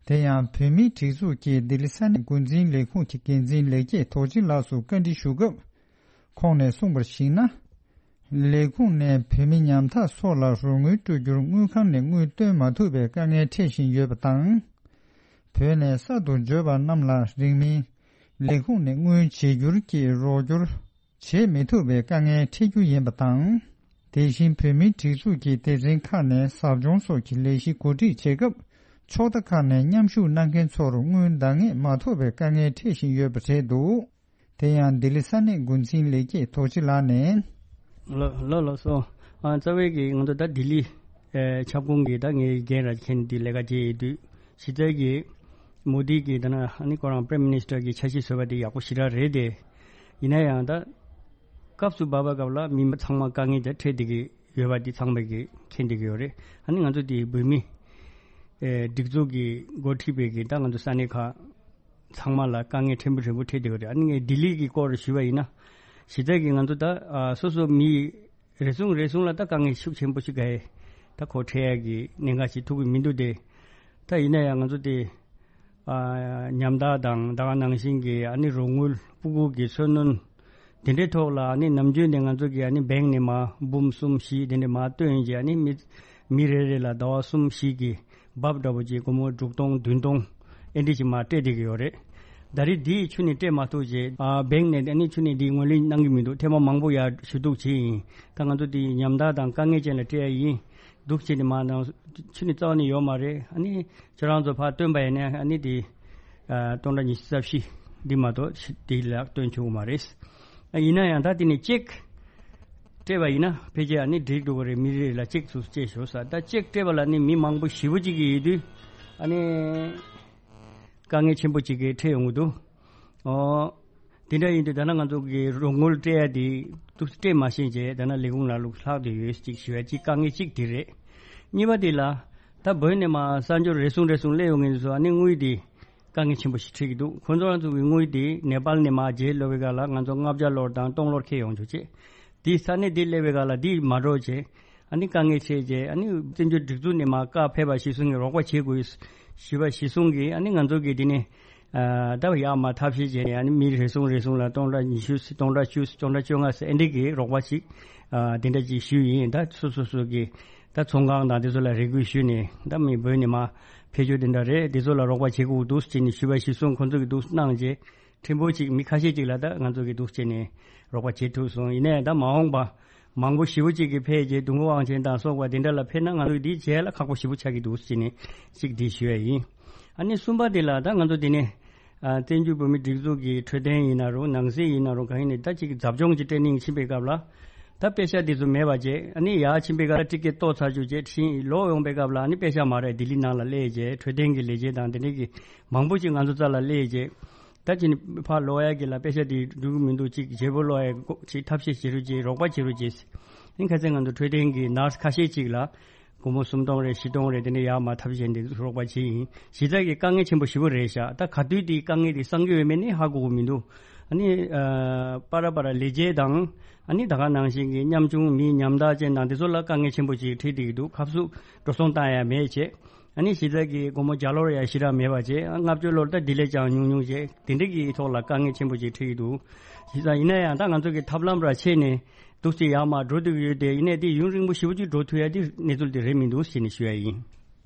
དེ་ཡང་བོད་མིའི་སྒྲིག་འཛུགས་ཀྱི་ལྡི་ལི་ས་གནས་འགོ་འཛིན་ལས་ཁུངས་ཀྱི་འགན་འཛིན་ལེགས་སྐྱེས་རྡོ་རྗེ་ལགས་སུ་བཀའ་འདྲི་ཞུ་སྐབས། ཁོང་ནས་གསུངས་པར་གཞིགས་ན། ལས་ཁུངས་ནས་བོད་མི་ཉམ་ཐག་སོགས་ལ་རོགས་དངུལ་སྤྲོད་རྒྱུར་དངུལ་ཁང་ནས་དངུལ་བཏོན་མ་ཐུབ་པའི་དཀའ་ངལ་འཕྲད་བཞིན་ཡོད་པ་དང་། བོད་ནས་གསར་དུ་འབྱོར་བ་རྣམས་ལ་རིང་མིན་ལས་ཁུངས་ནས་དངུལ་བརྗེ་སྒྱུར་གྱིས་རོགས་སྐྱོར་བྱེད་མི་ཐུབ་པའི་དཀའ་ངལ་འཕྲད་རྒྱུ་ཡིན་པ་དང་། དེ་བཞིན་བོད་མིའི་སྒྲིག་འཛུགས་ཀྱི་སྡེ་ཚན་ཁག་ནས་ཟབ་སྦྱོང་སོགས་ཀྱི་ལས་གཞི་གོ་སྒྲིག་བྱེད་སྐབས། ཕྱོགས་མཐའ་ཁག་ནས་མཉམ་ཞུགས་གནང་མཁན་ཚོར་དངུལ་འདང་ངེས་མ་ཐོབ་པའི་དཀའ་ངལ་འཕྲད་བཞིན་ཡོད་པ་རེད་འདུག་དེ་ཡང་ལྡི་ལི་ས་གནས་འགོ་འཛིན་ལེགས་སྐྱེས་རྡོ་རྗེ་ལགས་ནས། ལགས་ལགས་ལགས་སོ། ཨ་རྩ་བའི་གི་ང་ཚོ་ད་ལྡི་ལི་ ཨེ་ཁྱབ་ཁོངས་ཀྱི་ད་ངའི་འགན་ར་མཁན་དེ་ལས་ཀ་བྱེད་ཡོད་དུས་གཞི་རྩའི་གི་མོ་དི་གི་ད་ན་ཨ་ནི་ཁོ་རང་Prime Minister གི་འཆར་གཞི་བཟོས་པ་དེ་ཡག་པོ་ཞེ་དྲག་རེད་དེ། ཡིན་ན་ཡང་ད་སྐབས་སུ་བབས་པའི་སྐབས་ལ་མི་ཚང་མ་དཀའ་ངལ་དེ་འཕྲད་བསྡད་ཀྱི་ཡོད་པ་དེ་ཚང་མས་ཀྱི་མཁྱེན་བསྡད་ཀྱི་ཡོད་རེད། ཨ་ནི་ང་ཚོ་དེ་བོད་མི་ཨེ་སྒྲིག་འཛུགས་ཀྱི་འགོ་ཁྲིད་པའི་གི་ད་ང་ཚོ་ས་གནས་ཁག་ཚང་མ་ལ་དཀའ་ངལ་ཕྲན་བུ་ཕྲན་བུ་འཕྲད་བསྡད་ཀྱི་ཡོད་རེད། ཨ་ནི་ངས་ལྡི་ལི་གི་སྐོར་ཞུས་པ་ཡིན་ན་གཞི་རྩ་གི་ང་ཚོ་ད་ཨ་སོ་སོ་མི་རེ་ཟུང་རེ་ཟུང་ལ་ད་དཀའ་ངལ་ཤུགས་ཆེན་པོ་ཞིག་ག་ཡེ་ད་ཁོ་འཕྲད་ཡ་གི་གནད་འགག་ཅིག་ཐུག་གི་མི་འདུག་སྟེ། ད་ཡིན་ན་ཡང་ང་ཚོ་དེ་ཨ་ཉམས་ཐག་དང་ད་ག་ནང་བཞིན་གྱི་ཨ་ནི་རོགས་དངུལ་སྤུ་གུ་གི་འཚོ་སྣོན་དེ་འདྲའི་ཐོག་ལ་ཨ་ནི་ནམ་རྒྱུན་དེ་ང་ཚོ་གི་ཨ་ནི་བེང་ནས་མ་འབུམ་གསུམ་བཞི་དེ་འདྲ་མ་བཏོན་རྗེས་ཨ་ནི་མི་མི་རེ་རེ་ལ་ཟླ་བ་གསུམ་བཞི་གི་འབབ་འདྲ་པོ་ཅིག་སྒོར་མོ་དྲུག་སྟོང་བདུན་སྟོང་ཨེ་འདྲ་ཅིག་མ་སྤྲད་བསྡད་ཀྱི་ཡོད་རེད། ད་རེས་འདིའི་ཆུ་ནས་སྤྲད་མ་ཐུབ་རྗེས་ཨ་བེང་ནས་ཨ་ནི་ཆུ་ནས་འདིའི་ངོས་ལེན་གནང་གི་མི་འདུག་ཐེངས་མ་མང་པོ་ཡར་ཞུ་གཏུག་བྱས་ཡིན། ད་ང་ཚོ་འདི་ཉམ་ཐག་དང་དཀའ་ངལ་ཅན་ལ་སྤྲད་ཡ་ཡིན། འདུག་བྱས་ནས་མ་ནང་ཆུ་ནས་རྩ་བ་ནས་ཡོད་མ་རེད། ཨ་ནི་ཁྱེད་རང་ཚོ་ཕར་བཏོན་པ་ཡིན་ན་ཨ་ནི་འདི་ཨ་སྟོང་ཕྲག་ཉི་ཤུ་རྩ་བཞི་འདི་མ་གཏོགས་འདི་ལ་བཏོན་ཆོག་གི་མ་རེད། ཨ་ཡིན་ན་ཡང་ད་འདི་ནས་ཅེག་སྤྲད་པ་ཡིན་ན་ཕལ་ཆེར་ཨ་ནི་འགྲིག་འགྲོ་གི་རེད། མི་རེ་རེ་ལ་ཅེག་ཚུར་སྤྲད་ཤོག་ས། ད་ཅེག་སྤྲད་པ་ལ་ནི་མི་མང་པོ་ཞེ་པོ་ཅིག་གིས་ཡོད་དུས་ཨ་ནི་དཀའ་ངལ་ཆེན་པོ་ཅིག་གིས་འཕྲད་ཡོང་གི་འདུག་ཨོ། དེ་འདྲ་ཡིན་དུས་ད་ནང་ང་ཚོ་གི་རོགས་དངུལ་སྤྲད་ཡ་དེ་ཏོག་ཙམ་སྤྲད་མ་ཤེས་བྱས་ད་ནང་ལས་ཁུངས་ལ་ལུག་ལྷག་དེ་ཡོད་ཅིག་ཞུ་ཡ་གཅིག་དཀའ་ངལ་གཅིག་དེ་རེད། གཉིས་པ་དེ་ལ་ད་བོད་ནས་མ་གསར་འབྱོར་རེ་ཟུང་རེ་ཟུང་སླེབས་ཡོང་མཁན་ཚོ་ཨ་ནི་དངུལ་དེ་དཀའ་ངལ་ཆེན་པོ་ཞིག་འཕྲད་ཀྱི་འདུག་ཁོང་ཚོ་རང་ཚོ་གི་དངུལ་དེ་ནེ་པཱལ་ནས་མ་རྗེས་སློག་པའི་སྐབས་ལ་ང་ཚོ་ལྔ་བརྒྱ་ལོར་དང་སྟོང་ལོར་འཁྱེར་ཡོང་ཆོག་ཅེས། དེ་ས་གནས་དེ་སླེབས་པའི་སྐབས་ལ་དེ་མ་འགྲོ་བྱས། ཨ་ནི་དཀའ་ངལ་འཕྲད་རྗེས་ཨ་ནི་བཙན་བྱོལ་སྒྲིག་འཛུགས་ནས་མ་བཀའ་ཕེབས་པ་གཞིར་བཟུང་གིས་རོགས་པ་བྱེད་དགོས་ཞུས་པ་གཞིར་བཟུང་གིས་ཨ་ནི་ང་ཚོ་གིས་དེ་ནས་ཨ་ད་ཡར་མར་ཐབས་ཤེས་བྱས་ནས་ཨ་ནི་མི་རེ་ཟུང་རེ་ཟུང་ལ་སྟོང་ཕྲག་ཉི་ཤུ་སྟོང་ཕྲག་བཅུ་སྟོང་ཕྲག་བཅོ་ལྔ་ཟེར་ཨེ་འདྲ་གི་རོགས་པ་ཞིག་ཨ་དེ་འདྲ་ཅིག་ཞུས་ཡིན། ད་སོ་སོ་སོ་གི་ད་ཚོང་ཁང་དང་དེ་ཚོ་ལ་རེ་སྐུལ་ཞུས་ནས་ད་མི་བོད་ནས་མ་ཕེབས་རྒྱུ་དེ་འདྲ་རེད། དེ་ཚོ་ལ་རོགས་པ་བྱེད་དགོས་འདུག་ཅེས་ནས་ཞུས་པ་གཞིར་བཟུང་ཁོང་ཚོ་གིས་འདུག་གནང་རྗེས། ཕྲན་བུ་ཅིག་མི་ཁ་ཤས་ཅིག་ལ་ད་ང་ཚོ་གི་འདུག་བྱས་ནས་རོགས་པ་བྱེད་ཐུབ་སོང་། ཡིན་ནའི་ད་མ་འོངས་པ་མང་པོ་ཞེ་པོ་ཅིག་གི་ཕེབས་རྗེས་དུང་དཀར་དབང་ཆེན་དང་སོགས་པ་དེ་འདྲ་ལ་ཕེབས་ན་ང་ཚོ་འདི་བྱས་ལ་ཁག་པོ་ཞེ་པོ་ཆགས་ཀྱི་འདུག་བྱས་ནས་ཅིག་འདི་ཞུ་ཡ་ཡིན། ཨ་ནི་གསུམ་པ་དེ་ལ་ད་ང་ཚོ་འདི་ནས་ཨ་བཙན་བྱོལ་བོད་མི་སྒྲིག་འཛུགས་ཀྱི་འཕྲོད་བསྟེན་ཡིན་ན་རུང་ནང་སྲིད་ཡིན་ན་རུང་གང་ཡིན་ནའི་ད་ཅིག་ཟབ་སྦྱོང་ཅིག་སྤྲད་ནས་ཕྱིན་པའི་སྐབས་ལ་ད་དཔེ་ཆ་འདི་ཚོ་མེད་པ་བྱས། ཨ་ནི་ཡར་ཕྱིན་པའི་སྐབས་ལ་ཊི་ཀེ་ཊི་གཏོར་ཚར་རྒྱུ་བྱས་ཕྱིན་ལོག་ཡོང་པའི་སྐབས་ལ་ཨ་ནི་དཔེ་ཆ་མ་རེད་ལྡི་ལི་ནང་ལ་སླེབས་རྗེས་འཕྲོད་བསྟེན་གྱི་ལས་བྱེད་དང་དེ་འདྲའི་གི་མང་པོ་ཅིག་ང་ཚོ་རྩ་ལ་སླེབས་རྗེས། ད་ཅི་ནི་ཕར་ལོག་ཡ་གི་ལ་དཔེ་ཆ་དེ་འགྲུབ་ཀྱི་མི་འདུག་ཅིག་བརྗེ་པོ་ལོག་ཡ་ཅིག་ཐབས་ཤེས་བྱེད་རོགས་བྱེད་རོགས་པ་བྱེད་རོགས་བྱེད། ཨིན་ཁ་ཚན་ང་ཚོ་འཕྲོད་བསྟེན་གྱི་ནར་སི་ཁ་ཤས་ཅིག་ལ་སྒོར་མོ་སུམ་སྟོང་རེ་བཞི་སྟོང་རེ་དེ་འདྲ་ཡར་མར་ཐབས་ཤེས་འདི་རོགས་པ་བྱེད་ཡིན། གཞི་རྩ་གི་དཀའ་ངལ་ཆེན་པོ་ཞེ་པོ་རེད་ཤག་ད་ག་དུས་དེའི་དཀའ་ངལ་དེ་སངས་རྒྱས་འོས་མེད་ནི་ཧ་གོ་གི་མི་འདུག་ཨ་ནི་ཨ་པ་ར་པ་ར་ལས་བྱེད་དང་ཨ་ནི་ད་ག་ནང་བཞིན་གྱི་ཉམ་ཆུང་མི་ཉམ་ཐག་ཅན་དང་དེ་ཚོ་ལ་དཀའ་ངལ་ཆེན་པོ་ཅིག་འཕྲད་བསྡད་ཀྱི་འདུག་ཁབ་སུ་འགྲོ་སོང་བཏང་ཡ་མེད་བྱས། ཨ་ནི་གཞི་རྩ་གི་སྒོར་མོ་བརྒྱ་ལོར་ཡ་ཞེ་དྲག་མེད་པ་བྱས། ལྔ་བཅུ་ལོར་ད་དེ་ལས་ཀྱང་ཉུང་ཉུང་བྱས། དེ་འདྲ་གི་ཐོག་ལ་དཀའ་ངལ་ཆེན་པོ་ཅིག་འཕྲད་ཀྱི་འདུག་གཞི་རྩ་ཡིན་ན་ཡང་ད་ང་ཚོ་གི་ཐབས་ལམ་ར་ཆད་ནས་འདུག་སེ་ཡར་མར་འགྲོ་སྡོད་ཀྱི་ཡོད་དེ། ཡིན་ནའི་དེ་ཡུན་རིང་པོ་ཞེ་པོ་ཅིག་འགྲོ་ཐུབ་ཡ་དེ་གནས་ཚུལ་དེ་རེད་མི་འདུག་ཞེས་ནས་ཞུ་ཡ་ཡིན།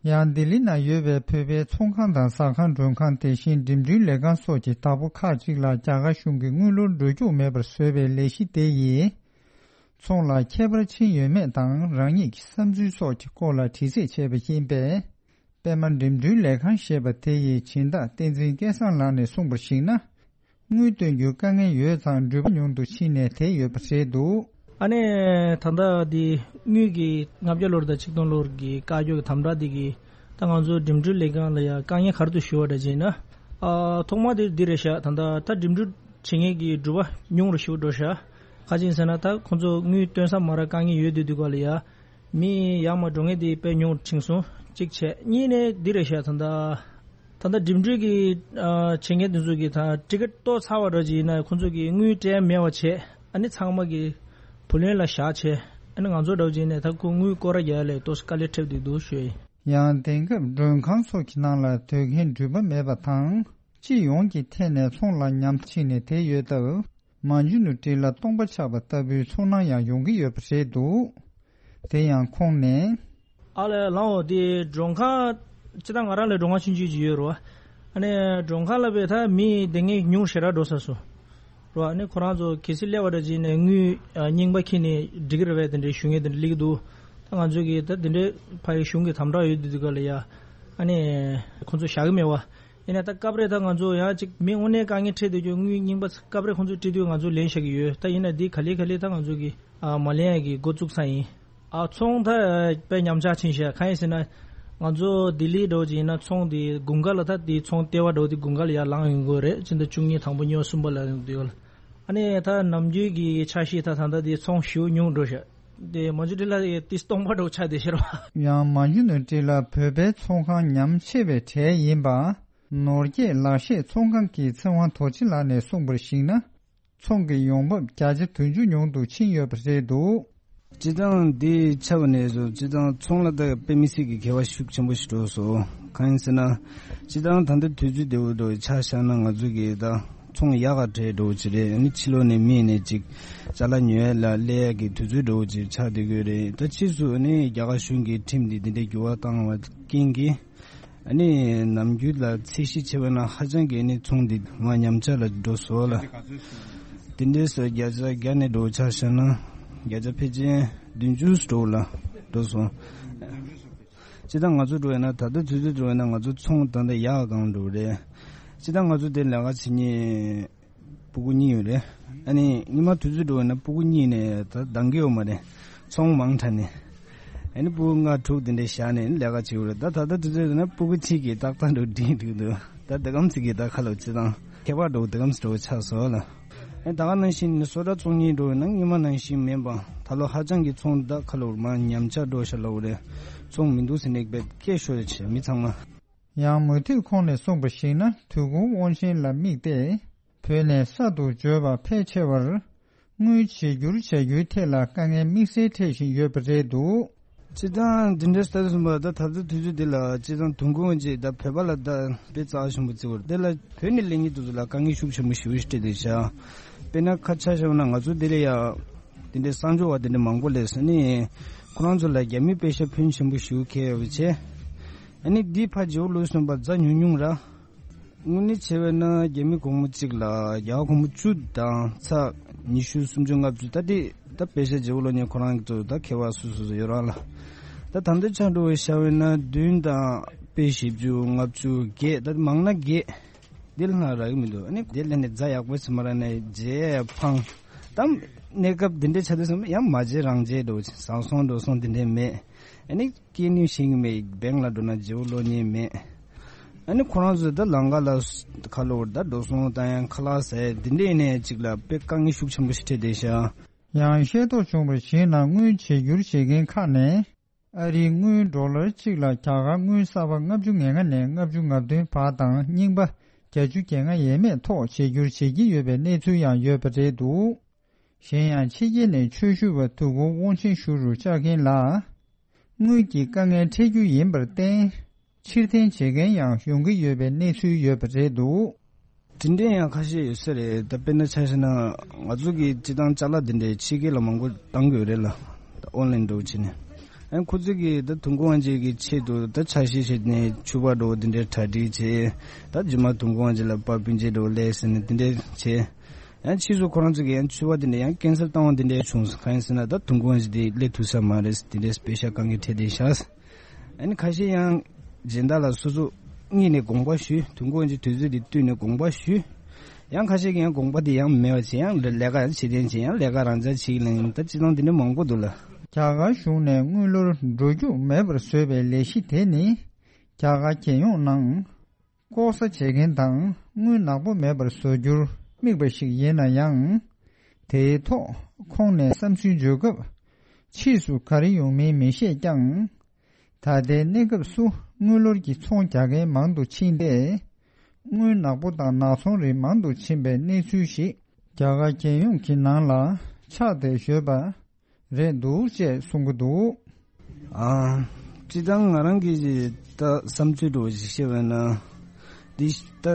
ཡང་ལྡི་ལི་ན་ཡོད་པའི་བོད་པའི་ཚོང་ཁང་དང་ཟ་ཁང་མགྲོན་ཁང་དེ་བཞིན་འགྲིམ་འགྲུལ་ལས་ཁང་སོགས་ཀྱི་བདག་པོ་ཁག་ཅིག་ལ་རྒྱ་གར་གཞུང་གིས་དངུལ་ལོར་འགྲོ་རྒྱུ་མེད་པར་བཟོས་པའི་ལས་གཞི་དེ་ཡིས། ཚོང་ལ་ཁྱད་པར་ཕྱིན་ཡོད་མེད་དང་རང་ཉིད་ཀྱི་བསམ་ཚུལ་སོགས་ཀྱི་སྐོར་ལ་དྲི་རྩད་བྱས་པ་ཡིན་པས། པད་མ་འགྲིམ་འགྲུལ་ལས་ཁང་ཞེས་པ་དེ་ཡི་སྦྱིན་བདག་བསྟན་འཛིན་སྐལ་བཟང་ལགས་ནས་གསུངས་པར་གཞིགས་ན། དངུལ་བཏོན་རྒྱུའི་དཀའ་ངལ་ཡོད་ཙང་འགྲུལ་པ་ཉུང་དུ་ཕྱིན་ནས་དེད་ཡོད་པ་རེད་འདུག་ཨ་ནི་ད་ལྟ་འདི་དངུལ་གྱི་ལྔ་བརྒྱ་ལོར་དང་ཆིག་སྟོང་ལོར་གྱི་བཀའ་བཀྱོན་གྱི་དམ་དྲག་འདི་གིས་ད་ང་ཚོ་འགྲིམ་འགྲུལ་ལས་ཁང་ལ་ཡང་དཀའ་ངལ་ག་རེ་འདུག་ཞུ་བ་འདྲ་བྱས་ན། ཨ་ཐོག་མ་དེ་འདི་རེད་ཤག་ད་ལྟ་ད་འགྲིམ་འགྲུལ་བྱེད་མཁན་གྱི་འགྲུལ་པ་ཉུང་རུ་ཞེ་པོ་འགྲོ་ཤག་ག་ཅི་ཡིན་ཟེར་ན་ད་ཁོང་ཚོ་དངུལ་བཏོན་ས་མ་རག་དཀའ་ངལ་ཡོད་དུས་དུས་ག་ལ་ཡ། མི་ཡར་མར་འགྲོ་མཁན་དེ་དཔེ་ཉུང་རུ་ཕྱིན་སོང་། གཅིག་བྱས། གཉིས་ནས་འདི་རེད་ཤག་ད་ལྟ་ད་ལྟ་འགྲིམ་འགྲུལ་གྱི་ཨ་བྱེད་མཁན་དེ་ཚོ་གིས་ད་ཊི་ཀེ་ཊི་གཏོར་ཚར་བ་འདྲ་ཅིག་ཡིན་ན་ཁོང་ཚོ་གིས་དངུལ་སྤྲད་མེད་པ་བྱས། ཨ་ནི་ཚང་མ་གིས་བུ་ལོན་ལ་བཞག་བྱས། ཨ་ནི་ང་ཚོ་འདྲ་བོ་ཅིག་ཡིན་ན་ད་ཁོ་དངུལ་སྐོར་ར་རྒྱག་ཡ་ལས་ཏོག་ཙམ་དཀའ་ལས་འཕྲད་བསྡད་འདུག་ཞུ་ཡ་ཡིན། ཡང་དེང་སྐབས་མགྲོན་ཁང་སོགས་ཀྱི་ནང་ལ་སྡོད་མཁན་འགྲུལ་པ་མེད་པ་དང་། སྤྱི་ཡོངས་ཀྱི་ཐད་ནས་ཚོང་ལ་ཉམས་ཕྱིན་ནས་དེད་ཡོད་སྟབས། མ་འཇུ་ནུ་ཏྲི་ལ་སྟོང་པ་ཆགས་པ་ལྟ་བུའི་ཚོར་སྣང་ཡང་ཡོང་གི་ཡོད་པ་རེད་འདུག་དེ་ཡང་ཁོང་ནས། ཨ་ལས་ལའོ་དེ་མགྲོན་ཁང་། སྤྱིར་བཏང་ང་རང་ལ་མགྲོན་ཁང་ཆུང་ཆུང་ཅིག་ཡོད་རེད་བ། ཨ་ནི་མགྲོན་ཁང་ལ་བས་ད་མི་དེ་ངས་ཉུང་ཞེ་དྲག་འགྲོ་ས་སོ། རེད་བ། ཨ་ནི་ཁོ་རང་ཚོ་གལ་སྲིད་སླེབས་པ་འདྲ་ཅིག་ནས་དངུལ་རྙིང་པ་ཁྱེར་ནས་འགྲིག་གི་རེད་བས་དེ་འདྲའི་ཞུ་མཁན་དེ་འདྲ་སླེབས་ཀྱི་འདུག་ད་ང་ཚོ་གིས་ད་དེ་འདྲའི་ཕ་ཡི་གཞུང་གི་དམ་དྲག་ཡོད་དུས་དུས་ག་ལ་ཡ། ཨ་ནི་ཁོ་ཚོ་བཞག་གི་མེད་བ། ཡིན་ན་ད་སྐབས་རེ་ད་ང་ཚོ་ཡང་ཅིག་མི་དངོས་གནས་དཀའ་ངལ་འཕྲད་སྡོད་རྒྱུ་དངུལ་རྙིང་པ་སྐབས་རེ་ཁོང་ཚོས་སྤྲད་དུས་ང་ཚོ་ལེན་བཞག་གི་ཡོད། ད་ཡིན་ན་འདི་ག་ལེ་ག་ལེ་ད་ང་ཚོ་གི་ཨ་མ་ལེན་ཡ་གི་འགོ་བཙུགས་ཚར་ཡིན། ཨ་ཚོང་ད་དཔེ་ཉམས་ཆག་ཕྱིན་ཤག་གང་ཡིན་ཟེར་ན། ང་ཚོ་ལྡི་ལི་འགྲོ་གི་ཡིན་ན་ཚོང་དེ་དགུན་ཁ་ལ་ད་དེ་ཚོང་ལྟེ་བ་འགྲོ་དེ་དགུན་ཁ་ལ་ཡར་ལངས་ཡོང་གི་རེད། ཕྱི་ཟླ་བཅུ་གཉིས་དང་པོ་ཉི་མ་གསུམ་པ་ལ་ཡོང་དུས་ཡོད་ལ། ཨ་ནི་ད་ནམ་རྒྱུན་གྱི་ཆ་ཤས་ད་ད་ལྟ་དེ་ཚོང་ཞེ་པོ་ཉུང་འགྲོ་ཤག་དེ་མ་འཇུ་འདྲི་ལ་དེ་སྟོང་པ་འགྲོ་ཆགས་བསྡད་ཤག་ར། ཡང་མ་འཇུ་ནོར་འདྲི་ལ་བོད་པའི་ཚོང་ཁང་ཉམས་ཆེ་བའི་གྲས་ཡིན་པ། ནོར་རྒྱས་ལག་ཤེས་ཚོང་ཁང་གི་ཚེ་དབང་རྡོ་རྗེ་ལགས་ནས་གསུངས་པར་གཞིགས་ན། ཚོང་གི་ཡོང་འབབ་བརྒྱ་ཆ་བདུན་ཅུ་ཉུང་དུ་ཕྱིན་ཡོད་པ་རེད་འདུག་སྤྱིར་བཏང་འདི་ཆགས་པ་ནས་བཟུང་སྤྱིར་བཏང་ཚོང་ལ་ད་དཔེ་མི་སྲིད་ཀྱི་འགལ་བ་ཤུགས་ཆེན་པོ་ཞིག་འགྲོ་སོང་། གང་ཡིན་ཟེར་ན། སྤྱིར་བཏང་ད་ལྟ་དུས་ཚོད་བདེ་བོ་འགྲོ་ཆ་བཞག་ན་ང་ཚོ་གི་ད་ཚོང་ཡག་ག་འདྲ་འགྲོ་ཅི་རེད། ཨ་ནི་ཕྱི་ལོགས་ནས་མི་ནས་ཅིག་ཅ་ལག་ཉོ་ཡ་ལ་སླེབས་ཡ་གི་དུས་ཚོད་འགྲོ་ཅི་ཆགས་བསྡད་ཀྱི་རེད། ད་ཕྱིས་སུ་ཨ་ནི་རྒྱ་གར་གཞུང་གི་ཁྲིམས་འདི་འདི་འདྲའི་འགྱུར་བ་བཏང་བ་རྐྱེན་གྱིས། ཨ་ནི་ནམ་རྒྱུན་ལ་ཚད་གཞི་བྱས་པ་ན་ཧ་ཅང་གི་ཨ་ནི་ཚོང་འདི་མ་ཉམས་ཆག་ལ་འགྲོ་སོང་ལ། དེ་འདྲའི་སོ་བརྒྱ་ཆ་བརྒྱ་ནས་འགྲོ་ཆ་བཞག་ན་བརྒྱ་ཆ་ཕལ་ཆེར་བདུན་ཅུ་འགྲོ་ལ་འགྲོ་སོང་། སྤྱིར་བཏང་ང་ཚོ་འགྲོ་ཡ་ན་ད་ལྟ་དུས་ཚོད་འགྲོ་ཡ་ན་ང་ཚོ་ཚོང་ད་ལྟ་ཡག་གང་འགྲོ་རེད། སྤྱིར་བཏང་ང་ཚོ་དེ་ལས་ཀ་བྱེད་མཁན་སྤུ་གུ་གཉིས་ཡོད་རེད། ཨ་ནི་ཉི་མ་དུས་ཚོད་འགྲོ་ཡོད་ན་སྤུ་གུ་གཉིས་ནས་ད་འདང་གི་ཡོད་མ་རེད། ཚོང་མང་དྲགས་ནས། ཨ་ནི་སྤུ་གུ་ལྔ་དྲུག་དེ་འདྲས་བཞག་ནས་ལས་ཀ་བྱེད་དགོས་རེད། ད་ད་ལྟ་དུས་ཚོད་འགྲོ་ན་སྤུ་གུ་གཅིག་གིས་ཏག་ཏག་འགྲོ་འགྲིག་འགྲིག་འདུག་ད་དེ་གམ་ཚིག་གིས་ད་ཁ་ལོ་བྱེད་སྟངས་ཁྱད་པར་འགྲོ་དེ་གམ་ཚིག་འགྲོ་ཆགས་སོང་ལ། ཨ་ནི་ད་ག་ནང་བཞིན་ནི་སོ་ཊ་བཙོང་མཁན་འགྲོ་ཡོད་ན་ཉི་མ་ནང་བཞིན་མིན་པ་ད་ལོ་ཧ་ཅང་གི་ཚོང་ད་ཁ་ལོ་མ་ཉམས་ཆག་འགྲོ་ཤག་ལབ་རེད། ཚོང་མི་འདུག་ཟེར་ནས་དཔེ་སྐད་ཤོར་རེད་བྱས་མི་ཚང་མ། ཡང་མུ་མཐུད་ཁོང་ནས་གསུངས་པར་གཞིགས་ན་དོལ་གོང་དབང་ཆེན་ལ་དམིགས་ཏེ། བོད་ནས་གསར་དུ་འབྱོར་བ་ཕལ་ཆེ་བར་དངུལ་བརྗེ་སྒྱུར་བྱ་རྒྱུའི་ཐད་ལ་དཀའ་ངལ་དམིགས་བསལ་འཕྲད་བཞིན་ཡོད་པ་རེད་འདུག་སྤྱིར་བཏང་འདི་འདྲའི་ལྟར་སོང་བ་ད་ད་ལྟ་དུས་ཚོད་འདི་ལ་སྤྱིར་བཏང་དོན་ཁུངས་ཅིག་ད་བོད་པ་ལ་ད་དཔེ་རྩ་ཆེན་པོ་བརྩི་བར་དེ་ལ་བོད་ནས་སླེབས་མཁན་དེ་ཚོ་ལ་དཀའ་ངལ་ཤུགས་ཆེན་པོ་ཞེ་པོ་ཞིག་འཕྲད་བསྡད་ཤག་དཔེར་ན་ཁ་ཆ་བཞག་ན་ང་ཚོ་འདི་ལ་ཡ་འདི་འདྲའི་གསར་འབྱོར་བ་འདི་འདྲ་མང་པོ་སླེབས་སོང་ནི་ཁོ་རང་ཚོ་ལ་རྒྱ་མི་པེ་ཤ་ཕོན་ཆེན་པོ་ཞེ་པོ་འཁྱེར་ཡོད་པ་བྱས། ཨ་ནི་འདི་ཕར་བརྗེ་པོ་ལོས་སོང་བ་རྫ་ཉུང་ཉུང་ར། དངོས་གནས་བྱས་པས་ན་རྒྱ་མི་སྒོར་མོ་གཅིག་ལ་རྒྱ་གར་སྒོར་མོ་བཅུ་དང་ཚེག་ཉི་ཤུ་སུམ་ཅུ་ལྔ་བཅུ་ད་དེ་ད་པེ་ཤ་བརྗེ་པོ་ལོ་ཉེ་ཁོ་རང་གི་ཚོ་ད་ཁེ་བ་སུ་སུ་སུ་ཡོད་རང་ལ། ད་ད་འདི་ཆ་འགྲོ་བའི་ཤ་བས་ན་བདུན་དང་པེ་བཞི་བཅུ་ལྔ་བཅུ་བརྒྱད་ད་མང་ན་བརྒྱད། འདི་ལ་ན་རག་གི་མི་འདུག་ཨ་ནི་འདི་ལ་ནི་རྫ་ཡག་པོ་ཚིམ་ར་ནས་རྗེས་ཕང་། ད་གནས་སྐབས་འདི་འདྲའི་ཆ་དུས་སམ་ཡང་མ་རྗེས་རང་རྗེས་འགྲོ་བཟང་སོང་འགྲོ་སོང་འདི་འདྲའི་མེད། ཨ་ནི། སྐྱེ་ནུས་ཤིག་མེད་བེང་ལ་འགྲོ་ན་བརྗེ་པོ་ལོ་ཉེས་མེད། ཨ་ནི་ཁོ་རང་ཚོས་ད་ལང་ཀ་ལ་ཁ་ལོ་ད་འགྲོ་སོང་བཏང་ཡང་ཁ་ལག་ཟས་འདི་འདྲས་ནས་ཅིག་ལ་དཔེ་དཀའ་ངལ་ཤུགས་ཆེན་པོ་ཞིག་འཕྲད་བསྡད་ཤག་ཡང་ཤེས་རྟོགས་བྱུང་བར་གཞིགས་ན་དངུལ་བརྗེ་སྒྱུར་བྱེད་མཁན་ཁག་ནས་ཨ་རིའི་དངུལ་ཌོ་ལར་གཅིག་ལ་རྒྱ་གར་དངུལ་གསར་པ་ལྔ་བཅུ་ང་ལྔ་ནས་ལྔ་བཅུ་ང་བདུན་བར་དང་རྙིང་པ་བརྒྱད་ཅུ་གྱ་ལྔ་ཡས་མས་ཐོག་བརྗེ་སྒྱུར་བྱེད་ཀྱི་ཡོད་པའི་གནས་ཚུལ་ཡང་ཡོད་པ་རེད་འདུག་གཞན་ཡང་ཕྱི་རྒྱལ་ནས་ཆོས་ཞུ་བ་དོལ་གོང་དབང་ཆེན་ཞུ་རུ་བཅར་མཁན་ལ། དངུལ་གྱི་དཀའ་ངལ་འཕྲད་རྒྱུ་ཡིན་པར་བརྟེན། ཕྱིར་འཐེན་བྱེད་མཁན་ཡང་ཡོང་གི་ཡོད་པའི་གནས་ཚུལ་ཡོད་པ་རེད་འདུག་དེ་འདྲའི་ཡང་ཁ་ཤས་ཡོད་ས་རེད། ད་དཔེར་ན་ཆ་བཞག་ན་ང་ཚོ་གི་སྤྱི་བཏང་ཅ་ལག་འདི་འདྲའི་ཕྱི་རྒྱལ་ལ་མང་པོ་བཏང་དགོས་རེད་ལ། ད་ཨོན་ལན་འགྲོ་བྱས་ནས་ཨ་ཁོ་ཚོ་གི་ད་དོན་དགོང་ཨ་འཇེ་གི་ཆེད་དུ་ད་ཆ་ཤས་བྱས་ནས་ཕྱུ་པ་འགྲོ་འདི་འདྲའི་གྲ་སྒྲིག་བྱས། ད་རྗེས་མ་དོན་དགོང་ཨ་འཇེ་ལ་པར་སྤུན་མཆེད་འགྲོ་ལས་ཟེར་ནས་འདི་འདྲའི་བྱས། ཡང་ཕྱིས་སུ་ཁོ་རང་ཚོ་གིས་ཡང་ཕྱུ་པ་དེ་འདྲ་ཡང་ཀན་སེལ་བཏང་བ་དེ་འདྲ་བྱུང་སོང་། གང་ཡིན་ཟེར་ན་ད་དོན་དགོང་ཞིག་དེ་སླེབས་ཐུབ་ས་མ་རེད། དེ་འདྲའི་པེ་ཤ་དཀའ་ངལ་འཕྲད་བསྡད་ཤག་ཨ་ནི་ཁ་ཤས་ཡང་སྦྱིན་བདག་ལ་སོ་སོ་གཉིས་ནས་དགོངས་པ་ཞུས། དོན་དགོང་ཞིག་དུས་ཚོད་དེ་བསྟུན་ནས་དགོངས་པ་ཞུས། ཡང་ཁ་ཤས་ཀྱིས་ཡང་དགོངས་པ་དེ་ཡང་མེད་པ་བྱས་ཡང་ལས་ཀ་ཡང་བྱེད་དོན་བྱས་ཡང་ལས་ཀ་རང་འཇགས་བྱེད་ཀྱི་ལན་ད་སྤྱི་བཏང་དེ་འདྲ་མང་པོ་འདུག་ལ། རྒྱ་གར་གཞུང་ནས་དངུལ་ལོར་འགྲོ་རྒྱུ་མེད་པར་བཟོས་པའི་ལས་གཞི་དེ་ནི་རྒྱ་གར་རྒྱལ་ཡོངས་ནང་། ལྐོག་ཟ་བྱེད་མཁན་དང་དངུལ་ནག་པོ་མེད་པར་བཟོ་རྒྱུར་དམིགས་པ་ཞིག་ཡིན་ན་ཡང་། དེའི་ཐོག་ཁོང་ནས་བསམ་ཚུལ་བརྗོད་སྐབས། ཕྱིས་སུ་ག་རེ་ཡོང་མིན་མི་ཤེས་ཀྱང་། ད་ལྟའི་གནས་སྐབས་སུ་དངུལ་ལོར་གྱི་ཚོང་རྒྱག་མཁན་མང་དུ་ཕྱིན་ཏེ། དངུལ་ནག་པོ་དང་ནག་ཚོང་རིགས་མང་དུ་ཕྱིན་པའི་གནས་ཚུལ་ཞིག་རྒྱ་གར་རྒྱལ་ཡོངས་ཀྱི་ནང་ལ་ཆགས་བསྡད་ཡོད་པ། རེད་འདུག་ཅེས་གསུང་གི་འདུག་ཨ། སྤྱིར་བཏང་ང་རང་གིས་ད་བསམ་ཚུལ་འདྲ་བོ་ཞིག་བཤད་པ་ན། འདི་ད་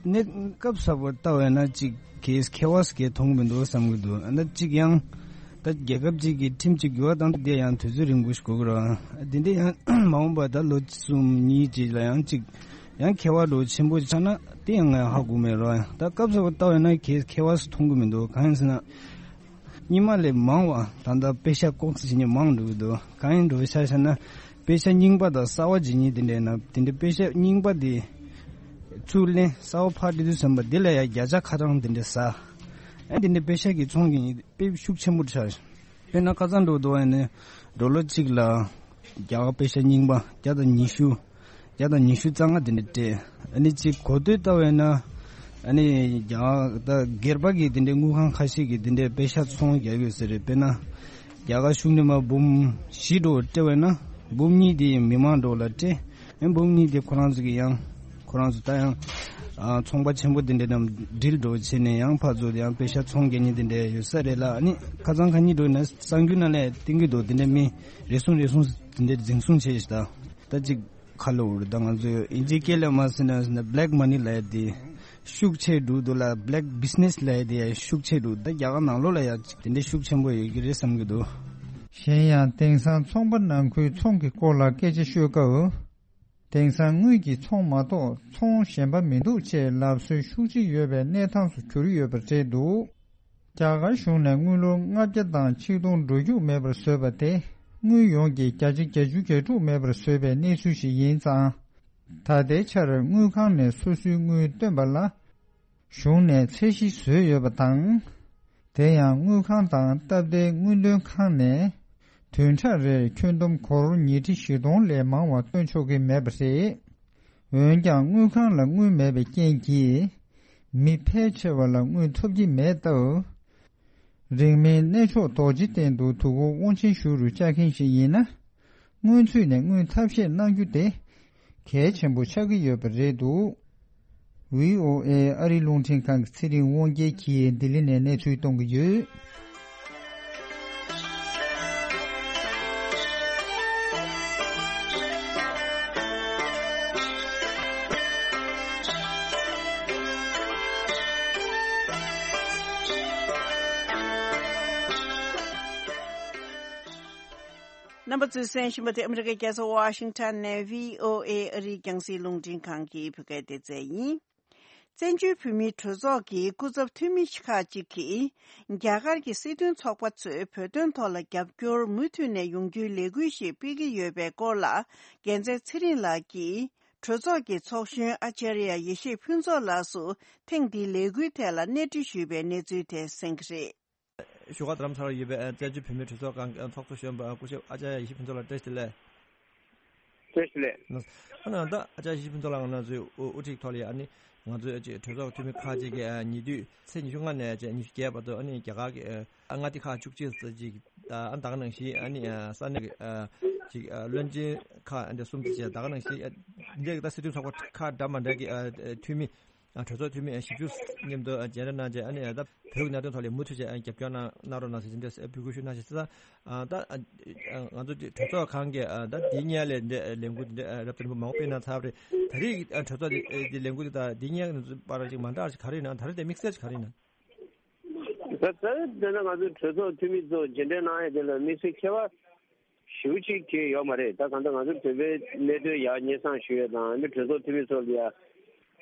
གནས་སྐབས་གསར་པར་ལྟ་བས་ན་ཅིག་གས་ཁྱད་པར་གས་མཐོང་གི་མི་འདུག་བསམ་གི་འདུག་ཨ་ན་ཅིག་ཡང་ད་རྒྱལ་ཁབ་ཅིག་གི་ཁྲིམས་ཅིག་འགྱུར་བ་བཏང་དེ་ཡང་དུས་ཚོད་རིང་པོ་ཞིག་འགོར་གི་རེད། འདི་འདྲ་ཡང་མ་འོངས་པ་ད་ལོ་གསུམ་གཉིས་ཅིག་ལ་ཡང་ཅིག་ཡང་ཁྱད་པར་འདྲ་བོ་ཆེན་པོ་ཆགས་ན་དེ་ཡང་ང་ཡང་ཧ་གོ་མེད་རེད། ད་སྐབས་གསར་པར་ལྟ་བས་ན་གས་ཁྱད་པར་མཐོང་གི་མི་འདུག་གང་ཡིན་ཟེར་ན། རྙིང་མ་ལས་མང་བ་ད་ལྟ་པེ་ཤ་ལྐོག་ཟ་བྱེད་མཁན་མང་འགྲོ་གི་འདུག་གང་ཡིན་འགྲོ་ཆ་བཞག་ན་པེ་ཤ་རྙིང་པ་དང་གསར་པ་བྱེད་མཁན་དེ་འདྲ་ཡིན་ན་དེ་འདྲ་པེ་ཤ་རྙིང་པ་དེ་ཚུར་ལེན་གསར་པ་ཕར་སྤྲད་དུས་ཙམ་པ་དེ་ལ་ཡང་བརྒྱ་ཆ་ཁ་གྲངས་དེ་འདྲ་ཟ། ཨ་དེ་འདྲ་པེ་ཤ་གི་ཚོང་གི་དཔེ་ཤུགས་ཆེན་པོ་ཆགས། དཔེར་ན་ཁ་སང་འགྲོ་འདུག་ཨ་ནི་ཌོ་ལར་གཅིག་ལ་རྒྱ་གར་པེ་ཤ་རྙིང་པ་བརྒྱ་དང་ཉི་ཤུ། བརྒྱ་དང་ཉི་ཤུ་རྩ་ལྔ་དེ་འདྲ་སྤྲད། ཨ་ནི་གཅིག་གོ་ཐོས་ལྟ་བས་ན། ཨ་ནི་རྒྱ་གར་ད་སྒེར་པ་གི་དེ་འདྲའི་དངུལ་ཁང་ཁ་ཤས་ཀྱིས་དེ་འདྲའི་པེ་ཤ་ཚོང་རྒྱག་ཡོད་ཟེར་རེད། དཔེར་ན་རྒྱ་གར་གཞུང་ནས་མར་འབུམ་བཞི་འགྲོ་སྤྲད་པས་ན་འབུམ་གཉིས་དེ་མི་མང་འགྲོ་ལ་སྤྲད། ཨེ་འབུམ་གཉིས་དེ་ཁོ་རང་ཚོ་གི་ཡང་ཁོ་རང་ཚོ་ད་ཡང་ཨ་ཚོང་པ་ཆེན་པོ་དེ་འདྲ་རྣམས་ཌིལ་འགྲོ་བྱས་ནས་ཡང་ཕར་ཚུར་ཡང་པེ་ཤ་ཚོང་རྒྱག་མཁན་དེ་འདྲ་ཡོད་ས་རེད་ལ། ཨ་ནི་ཁ་སང་ཁ་ཉིན་འགྲོ་ན་གསར་འགྱུར་ནང་ལ་བསྟན་གྱི་འདུག་དེ་འདྲ་མི་རེ་ཟུང་རེ་ཟུང་དེ་འདྲ་འཛིན་བཟུང་བྱས་ཤག་ད་ད་ཅིག་ཁ་ལོ་རེད། ད་ང་ཚོས་ཨིན་ཇིའི་སྐད་ལ་མ་ཟེར་ན་ཟེར་ན་བྷི་ལེག་མ་ནི་ལབ་ཡ་དེ་ཤུགས་ཆེ་འགྲོ་འདུག་ལ། བྷི་ལེག་བྷི་ཛི་ནེ་སི་ལབ་ཡ་དེ་ཡང་ཤུགས་ཆེ་འགྲོ། ད་རྒྱ་གར་ནང་ལོགས་ལ་ཡང་དེ་འདྲ་ཤུགས་ཆེན་པོ་ཡོད་ཀྱི་རེད་བསམ་གྱི་འདུག་གཞན་ཡང་དེང་སང་ཚོང་པ་ནང་ཁུལ་ཚོང་གི་སྐོར་ལ་སྐད་ཆ་ཤོད་སྐབས། དེང་སང་དངུལ་གྱི་ཚོང་མ་གཏོགས་ཚོང་གཞན་པ་མི་འདུག་ཅེས་ལབ་སྲོལ་ཤུགས་ཆེ་ཡོད་པའི་གནས་སྟངས་སུ་གྱུར་ཡོད་པ་རེད་འདུག་རྒྱ་གར་གཞུང་ནས་དངུལ་ལོར་ལྔ་བརྒྱ་དང་ཆིག་སྟོང་འགྲོ་རྒྱུ་མེད་པར་བཟོས་པ་དེ་དངུལ་ཡོངས་ཀྱི་བརྒྱ་ཆ་བརྒྱད་ཅུ་གྱ་དྲུག་མེད་པར་བཟོས་པའི་གནས་ཚུལ་ཞིག་ཡིན་ཙང་། ད་ལྟའི་ཆར་དངུལ་ཁང་ནས་སོ་སོའི་དངུལ་བཏོན་པ་ལ། གཞུང་ནས་ཚད་གཞི་བཟོས་ཡོད་པ་དང་། དེ་ཡང་དངུལ་ཁང་དང་སྟབས་བདེའི་དངུལ་འདོན་ཁང་ནས་བདུན་ཕྲག་རེར་ཁྱོན་བསྡོམས་སྒོར་ཉིས་ཁྲི་བཞི་སྟོང་ལས་མང་བ་བཏོན་ཆོག་གི་མེད་པ་རེད། འོན་ཀྱང་དངུལ་ཁང་ལ་དངུལ་མེད་པའི་རྐྱེན་གྱིས་མི་ཕལ་ཆེ་བ་ལ་དངུལ་ཐོབ་ཀྱི་མེད་སྟབས། རིང་མིན་གནས་མཆོག་རྡོ་རྗེ་གདན་དུ་དུས་འཁོར་དབང་ཆེན་ཞུ་རུ་བཅར་མཁན་ཞིག་ཡིན་ན། སྔོན་ཚུད་ནས་དངུལ་ཐབས་ཤེས་གནང་རྒྱུ་དེ་གལ་ཆེན་པོ་ཆགས་ཀྱི་ཡོད་པ་རེད་འདུག་བྷི་ཨོ་ཨེ་ཨ་རིའི་རླུང་འཕྲིན་ཁང་གི་ཚེ་རིང་དབང་རྒྱལ་གྱིས་ལྡི་ལི་ནས་གནས་ཚུལ་གཏོང་གི་ཡོད། རྣམ་པ་ཚོས་གསན་བཞིན་པ་དེ་ཨ་མི་རི་ཀའི་རྒྱལ་ས་ཝ་ཤིང་ཊོན་ནས་བྷི་ཨོ་ཨེ་ཨ་རིའི་རྒྱང་སྲིང་རླུང་འཕྲིན་ཁང་གི་བོད་སྐད་སྡེ་ཚན་ཡིན། བཙན་བྱོལ་བོད་མིའི་གྲོས་ཚོགས་ཀྱི་སྐུ་ཚབ་འཐུས་མི་ཁག་ཅིག་གིས། རྒྱ་གར་གྱི་སྲིད་དོན་ཚོགས་པ་ཚོས་བོད་དོན་ཐོག་ལ་རྒྱབ་སྐྱོར་མུ་མཐུད་ནས་ཡོང་རྒྱུའི་ལས་འགུལ་ཞིག་སྤེལ་གྱི་ཡོད་པའི་སྐོར་ལ། རྒྱལ་མཚན་ཚེ་རིང་ལགས་ཀྱིས། གྲོས་ཚོགས་ཀྱི་ཚོགས་གཞོན་ཨ་ཅར་ཡ་ཡེ་ཤེས་ཕུན་ཚོགས་ལགས་སུ་ཐེངས་འདིའི་ལས་འགུལ་ཐད་ལ་གནས་འདྲི་ཞུས་པའི་གནས་ཚུལ་དེ་གསན་གྱི་རེད། བཞུགས་སྒར་རྡ་རམ་ས་ལར་ཡོད་པའི་ཨ་བཙན་བྱོལ་བོད་མིའི་གྲོས་ཚོགས་ཁང་ཨ་ཚོགས་གཙོ་གཞོན་པ་ཨ་སྐུ་ཞབས་ཨ་ཅར་ཡ་ཡེ་ཤེས་ཕུན་ཚོགས་ལགས་བཀྲ་ཤིས་བདེ་ལེགས། བཀྲ་ཤིས་བདེ་ལེགས། ཨ་ནི་ད་ཨ་ཅར་ཡ་ཡེ་ཤེས་ཕུན་ཚོགས་ལགས་ང་ཚོའི་དབུ་དབུ་ཁྲིད་ཐོག་ལ་ཡ་ཨ་ནི་ང་ཚོའི་ཨ་ཅེ་གྲོས་ཚོགས་འཐུས་མི་ཁག་ཅིག་གིས་ཨ་ཉེ་དུས་ཚེས་ཉི་ཤུ་ལྔ་ནས་ཨ་ཅེ་ཉི་ཤུ་བརྒྱད་བར་དུ་ཨ་ནི་རྒྱ་གར་གྱི་ཨ་མངའ་སྡེ་ཁག་བཅུ་གཅིག་ཙམ་ཅིག་ཨ་ད་ག་ནང་བཞིན་ཨ་ནི་ཨ་ས་གནས་ཀྱི་ཨ་ཅིག་ཨ་བློན་ཆེན་ཁག་ཨ་འདྲ་གསུམ་ཙམ་ཅིག་ད་ག་ནང་བཞིན་ཨ་འདི་འདྲའི་ད་སྲིད་དོན་ཚོགས་པ་ཁག་འདྲ་མ་འདྲ་གི་ཨ་འཐུས་མི། ཨ་གྲོས་ཚོགས་འཐུས་མི་ཨ་བཞི་བཅུ་མཉམ་དུ་ཨ་མཇལ་འཕྲད་གནང་རྗེས་ཨ་ནི་ཨ་ད་བོད་ཀྱི་གནད་དོན་ཐོག་ལ་མུ་མཐུད་བྱས་ཨ་རྒྱབ་སྐྱོར་གནང་གནང་རོགས་གནང་ཟེར་འདི་འདྲ་འབོད་སྐུལ་ཞུ་གནང་ཞེས་ཟེར། ཨ་ད་ཨ་ང་ཚོ་གྲོས་ཚོགས་ཁང་གིས་ཨ་ད་འདི་སྔོན་ལ་འདི་ལས་འགུལ་འདི་འདྲ་རབ་དང་རིམ་པ་མང་པོ་སྤེལ་གནང་ཚར་བ་རེད། ད་རེས་ཨ་གྲོས་ཚོགས་འདི་འདི་ལས་འགུལ་འདི་དང་འདི་སྔོན་གྱི་བར་ཅིག་མ་འདྲ་ཞིག་ག་རེ་ཡིན་ན། ད་རེས་དེ་དམིགས་བསལ་ཞིག་ག་རེ་ཡིན་ན། ད་ད་དེ་ན་ང་ཚོའི་གྲོས་ཚོགས་འཐུས་མི་ཚོ་མཇལ་འཕྲད་གནང་ཡས་དེ་ལ་དམིགས་བསལ་ཁྱད་པར་ཞེ་པོ་ཅིག་གང་ཡང་ཡོད་མ་རེད། ད་གང་ལྟར་ང་ཚོ་བོད་པའི་གནད་དོན་ཡར་སྙན་སེང་ཞུ་ཡས་དང་། ཨ་ནི་གྲོས་ཚོགས་འཐུས་མི་ཚོ་ལ་ཡ་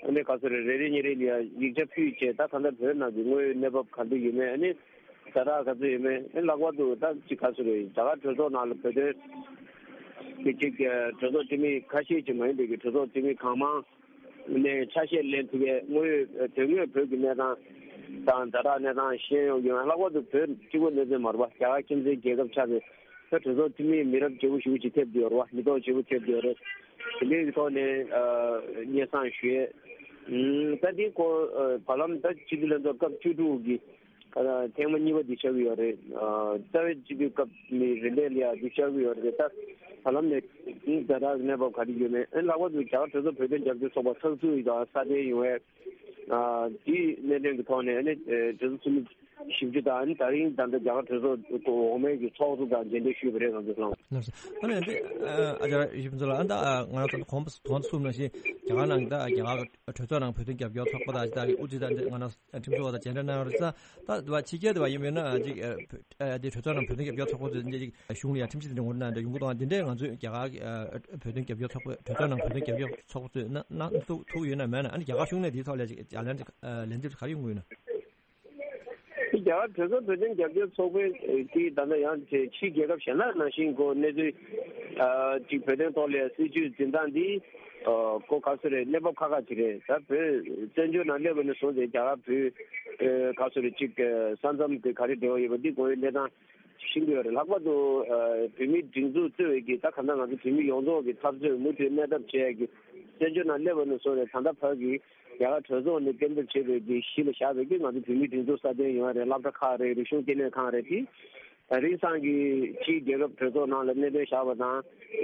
ཨ་ནི་ག་ཚོད་རེད། རེ་རེ་གཉིས་རེ་ལ་ཡ་ཡིག་ཆ་ཕུལ་བྱས། ད་གང་ལྟར་བོད་ནང་གི་དངོས་ཡོད་གནས་བབ་ག་འདྲ་ཡོད་མེད། ཨ་ནི་ཛ་དྲག་ག་ཚོད་ཡོད་མེད། ཨ་ནི་ལྷག་པར་དུ་ད་ཅིག་ག་ཚོད་རེད། རྒྱ་གར་གྲོས་ཚོགས་ནང་ལ་བོད་དོན་གྱི་ཅིག་གྲོས་ཚོགས་འཐུས་མི་ཁ་ཤས་ཅིག་མ་ཡིན་པའི་གི་གྲོས་ཚོགས་འཐུས་མི་གང་མང་ནས་ཆ་ཤས་ལེན་ཐུབ་པའི་དངོས་ཡོད་དོན་དངོས་བོད་ཀྱི་གནས་སྟངས་དང་ཛ་དྲག་གནས་སྟངས་ཤེས་ཡོང་གི་ཡོད། ལྷག་པར་དུ་བོད་གཅིག་པོ་གནས་ཚུལ་མ་རེད་པ། རྒྱ་གར་ཁྱིམ་མཚེས་རྒྱལ་ཁབ་ཆགས་ཏེ། ད་གྲོས་ཚོགས་འཐུས་མི་མི་རབས་བརྗེ་པོ་ཞེ་པོ་ཅིག་ཐེབས་བསྡད་ཡོད་རེད་པ། མི་ཐོག་བརྗེ་པོ་ཐེབས་བསྡད་ཡོད་རེད། དེ་འདྲའི་ཐོག་ནས་ཨ་སྙན་སེང་ཞུ་ཡས། ཨུམ་ད་འདི་སྐོར་ཨ་བར་ལམ་ད་སྤྱི་འཐུས་ལྷན་ཚོགས་སྐབས་བཅུ་དྲུག་གི་ཨ་ཐེངས་མ་གཉིས་པ་འདི་ཆགས་ཀྱི་ཡོད་རེད། ཨ་རྩ་བའི་སྤྱི་འཐུས་སྐབས་ནས་རིམ་པས་ལ་ཡ་འདི་ཆགས་ཀྱི་ཡོད་རེད། ད་བར་ལམ་ནས་ཨུམ་ཛ་དྲག་གནས་བབ་ག་རེ་ཡོད་མེད། ཨ་ལྷག་པར་དུ་རྒྱ་གར་གྲོས་ཚོགས་བོད་དོན་རྒྱབ་སྐྱོར་ཚོགས་པ་ཚགས་ཚུད་ཡིན་དང་སྲ་བརྟན་ཡོང་བའི་ཨ་དེའི་གནད་དོན་གྱི་ཐོག་ནས་ཨ་ནི་ཨ་གྲོས་ཚོགས་འཐུས་མི་བཞི་བཅུ་དང་། ཨ་ནི་ད་རིང་ད་ལྟ་རྒྱ་གར་གྲོས་ཚོགས་འོག་མའི་གི་ཚོགས་གཙོ་དང་མཇལ་འཕྲད་ཞུས་པ་རེད། ང་ཚོ་ལྷན་ལགས་སོ། ཨ་ནི་འདི་ཨ་ཨ་ཅག་ཡིད་ཕུན་ཚོགས་ལགས། ཨ་ད་ང་རང་ཚོ་གོང་དུ་གསུངས་ནང་བཞིན་རྒྱ་གར་ནང་ད་རྒྱ་གར་གྲོས་ཚོགས་ནང་བོད་དོན་རྒྱབ་སྐྱོར་ཚོགས་པ་དང་ད་གི་དབུ་ཁྲིད་དང་ང་རང་ཁྲིམས་ཞིབ་པ་དང་མཇལ་འཕྲད་གནང་ཡོད་རེད། ད་ད་ཕྱི་རྒྱལ་དུ་བ་ཡིན་མིན་ན་ཅིག་ཨ་འདི་གྲོས་ཚོགས་ནང་བོད་དོན་རྒྱབ་སྐྱོར་ཚོགས་པ་ཚོས་འདི་ཅིག་གཞུང་ལ་ཡང་ཁྲིམས་ཞིབ་དེ་འདྲ་ངོ་སྤྲོད་གནང་འདྲ་ཡོང་གི་འདུག་ཨ། འདི་འདྲས་ང་ཚོས་རྒྱ་གར་གི་ཨ་བོད་དོན་རྒྱབ་སྐྱོར་ཚོགས་པ། གྲོས་ཚོགས་ནང་བོད་དོན་རྒྱབ་སྐྱོར་ཚོགས་པ་ཚོས་གནང་གནང་ཐུབ་ཐུབ་ཡོད་ན་མེད་ན། ཨ་ནི་རྒྱ་གར་གཞུང་ནས་འདིའི་ཐོག་ལ་ཅིག་ལན་ཅིག་ཨ་ལན་འདེབས་ག་རེ་ཡོང་གི་ཡོད་ན། རྒྱ་གར་གྲོས་ཚོགས་བོད་དོན་རྒྱབ་སྐྱོར་ཚོགས་པའི་དེ་ད་ལྟ་ཡང་ཕྱིའི་རྒྱལ་ཁབ་གཞན་དག་ནང་བཞིན་གོ་གནས་ཚུལ་ཨ་ཅིག་བོད་དོན་ཐོག་ལ་སྲིད་བྱུས་འཛིན་སྟངས་འདི་ཨ་གོ་ག་ཚོད་རེད། གནས་བབ་ཁག་ཁག་ཅིག་རེད། ད་བོད་བཙན་བྱོལ་ནང་སླེབས་པ་ནས་བཟུང་སྟེ་རྒྱ་གར་བོད་ཨ་ག་ཚོད་རེད་ཅིག་ས་མཚམས་དེ་ག་རེ་འབྲེལ་བ་ཡོད་པ་འདི་དགོས་ཡོད་གནས་སྟངས། ཤེས་ཀྱི་ཡོད་རེད། ལྷག་པར་དུ་ཨ་བོད་མིའི་སྒྲིག་འཛུགས་གཙོས་པའི་གི་ད་ག་འདྲ་ང་ཚོ་བོད་མི་ཡོངས་རྫོགས་ཀྱི་འཐབ་རྩོད་མུ་མཐུད་གནས་ཐབས་བྱས་ཀྱི་བཙན་བྱོལ་ནང་སླེབས་པ་ནས་བཟུང་ནས་ད་ལྟ་བར་གྱི་རྒྱ་གར་གྲོས་ཚོགས་ནས་གཏན་འབེབས་བྱས་པའི་གི་གཞི་ལ་བཞག་པའི་གི་ང་ཚོ་བོད་མིའི་སྒྲིག་འཛུགས་སྲ་བརྟན་ཡོང་ཡ་རེད། སློབ་གྲྭ་ཁག་རེད། རིག་གཞུང་ལྟེ་གནས་ཁང་རེད། དེ་ད་རིང་སང་གི་ཕྱིའི་རྒྱལ་ཁབ་གྲོས་ཚོགས་ནང་ལ་གནད་དོན་བཞག་པ་དང་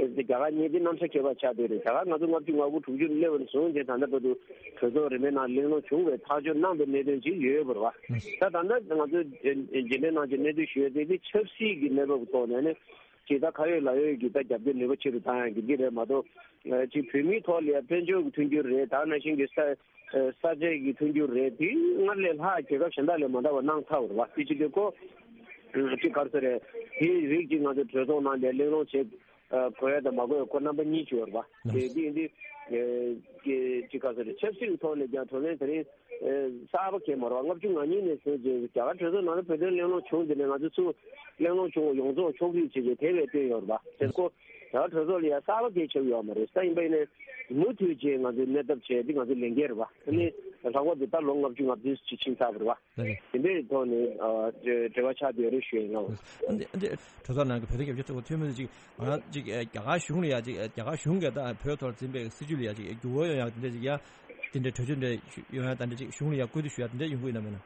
རྒྱ་གར་གཉིས་དེ་རྣམ་གཞٖ་ཁྱད་པར་ཆགས་བསྡད་རེད། རྒྱ་གར་ང་ཚོ་ལྔ་བཅུ་ང་དགུ་དྲུག་ཅུ་སླེབས་པ་ནས་བཟུང་སྟེ་ད་ལྟ་བར་དུ་གྲོས་ཚོགས་རིམ་པའི་ནང་གླེང་སློང་བྱུང་བའི་ཐག་གཅོད་གནང་པའི་གནད་དོན་ཅིག་ཡོད་པ་རེད་བ། ད་ད་ལྟ་ང་ཚོ་རྗེས་དྲན་ནང་གི་གནད་དོན་ཞུ་ཡ་དེ་དེ་ཆབ་སྲིད་ཀྱི་གནས་བབ་ཐོག་ནས་ནི་ཅིག་ད་ཁ་ཡོད་ལག་ཡོད་ཀྱི་ད་རྒྱབ་སྐྱོར་ནུས་པ་ཆེ་རུ་བཏང་ཡ་གི་འདི་རེད་མ་གཏོགས་ཅིག་བོད་མིའི་ཐོག་ལ་ཡ་དཔལ་འབྱོར་གྱི་མཐུན་འགྱུར་རེད། ད་ནང་བཞིན་གྱི་ས་ས་ཆ་གི་མཐུན་འགྱུར་རེད། དེ་སྔར་ལས་ལྷག་རྒྱལ་ཁབ་གཞན་དག་ལས་མ་འདྲ་བ་གནང་ཚར་བ་རེད་བ། དེ་ཅི་འདྲ་ཁོ་ཅིག་ག་རེ་ཟེར་རེད། དེའི་རིགས་ཅིག་ང་ཚོ་གྲོས་ཚོགས་ནང་ལ་གླེང་སློང་བྱེད་དགོས་ཡ་དང་མ་དགོས་ཡ་ཁོ་རྣམ་པ་གཉིས་ཅིག་ཡོད་རེད་བ། དེ་དེ་འདི་ཅིག་ག་རེ་ཟེར་རེད། ཆབ་སྲིད་ཀྱི་ཐོག་ནས་ཀྱང་བགྲོ་གླེང་དེ་རིང་གསར་པ་གང་ཡང་མ་རེད་བ། ལྔ་བཅུ་ང་གཉིས་ནས་བཟུང་ཅིག་རྒྱ་གར་གྲོས་ཚོགས་ནང་ལ་བོད་དོན་གླེང་སློང་བྱུང་དེ་ནས་ང་ཚོ་ཚུར་གླེང་སློང་བྱུང་བ་ཡོངས་རྫོགས་ཕྱོགས་བསྡུས་བྱས་ཏེ་དེ་བས་བཏོན་ཡོད་རེད་བ། དེ་ཁོ་རྒྱ་གར་གྲོས་ཚོགས་ལ་ཡ་གསར་པ་གང་ཡང་ཆགས་ཡོད་མ་རེད། ད་ཡིན་པ་ཡིན་ནའི་མུ་མཐུད་བྱས་ང་ཚོས་གནས་ཐབས་བྱས་ཏེ་ང་ཚོའི་ལས་འགན་རེད་བ། ཨ་ནི་ལྷག་པར་དུ་ད་ལོ་ལྔ་བཅུ་ང་བདུན་ཅིག་ཕྱིན་ཚར་བ་རེད་བ། ལགས་རེད། དེ་འདྲའི་ཐོག་ནས་ཨ་འབྲེལ་བ་ཆགས་བསྡད་ཡོད་རེད་ཞུ་ཡ་ཡིན། ཨ་འདི་ཨ་འདི་གྲོས་ཚོགས་ནང་གི་བོད་དོན་རྒྱབ་སྐྱོར་ཚོགས་པ་འཐུས་མི་ཅིག་ང་རང་ཅིག་ཨ་རྒྱ་གར་གཞུང་ལ་ཡ་ཅིག་ཨ་རྒྱ་གར་གཞུང་གིས་ད་བོད་ཐོག་འཛིན་པའི་སྲིད་བྱུས་ལ་ཡ་ཅིག་འགྱུར་བ་ཡོང་ཡ་དེ་འདྲ་ཅིག་ཡ་དེ་འདྲའི་གྲོས་ཆོད་འདྲ་ཞུ་ཡོང་ཡ་དེ་འདྲ་ཅིག་གཞུང་ལ་ཡ་བསྐུལ་འདེད་ཞུ་ཡ་དེ་འདྲ་ཡོང་གི་ཡོད་ན་མེད་ན།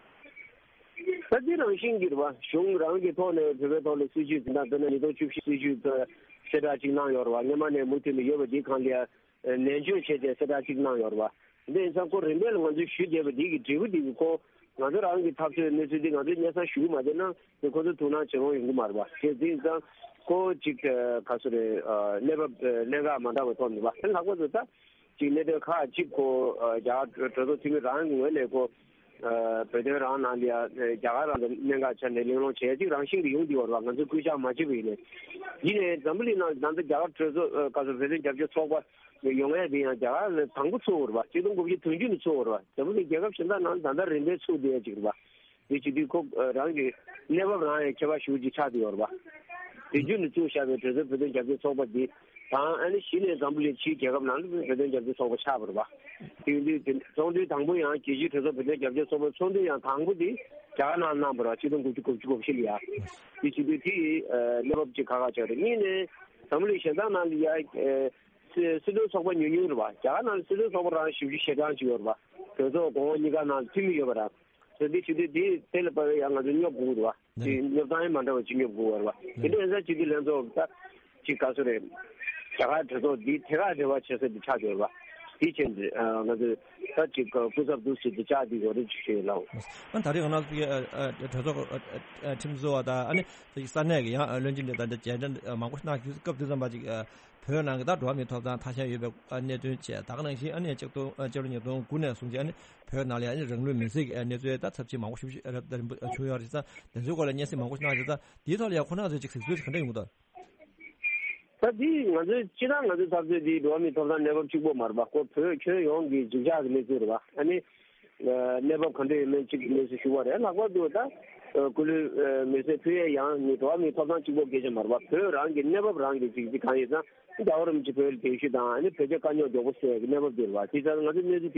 ད་འདི་རང་བཞིན་གྱིས་རེད་བ། གཞུང་རང་གི་ཐོག་ནས་བོད་པའི་ཐོག་ལ་སྲིད་བྱུས་འཛིན་སྟངས་དཔེར་ན་ཉིས་སྟོང་བཅུ་བཞི་སྲིད་བྱུས་གསལ་བསྒྲགས་ཅིག་གནང་ཡོད་རེད་བ། སྔོན་མ་ནས་མུ་མཐུད་ནས་ཡོད་པ་འདིའི་སྒང་ལ་ཡ། ནན་བརྗོད་བྱས་ཏེ་གསལ་བསྒྲགས་གཅིག་གནང་ཡོད་རེད་བ། འདི་ཡིན་ཙང་ཁོ་རིམ་པས་ལ་ང་ཚོས་ཞུ་བསྡད་པ་འདི་གི་འབྲས་བུ་འདི་གི་ཁོ་ང་ཚོ་རང་གི་འཐབ་རྩོད་གནས་ཚུལ་འདི་ང་ཚོས་སྙན་སེང་ཞུ་གི་མ་བསྡད་ན་འདི་ཁོ་ཚོ་ཐུགས་སྣང་ཇེ་མང་ཡོང་གི་མ་རེད་བ། དེ་འདི་ཡིན་ཙང་ཁོ་གཅིག་ག་ཚོད་རེད། གནས་བབ་གནད་འགག་མ་འདྲ་བ་ཐོག་ནས་བ། དེ་ལྷག་པར་དུ་ད་གཅིག་གནད་དོན་ཁག་གཅིག་ཁོ་རྒྱ་གར་གྲོས་ཚོགས་འཐུས་མི་རང་གི་ངོས་ནས་ཁོ་བོད་དོན་རང་ནང་ལ་ཡ་རྒྱ་གར་རང་དང་གནད་འགག་ཆ་ནས་གླེང་སློང་བྱས་གཅིག་རང་བཞིན་གྱི་ཡོང་བསྡད་ཡོད་རེད་བ། ང་ཚོས་སྐུལ་ལྕག་མ་བྱས་པ་ཡིན་ནའི། ཡིན་ནའི་འཛམ་བུ་གླིང་ནང་ད་ལྟ་རྒྱ་གར་གྲོས་ཚོགས་ག་ཚོད་བོད་དོན་རྒྱབ་སྐྱོར་ཚོགས་པ། ཡོང་ཡ་དེ་ཡང་རྒྱ་གར་ལ་དང་པོ་ཚུགས་པ་རེད་བ། ཆིག་སྟོང་དགུ་བརྒྱ་བདུན་ཅུ་ནས་ཚུགས་པ་རེད་བ། འཛམ་བུ་གླིང་རྒྱལ་ཁབ་གཞན་དག་ནང་ད་ལྟ་རིམ་པས་ཚུགས་བསྡད་ཡ་ཅིག་རེད་བ། དེ་བྱེད་དུས་ཁོ་རང་གི་གནས་བབ་རང་ཡང་ཁྱད་པར་ཞེ་པོ་ཅིག་ཆགས་བསྡད་ཡོད་རེད་བ། བདུན་ཅུ་ནས་བཙུགས་བཞག་པའི་གྲོས་ཚོགས་བོད་དོན་རྒྱབ་སྐྱོར་ཚོགས་པ་འདི་དང་ཨ་ནི་གཞི་ནས་འཛམ་བུ་གླིང་ཕྱིའི་རྒྱལ་ཁབ་ནང་ལ་བོད་དོན་རྒྱབ་སྐྱོར་ཚོགས་པ་ཆགས་པ་རེད་བ། དེ་ཡིན་དུས་དེ་ཚོགས་འདུ་དང་པོ་ཡང་རྒྱལ་སྤྱིའི་གྲོས་ཚོགས་བོད་དོན་རྒྱབ་སྐྱོར་ཚོགས་པའི་ཚོགས་འདུ་ཡང་དང་པོ་དེ་རྒྱ་གར་ནང་གནང་བ་རེད་བ། ཆིག་སྟོང་དགུ་བརྒྱ་དགུ་བཅུ་གོ་བཞི་ལ་ཡ། དེ་བྱེད་དུས་དེ་གནས་བབ་ཅིག་ཁག་ཁག་ཆགས་རེད། གཉིས་ནས་འཛམ་བུ་གླིང་གཞན་དག་ནང་ལ་ཡ། སྲིད་སྲིད་དོན་ཚོགས་པ་ཉུང་ཉུང་རེད་བ། རྒྱ་གར་ནང་ལ་སྲིད་དོན་ཚོགས་པ་རང་བཞི་བཅུ་ཞེ་གྲངས་ཅིག་ཡོད་རེད་བ། གྲོས་ཚོགས་གོང་འོག་གཉིས་ཀ་ནང་ལ་འཐུས་མི་ཡོད་པ་རེད། དེ་འདི་བྱེད་དུས་འདི་དེ་ལ་དཔག་པའི་ཡང་ང་ཚོ་སྙོབ་དགོས་རེད་བ། དེ་སྙོབ་སྟངས་ཡང་མ་འདྲ་བ་ཅིག་སྙོབ་དགོས་པ་རེད་བ། དེ་འདྲ་ཡིན་ཙང་སྤྱི་འཐུས་ལྷན་ཚོགས་ད་ཅིག་ག་ཚོད་རེད། རྒྱ་གར་གྲོས་ཚོགས་འདི་ཐད་ཀར་འབྲེལ་བ་བྱེད་ས་འདི་ཆགས་ཡོད་རེད་བ། དེ་བྱས་ནས་ང་ཚོས་ད་ཅིག་སྐུ་ཚབ་འདུག་ཟེར་དུ་བཅར་བསྡད་ཡོད་རེད་ཅེས་ཞུ་ཡི་ལགས། ཨ་ད་རེས་ང་རང་ཚོ་གི་གྲོས་ཚོགས་ཁྲིམས་བཟོ་བ་དང་ཨ་ནི་ས་གནས་ཀྱི་ཡང་བློན་ཆེན་དང་ད་མཇལ་འཕྲད་མང་པོ་གནང་རྒྱུ་སྐབས་དེ་ཙམ་པ་ཅིག་བོད་ནང་གི་ད་འགྲོ་བ་མིའི་ཐོབ་ཐང་ཐ་ཤལ་ཡོད་པའི་གནད་དོན་བཅས་ད་ག་ནང་བཞིན་ཨ་ནི་ཆིག་སྟོང་ཕྱི་ལོ་ཉིས་སྟོང་དགུ་ནས་བཟུང་སྟེ་ཨ་ནི་བོད་ནང་ལ་ཨ་ནི་རང་ལུས་མེར་སྲེག་གི་གནས་ཚུལ་ད་ཚབས་ཆེན་མང་པོ་ཞིག་རབ་བྱུང་ཡོད་རེད་ཙང་དེ་ཚོའི་སྐོར་ལ་སྙན་སེང་མང་པོ་ཞིག་གནང་རེད་ཙང་དེའི་ཐོག་ལ་ཡང་ཁོ་རང་ཚོས་ཅིག་གཟིགས་ཚུལ་ག་འདྲ་ཡོང་གི་འདུག་ད་དེ་ང་ཚོའི་སྤྱིར་བཏང་ང་ཚོའི་འཐབ་རྩོད་འདི་འགྲོ་བ་མིའི་ཐོབ་ཐང་གནས་བབ་གཅིག་པོ་མ་རེད་པ། ཁོ་བོད་ཁྱོན་ཡོངས་ཀྱི་འགྱིག་ཇག་གི་གནས་ཚུལ་རེད་པ། ཨ་ནི་གནས་བབ་ག་འདྲ་ཡོད་མེད་གཅིག་གནས་ཚུལ་ཞུ་བ་རེད། ལྷག་པར་དུ་ད་སྐུ་ལུས་མེར་སྲེག་ཕུལ་ཡས་ཡང་ནི་འགྲོ་བ་མིའི་ཐོབ་ཐང་གཅིག་པོ་སྐད་ཆ་མ་རེད་པ། བོད་རང་གི་གནས་བབ་རང་གི་གཅིག་གཅིག་གང་ཡོད་ཙང་རྒྱལ་བ་རིན་པོ་ཆེ་བོད་ལ་གདན་ཞུ་དང་ཨ་ནི་བོད་རྒྱ་དཀའ་རྙོག་མགྱོགས་པོ་སེལ་ཡས་ཀྱི་གནས་བབ་འདི་རེད་པ། དེ་ཙང་ང་ཚོའི་གནས་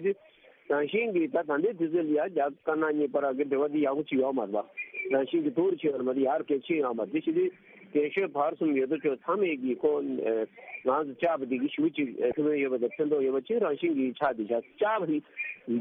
ཚུལ་དེ་གས་དེ་བྱེད་དུས། རང་བཞིན་གྱིས་ད་ད་ལྟའི་དུས་ཚོད་ལ་ཡང་རྒྱ་དཀར་ནག་གཉིས་བར་གྱི་འབྲེལ་བ་འདི་ཡག་པོ་ཅིག་ཡོད་མ་རེད་པ། རང་བཞིན་གྱིས་སྡུག་རུ་ཕྱིན་ཡོད་རེད་མ་གཏོགས་ཡར་གལ་ཆེ་ཡོད་མ་རེད། དེ་བྱེད་དུས་རྒན་གཞོན་བར་གསུམ་ཡོད་དོ་ཅོག་ཚང་མས་ཀྱིས་ཁོ་ང་ཚོ་བཅར་བ་འདི་གིས་ཞེ་པོ་ཅིག་ཐུགས་ཕན་ཡོད་པ་དང་ཕན་ཐོགས་ཡོད་པ་ཅིག་རང་བཞིན་གྱིས་ཆགས་བསྡད་ཤག་བཅར་བ་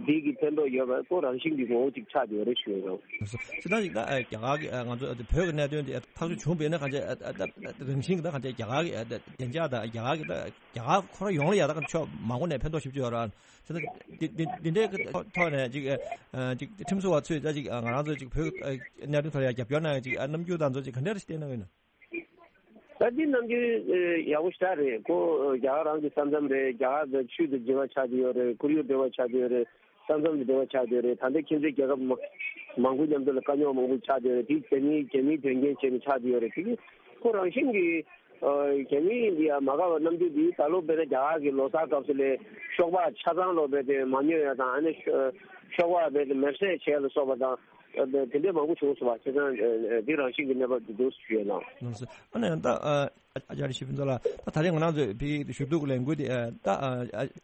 འདི་གིས་ཕན་ཐོགས་ཡོད་པ་ཁོ་རང་བཞིན་གྱི་ངོ་བོ་ཅིག་ཆགས་བསྡད་ཡོད་རེད་ཞུ་ཡ་ཡོད། སྤྱིར་བཏང་ཞིག་ད་རྒྱ་གར་གྱི་ང་ཚོ་བོད་ཀྱི་གནད་དོན་འདི་ཐག་གཅོད་བྱུང་བས་ན་གང་ཅི་རང་བཞིན་གྱི་ད་གང་ཅི་རྒྱ་གར་གྱི་བདེ་འཇགས་དང་རྒྱ་གར་གྱི་ད་རྒྱ་གར་ཁོ་རང་ཡོངས་ལ་ཡ་ད་གང་ཕྱོགས་མང་པོ་ནས་ཕན་ཐོགས་ཞེ་པོ་ཅིག་ཡོད་རེད། དེ་ནས་འདི་འདི་འདི་འདྲའི་ཐོག་ནས་ཅིག་ཅིག་ཁྲིམས་བཟོ་བ་ཚོས་ད་ཅིག་ང་རང་ཚོ་ཅིག་བོད་གནད་དོན་ཐོག་ལ་ཡང་རྒྱབ་སྐྱོར་གནང་ཡ་ཅིག་རྣམ་འགྱུར་དང་ཚོ་ཅིག་ག་འདྲ་རེ་ཞིག་བསྟན་གནང་ཡོད་ན། ད་འདི་རྣམ་འགྱུར་ཡག་པོ་ཞེ་དྲག་རེད། ཁོ་རྒྱ་གར་རང་གི་ས་མཚམས་རེད། རྒྱ་གར་དང་ཆུ་དང་འབྲེལ་བ་ཆགས་ཀྱི་ཡོད་རེད། ཁོར་ཡུག་འབྲེལ་བ་ཆགས་ཀྱི་ཡོད་རེད། ས་མཚམས་དང་འབྲེལ་བ་ཆགས་ཀྱི་ཡོད་རེད། ད་ལྟ་ཁྱིམ་མཚེས་རྒྱལ་ཁབ་མང་པོའི་མཉམ་དུ་ལ་དཀའ་རྙོག་མང་པོ་ཆགས་ཀྱི་ཡོད་རེད། དེ་རྒྱ་མིའི་རྒྱ་མིའི་དོན་རྐྱེན་བྱས་ནས་ཆགས་ཀྱི་ཡོད་རེད། དེ་གི་ཁོ་རང་བཞིན་གྱིས། རྒྱ་མི་འདི་ཡང་མ་དགའ་བའི་རྣམ་འགྱུར་འདི་ད་ལོ་དཔེར་ན་རྒྱ་གར་གྱི་ལོ་གསར་སྐབས་སུ་ལས་ཤོག་སྦག་ཆ་ཚང་ལོ་དཔེ་དེ་མ་ཉོ་ཡ་དང་ཨ་ནི་ཤོག་སྦག་དཔེ་དེ་མེར་སྲེག་བྱས་ལ་སོགས་པ་དང་དེ་འདྲའི་མང་པོ་བྱུང་སོང་བ། བྱས་ཙང་འདི་རང་བཞིན་གྱི་གནས་བབ་འདི་འདུག་ཞུ་ཡས་ལགས། ལགས་སོ། ཨ་ནི་ད་ཨ་ཅག་རི་ཤི་ཕུན་ཚོགས་ལགས་ད་ད་རེས་ང་རང་ཚོས་ཕ་གི་ཞུ་གཏུག་ལས་འགུལ་དེ་ད་ད་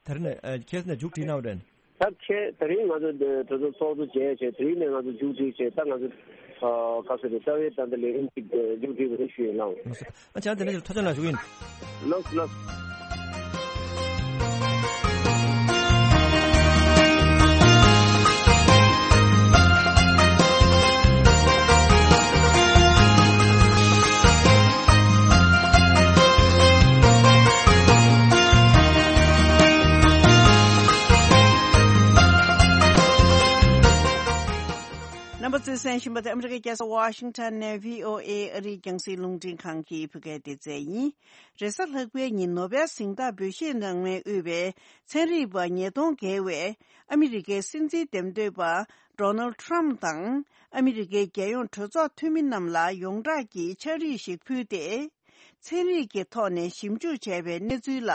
རེས་ནས་ཁྱེད་ནས་མཇུག་སྒྲིལ་གནང་བ་རེད། ད་ཁྱེད་ད་རིང་ང་ཚོ་འདི་གྲོས་ཚོགས་ཚོགས་གཙོ་བྱས་བྱས་དེ་རིང་ནས་ང་ཚོ་མཇུག་སྒྲིལ་བྱས་ད་ང་ཚོ་ ཨ། ག་ཟེར་རེད། རྩ་བའི་ད་ལྟ་ལས་རིམ་གཅིག་མཇུག་སྒྲིལ་བ་རེད་ཞུ་ཡིན་ལགས། ལགས་སོ། ཨ་ཅག་དེ་འདྲ་ཞིག་ཐུགས་རྗེ་གནང་ཞུ་གི་ཡིན། ལགས་སོ་ལགས་སོ། རྣམ་པ་ཚོས་གསན་བཞིན་པ་དེ་ཨ་མི་རི་ཀའི་རྒྱལ་ས་ཝ་ཤིང་ཊོན་ནས་བྷི་ཨོ་ཨེ་ཨ་རིའི་རྒྱང་སྲིང་རླུང་འཕྲིན་ཁང་གི་བོད་སྐད་སྡེ་ཚན་ཡིན། རེས་གཟའ་ལྷག་པའི་ཉིན་ནོ་བེལ་གཟེངས་རྟགས་འབུལ་བཞེས་གནང་མུས་དབུས་པའི་ཚན་རིག་པ་ཉིས་སྟོང་བརྒལ་བས་ཨ་མི་རི་ཀའི་སྲིད་འཛིན་འདེམས་ཐོན་པ་ཌོ་ནལ་ཌི་ཊརམ་ཕི་དང་ཨ་མི་རི་ཀའི་རྒྱལ་ཡོངས་གྲོས་ཚོགས་འཐུས་མི་རྣམས་ལ་ཡོངས་གྲགས་ཀྱི་ཕྱག་བྲིས་ཤིག་ཕུལ་ཏེ། ཚན་རིག་གི་ཐོག་ནས་ཞིབ་འཇུག་བྱས་པའི་གནས་ཚུལ་ལ་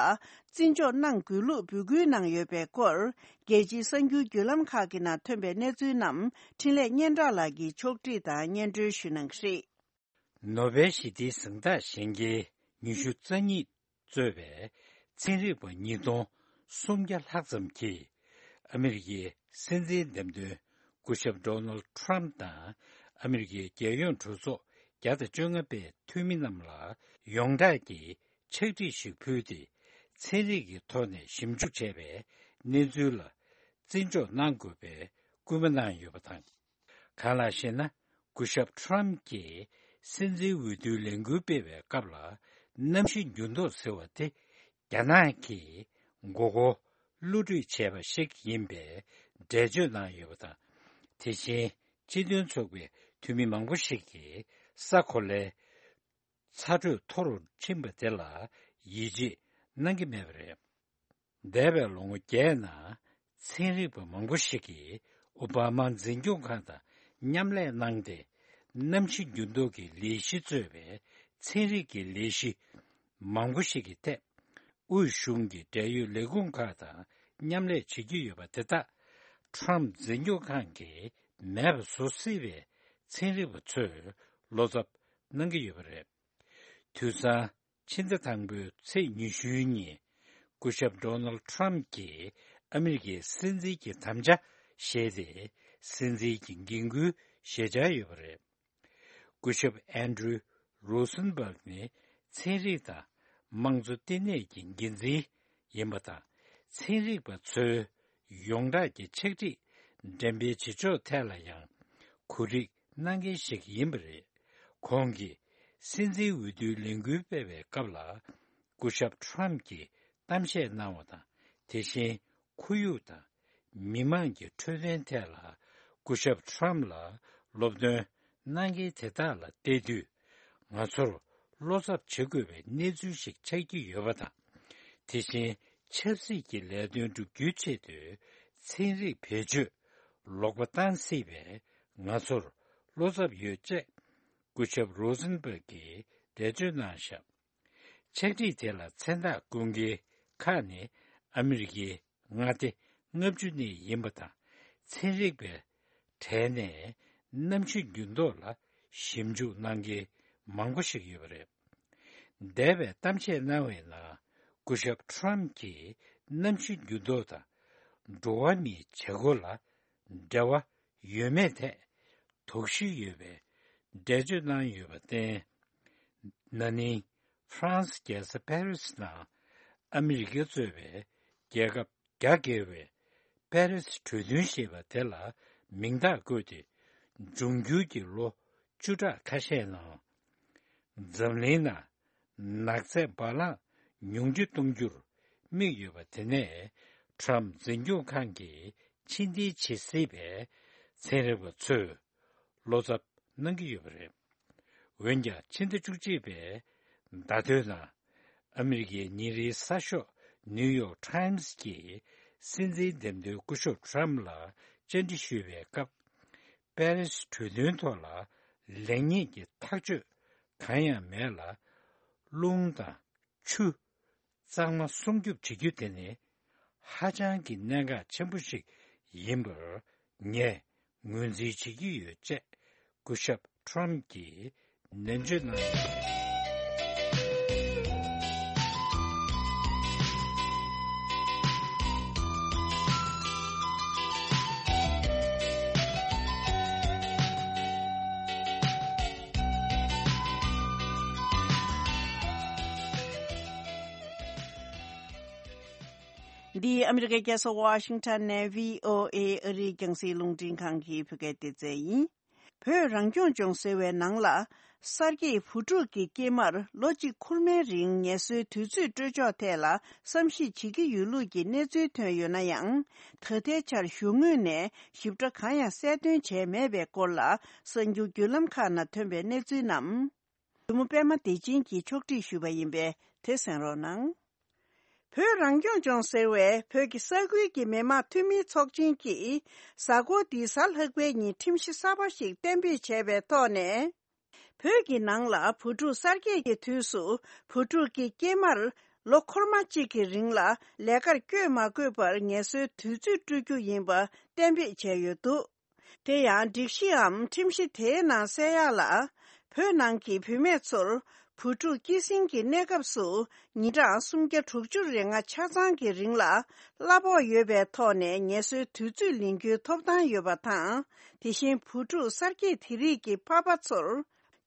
བརྩི་འཇོག་གནང་དགོས་ལུགས་འབོད་སྐུལ་གནང་ཡོད་པའི་སྐོར། རྒྱལ་སྤྱིའི་གསར་འགྱུར་བརྒྱུད་ལམ་ཁག་གི་ནང་ཐོན་པའི་གནས་ཚུལ་རྣམས་འཕྲིན་ལས་སྙན་གྲགས་ལགས་ཀྱིས་ཕྱོགས་སྒྲིག་དང་སྙན་སྒྲོན་ཞུ་གནང་གི་རེད། ནོ་བེལ་ཞི་བདེའི་གཟེངས་རྟགས་གཞེན་མཁན་ཉི་ཤུ་རྩ་གཉིས་གཙོས་པའི་ཚན་རིག་པ་ཉིས་སྟོང་སུམ་བརྒྱ་ལྷག་ཙམ་གྱིས་ཨ་མི་རི་ཀའི་སྲིད་འཛིན་འདེམས་ཐོན་སྐུ་ཞབས་ཌོ་ནལ་ཌི་ཊརམ་ཕི་དང་ཨ་མི་རི་ཀའི་རྒྱལ་ཡོངས་གྲོས་ཚོགས་བརྒྱ་དང་བཅོ་ལྔ་པའི་འཐུས་མི་རྣམས་ལ་ཡོངས་གྲགས་ཀྱི་ཕྱག་བྲིས་ཤིག་ཕུལ་ཏེ། ཚན་རིག་གི་ཐོག་ནས་ཞིབ་འཇུག་བྱས་པའི་གནས་ཚུལ་ལ་བརྩི་འཇོག་གནང་དགོས་པའི་སྐུལ་མ་གནང་ཡོད་པ་དང་། གང་ལགས་ཤེ་ན། སྐུ་ཞབས་ཊརམ་གྱིས་སྲིད་འཛིན་འོས་བསྡུའི་ལས་འགུལ་སྤེལ་བའི་སྐབས་ལ་གནམ་གཤིས་འགྱུར་ལྡོག་ཟེར་བ་དེ་རྒྱ་ནག་གིས་མགོ་སྐོར་བསླུ་བྲིད་བྱས་པ་ཞིག་ཡིན་པའི་འགྲེལ་བརྗོད་གནང་ཡོད་པ་དང་། དེ་བཞིན་སྤྱི་མཐུན་ཚོགས་པའི་འཐུས་མི་མང་པོ་ཞིག་གིས་ས་གོ་ལའི་ཚ་དྲོད་མཐོ་རུ་ཕྱིན་པ་དེ་ལ་ཡིད་ཆེས་གནང་གི་མེད་པ་རེད། འདས་པའི་ལོ་ངོ་བརྒྱད་ནང་ཚན་རིག་པ་མང་པོ་ཞིག་གིས་ཨོ་བྷ་མ་འཛིན་སྐྱོང་ཁང་དང་མཉམ་ལས་གནང་སྟེ། གནམ་གཤིས་འགྱུར་ལྡོག་གི་ལས་གཞི་གཙོས་པའི་ཚན་རིག་གི་ལས་གཞི་མང་པོ་ཞིག་གི་ཐད། དབུས་གཞུང་གི་འབྲེལ་ཡོད་ལས་ཁུངས་ཁག་དང་མཉམ་ལས་བྱེད་ཀྱི་ཡོད་པ་དེ་དག་ཊརམ་འཛིན་སྐྱོང་ཁང་གིས་མེད་པ་བཟོ་སྲིད་པའི་ཚན་རིག་པ་ཚོས་བློ་འཚབ་གནང་གི་ཡོད་པ་རེད། དུས་སང་ཕྱི་ཟླ་དང་པོའི་ཚེས་ཉི་ཤུའི་ཉིན། སྐུ་ཞབས་ཌོ་ནལ་ཊརམ་གྱིས་ཨ་མི་རི་ཀའི་སྲིད་འཛིན་གྱི་དམ་བཅའ་བཞེས་ཏེ། སྲིད་འཛིན་གྱི་འགན་ཁུར་བཞེས་འཆར་ཡོད་པ་རེད། སྐུ་ཞབས་ཨན་ཌྲུ་རོ་སན་སྦརག་ནི་ཚན་རིག་དང་དམངས་གཙོ་ལྟེ་གནས་ཀྱི་འགན་འཛིན་ཡིན་པ་དང་། ཚན་རིག་པ་ཚོའི་ཡོངས་གྲགས་ཀྱི་ཕྱག་བྲིས་འགྲེམས་སྤེལ་བྱེད་ཕྱོགས་ཐད་ལ་ཡང་གོ་སྒྲིག་གནང་མཁན་ཞིག་ཡིན་པ་རེད། ཁོང་གིས་སྲིད་འཛིན་འོས་བསྡུའི་ལས་འགུལ་སྤེལ་བའི་སྐབས་ལ། སྐུ་ཞབས་ཊརམ་གྱིས་གཏམ་བཤད་གནང་བ་དང་། དེ་བཞིན་ཁོར་ཡུག་དང་མི་དམངས་ཀྱི་འཕྲོད་བསྟེན་ཐད་ལ་སྐུ་ཞབས་ཊརམ་ལ་སློབ་སྟོན་གནང་མཁན་དེ་དག་ལ་བལྟས་དུས། ང་ཚོར་བློ་འཚབ་བྱེད་དགོས་པའི་གནས་ཚུལ་ཞིག་ཆགས་ཀྱི་ཡོད་པ་དང་། དེ་བཞིན་ཆབ་སྲིད་ཀྱི་ལས་དོན་བསྒྲུབ་རྒྱུའི་ཆེད་དུ་ཚན་རིག་བེད་སྤྱོད་ལོག་པ་བཏང་སྲིད་པས་ང་ཚོར་བློ་འཚབ་ཡོད་ཅེས་སྐུ་ཞབས་རོ་སན་སྦརག་གིས་འགྲེལ་བརྗོད་གནང་བཞག་ཕྱག་བྲིས་དེ་ལ་མཚན་རྟགས་བསྐུར་མཁན་ཁག་ནི་ཨ་མི་རི་ཀའི་མངའ་སྡེ་ལྔ་བཅུ་ནས་ཡིན་པ་དང་། ཚན་རིག་པའི་གྲས་ནས་གནམ་གཤིས་འགྱུར་ལྡོག་ལ་ཞིབ་འཇུག་གནང་མཁན་མང་པོ་ཞིག་ཡོད་པ་རེད། འདས་པའི་གཏམ་བཤད་གནང་བའི་ནང་སྐུ་ཞབས་ཊརམ་གྱིས་གནམ་གཤིས་འགྱུར་ལྡོག་དང་འགྲོ་བ་མིའི་བྱེད་སྒོ་ལ་འབྲེལ་བ་ཡོད་མེད་ཐད་དོགས་གཞི་ཡོད་པའི་འགྲེལ་བརྗོད་གནང་ཡོད་པར་བརྟེན། ན་ནིང་ཧྥ་རན་སི་རྒྱལ་ས་པེ་རི་སི་ནང་ཨ་མི་རི་ཀ་གཙོས་པའི་རྒྱལ་ཁབ་རྒྱ་བསྐྱེད་པའི་པེ་རི་སི་གྲོས་མཐུན་ཞེས་པ་དེ་ལ་མིང་རྟགས་བཀོད་དེ། འབྱུང་འགྱུར་གྱི་ལོ་བཅུ་ཕྲག་ཁ་ཤས་ནང་འཛམ་གླིང་ནང་ནག་རྫས་བ་ལང་ཉུང་འཕྲི་གཏོང་རྒྱུར་དམིགས་ཡོད་པ་དེ་ནས་ཊརམ་འཛིན་སྐྱོང་ཁང་གིས་ཕྱི་འཐེན་བྱེད་སྲིད་པས་ཚན་རིག་པ་ཚོས་བློ་འཚབ་གནང་གི་ཡོད་པ་རེད། འོན་ཀྱང་ཕྱི་ཟླ་བཅུ་གཅིག་པའི་ཟླ་སྟོད་ནང་ཨ་མི་རི་ཀའི་ཉིན་རེའི་གསར་ཤོག་ནིའུ་ཡོག་ཊའིམ་སི་གིས་སྲིད་འཛིན་འདེམས་ཐོན་སྐུ་ཞབས་ཊརམ་ལ་བཅར་འདྲི་ཞུས་པའི་སྐབས། པེ་རི་སི་གྲོས་མཐུན་ཐོག་ལ་ལེགས་ཉེས་ཀྱི་ཐག་གཅོད་གང་ཡང་མེད་ལ། རླུང་དང་ཆུ་གཙང་མ་སྲུང་སྐྱོབ་བྱེད་རྒྱུ་དེ་ནི་ཧ་ཅང་གི་གནད་འགག་ཆེན་པོ་ཞིག་ཡིན་པར་ངས་ངོས་འཛིན་བྱེད་ཀྱི་ཡོད་ཅེས་སྐུ་ཞབས་ཊརམ་གྱིས་ནན་བརྗོད་གནང་ཡོད། འདི་ཨ་མི་རི་ཀའི་རྒྱལ་ས་ཝ་ཤིང་ཊོན་ནས་བྷི་ཨོ་ཨེ་ཨ་རིའི་རྒྱང་སྲིང་རླུང་འཕྲིན་ཁང་གི་བོད་སྐད་སྡེ་ཚན་ཡིན། བོད་རང་སྐྱོང་ལྗོངས་ཟེར་བའི་ནང་ལ། གསར་སྐྱེས་བུ་ཕྲུག་གི་སྐྱེས་མར་ལོ་གཅིག་ཁུར་མའི་རིང་ངལ་གསོའི་དུས་ཚོད་སྤྲོད་ཕྱོགས་ཐད་ལ་བསམ་གཞིག་བྱེད་ཀྱི་ཡོད་ལུགས་ཀྱི་གནས་ཚུལ་ཐོན་ཡོད་ན་ཡང་། ད་ལྟའི་ཆར་གཞུང་ངོས་ནས་ཞིབ་ཕྲ་གང་ཡང་གསལ་སྟོན་བྱས་མེད་པའི་སྐོར་ལ། གསར་འགྱུར་བརྒྱུད་ལམ་ཁག་ནང་ཐོན་པའི་གནས་ཚུལ་རྣམས། གཞི་མོ་པད་མ་བདེ་ཆེན་གྱིས་ཕྱོགས་སྒྲིག་ཞུས་པ་ཡིན་པས་དེ་གསན་རོགས་གནང་། བོད་རང་སྐྱོང་ལྗོངས་ཟེར་བའི་བོད་ཀྱི་ས་ཁུལ་གྱི་མི་དམངས་འཐུས་མིའི་ཚོགས་ཆེན་གྱིས་གཟའ་འཁོར་འདིའི་གཟའ་ལྷག་པའི་ཉིན་ཁྲིམས་གཞི་གསར་པ་ཞིག་གཏན་འབེབས་བྱས་པའི་ཐོག་ནས། བོད་ཀྱི་ནང་ལ་བུ་ཕྲུག་གསར་སྐྱེས་ཀྱི་དུས་སུ་བུ་ཕྲུག་གི་སྐྱེས་མར་ལོ་འཁོར་མ་གཅིག་གི་རིང་ལ་ལས་ཀར་བསྐྱོད་མ་དགོས་པར་ངལ་གསོའི་དུས་ཚོད་སྤྲོད་རྒྱུ་ཡིན་པ་གཏན་འབེབས་བྱས་ཡོད་འདུག་དེ་ཡང་སྒྲིག་གཞིའམ་ཁྲིམས་གཞི་དེའི་ནང་གསལ་ཡག་ལ། བོད་ནང་གི་བུད་མེད་ཚོར་བུ་ཕྲུག་སྐྱེད་སྲིང་གི་གནས་སྐབས་སུ་ཉིན་གྲངས་སུམ་བརྒྱ་དྲུག་ཅུ་རེ་ལྔ་ཆ་ཚང་གི་རིང་ལ་གླ་ཕོགས་ཡོད་པའི་ཐོག་ནས་ངལ་གསོའི་དུས་ཚོད་ལེན་རྒྱུའི་ཐོབ་ཐང་ཡོད་པ་དང་། དེ་བཞིན་བུ་ཕྲུག་གསར་སྐྱེས་དེ་རིགས་ཀྱི་ཕ་ཕ་ཚོར་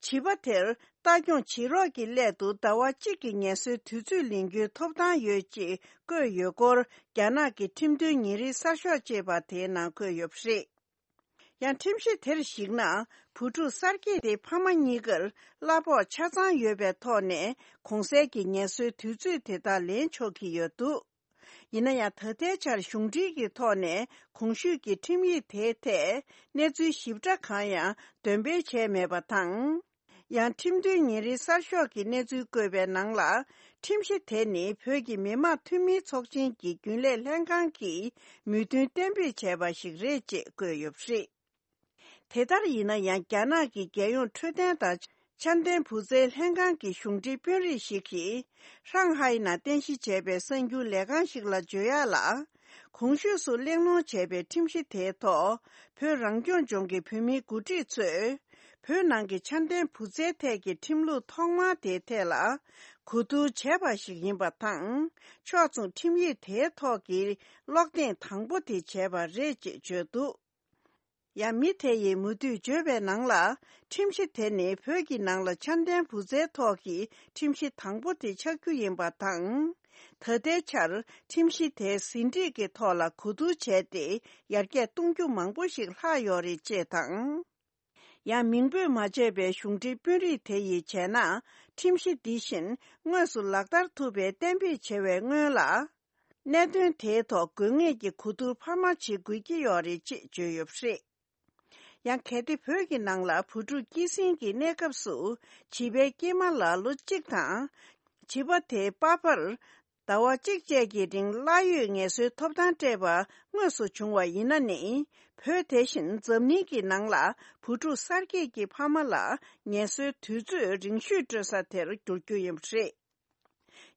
བྱིས་པ་དེར་ལྟ་སྐྱོང་བྱེད་རོགས་ཀྱི་སླད་དུ་ཟླ་བ་གཅིག་གི་ངལ་གསོའི་དུས་ཚོད་ལེན་རྒྱུའི་ཐོབ་ཐང་ཡོད་ཅེས་བཀོད་ཡོད་སྐོར། རྒྱ་ནག་གི་ཁྲིམས་དོན་ཉིན་རེའི་གསར་ཤོག་ཅེས་པ་དེའི་ནང་འཁོད་ཡོད་པ་རེད། ཡང་ཁྲིམས་གཞི་དེར་གཞིགས་ན། བུ་ཕྲུག་གསར་སྐྱེས་དེ་ཕ་མ་གཉིས་ཀར་གླ་ཕོགས་ཆ་ཚང་ཡོད་པའི་ཐོག་ནས་གོང་གསལ་གྱི་ངལ་གསོའི་དུས་ཚོད་དེ་དག་ལེན་ཆོག་གི་ཡོད་འདུག་ཡིན་ན་ཡང་ད་ལྟའི་ཆར་གཞུང་འབྲེལ་གྱི་ཐོག་ནས་གོང་ཞུས་ཀྱི་ཁྲིམས་ཡིག་དེའི་ཐད་གནས་ཚུལ་ཞིབ་ཕྲ་གང་ཡང་འདོན་སྤེལ་བྱས་མེད་པ་དང་། ཡང་ཁྲིམས་དོན་ཉིན་རེའི་གསར་ཤོག་གི་གནས་ཚུལ་བཀོད་པའི་ནང་ལ། ཁྲིམས་གཞི་དེ་ནི་བོད་ཀྱི་མི་དམངས་འཐུས་མིའི་ཚོགས་ཆེན་གྱི་རྒྱུན་ལས་ལྷན་ཁང་གིས་མོས་མཐུན་གཏན་འབེབས་བྱས་པ་ཞིག་རེད་ཅེས་བཀོད་ཡོད་པ་རེད། དེ་ལྟར་ཡིན་ན་ཡང་རྒྱ་ནག་གི་རྒྱལ་ཡོངས་འཕྲོད་བསྟེན་དང་འཆམ་མཐུན་བུ་བཙའི་ལྷན་ཁང་གི་གཞུང་འབྲེལ་དཔོན་རིགས་ཤིག་གིས་ཧྲང་ཧའེ་ནང་རྟེན་གཞི་བྱས་པའི་གསར་འགྱུར་ལས་ཁང་ཞིག་ལ་བརྗོད་ཡག་ལ། གོང་ཞུས་སུ་གླེང་སློང་བྱས་པའི་ཁྲིམས་གཞི་དེའི་ཐོག་བོད་རང་སྐྱོང་ལྗོངས་ཀྱི་བོད་མིའི་འགོ་ཁྲིད་ཚོས་བོད་ནང་གི་འཆམ་མཐུན་བུ་བཙའི་ཐད་ཀྱི་ཁྲིམས་ལུགས་ཐོག་མ་དེའི་ཐད་ལ་གོ་བསྡུར་བྱས་པ་ཞིག་ཡིན་པ་དང་། ཕྱོགས་མཚུངས་ཁྲིམས་ཡིག་དེའི་ཐོག་གི་ཀློག་ཐེངས་དང་པོ་དེ་བྱས་པ་རེད་ཅེས་བརྗོད་འདུག་ཡང་མི་དེ་ཡིས་མུ་མཐུད་བརྗོད་པའི་ནང་ལ། ཁྲིམས་གཞི་དེ་ནི་བོད་ཀྱི་ནང་ལ་འཆམ་མཐུན་བུ་བཙའི་ཐོག་གི་ཁྲིམས་གཞི་དང་པོ་དེ་ཆགས་རྒྱུ་ཡིན་པ་དང་། ད་ལྟའི་ཆར་ཁྲིམས་གཞི་དེ་ཟིན་བྲིས་ཀྱི་ཐོག་ལ་གོ་བསྡུར་བྱས་ཏེ་ཡར་རྒྱས་གཏོང་རྒྱུ་མང་པོ་ཞིག་ལྷག་ཡོད་རེད་ཅེས་དང་། ཡང་མིང་འབོད་མ་བྱས་པའི་གཞུང་འབྲེལ་དཔོན་རིགས་དེ་ཡིས་བྱས་ན། ཁྲིམས་གཞི་འདི་བཞིན་དངོས་སུ་ལག་བསྟར་ཐུབ་པའི་གཏན་འབེབས་བྱས་པའི་སྔོན་ལ། གནད་དོན་དེའི་ཐོག་དགོས་ངེས་ཀྱི་གོ་བསྡུར་འཕར་མ་བྱེད་དགོས་ཀྱི་ཡོད་རེད་ཅེས་བརྗོད་ཡོད་པ་རེད། ཡང་གལ་ཏེ་བོད་ཀྱི་ནང་ལ་བུ་ཕྲུག་སྐྱེད་སྲིང་གི་གནས་སྐབས་སུ་བྱིས་པའི་སྐྱེས་མ་ལ་ལོ་གཅིག་དང་། བྱིས་པ་དེའི་པ་ཕར་ཟླ་བ་གཅིག་བཅས་ཀྱི་རིང་གླ་ཡོད་ངལ་གསོའི་ཐོབ་ཐང་སྤྲད་པ་དངོས་སུ་བྱུང་བ་ཡིན་ན་ནི། བོད་དེ་བཞིན་འཛམ་གླིང་གི་ནང་ལ་བུ་ཕྲུག་གསར་སྐྱེས་ཀྱི་ཕ་མ་ལ་ངལ་གསོའི་དུས་ཚོད་རིང་ཤོས་སྤྲོད་ས་དེར་འགྱུར་རྒྱུ་ཡིན་པ་རེད།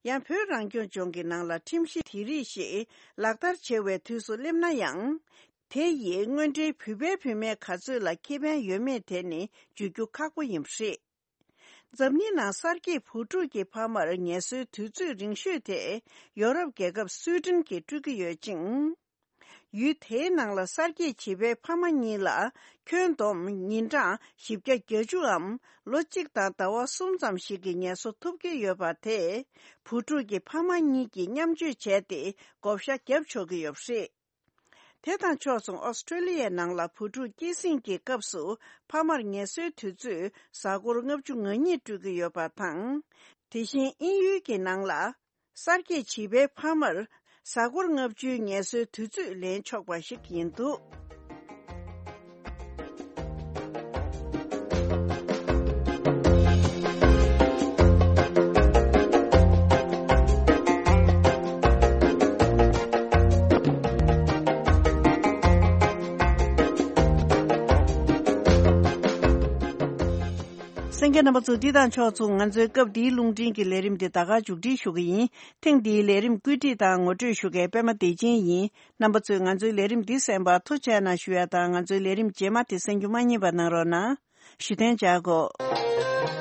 ཡང་བོད་རང་སྐྱོང་ལྗོངས་ཀྱི་ནང་ལ་ཁྲིམས་གཞི་དེ་རིགས་ཤིག་ལག་བསྟར་བྱེད་པའི་དུས་སུ་སླེབས་ན་ཡང་། དེ་ཡིས་དངོས་འབྲེལ་བུ་ཕའི་བུད་མེད་ག་ཚོད་ལ་ཁེ་ཕན་ཡོད་མེད་དེ་ནི་བརྗོད་རྒྱུ་ཁག་པོ་ཡིན་པ་རེད། འཛམ་གླིང་ནང་གསར་སྐྱེས་བུ་ཕྲུག་གི་ཕ་མར་ངལ་གསོའི་དུས་ཚོད་རིང་ཤོས་དེ་ཡོ་རོབ་རྒྱལ་ཁབ་སུའི་ཏྲེན་གྱིས་སྤྲོད་ཀྱི་ཡོད་ཅིང་། ཡུལ་དེའི་ནང་ལ་གསར་སྐྱེས་བྱིས་པའི་ཕ་མ་གཉིས་ལ་ཁྱོན་བསྡོམས་ཉིན་གྲངས་བཞི་བརྒྱ་བརྒྱད་ཅུའམ་ལོ་གཅིག་དང་ཟླ་བ་གསུམ་ཙམ་ཞིག་གི་ངལ་གསོ་ཐོབ་ཀྱི་ཡོད་པ་དེས་བུ་ཕྲུག་གི་ཕ་མ་གཉིས་ཀྱིས་མཉམ་སྤྱོད་བྱས་ཏེ་བགོ་བཤའ་བརྒྱབ་ཆོག་གི་ཡོད་པ་རེད། དེ་དང་ཕྱོགས་མཚུངས་ཨོ་སི་ཀྲོ་ལི་ཡའི་ནང་ལ་བུ་ཕྲུག་སྐྱེད་སྲིང་གི་སྐབས་སུ་ཕ་མར་ངལ་གསོའི་དུས་ཚོད་གཟའ་འཁོར་ལྔ་བཅུ་ང་གཉིས་སྤྲོད་ཀྱི་ཡོད་པ་དང་། དེ་བཞིན་དབྱིན་ཡུལ་གྱི་ནང་ལ། གསར་སྐྱེས་བྱིས་པའི་ཕ་མར་གཟའ་འཁོར་ལྔ་བཅུའི་ངལ་གསོའི་དུས་ཚོད་ལེན་ཆོག་པ་ཞིག་ཡིན་འདུག་གསན་མཁན་རྣམ་པ་ཚོ། འདི་དང་ཕྱོགས་མཚུངས་ང་ཚོའི་སྐབས་འདིའི་རླུང་འཕྲིན་གྱི་ལས་རིམ་འདི་ད་ག་མཇུག་སྒྲིལ་ཞུ་གི་ཡིན། ཐེངས་འདིའི་ལས་རིམ་བཀོད་སྒྲིག་དང་ངོ་སྤྲོད་ཞུ་མཁན་པད་མ་བདེ་ཆེན་ཡིན། རྣམ་པ་ཚོས་ང་ཚོའི་ལས་རིམ་འདི་གསན་པར་ཐུགས་རྗེ་གནང་ཞུ་ཡ་དང་། ང་ཚོའི་ལས་རིམ་རྗེས་མ་དེ་གསན་རྒྱུ་མ་བསྙེལ་བ་གནང་རོགས་གནང་། ཞུ་ཐེངས་བཅར་དགོས།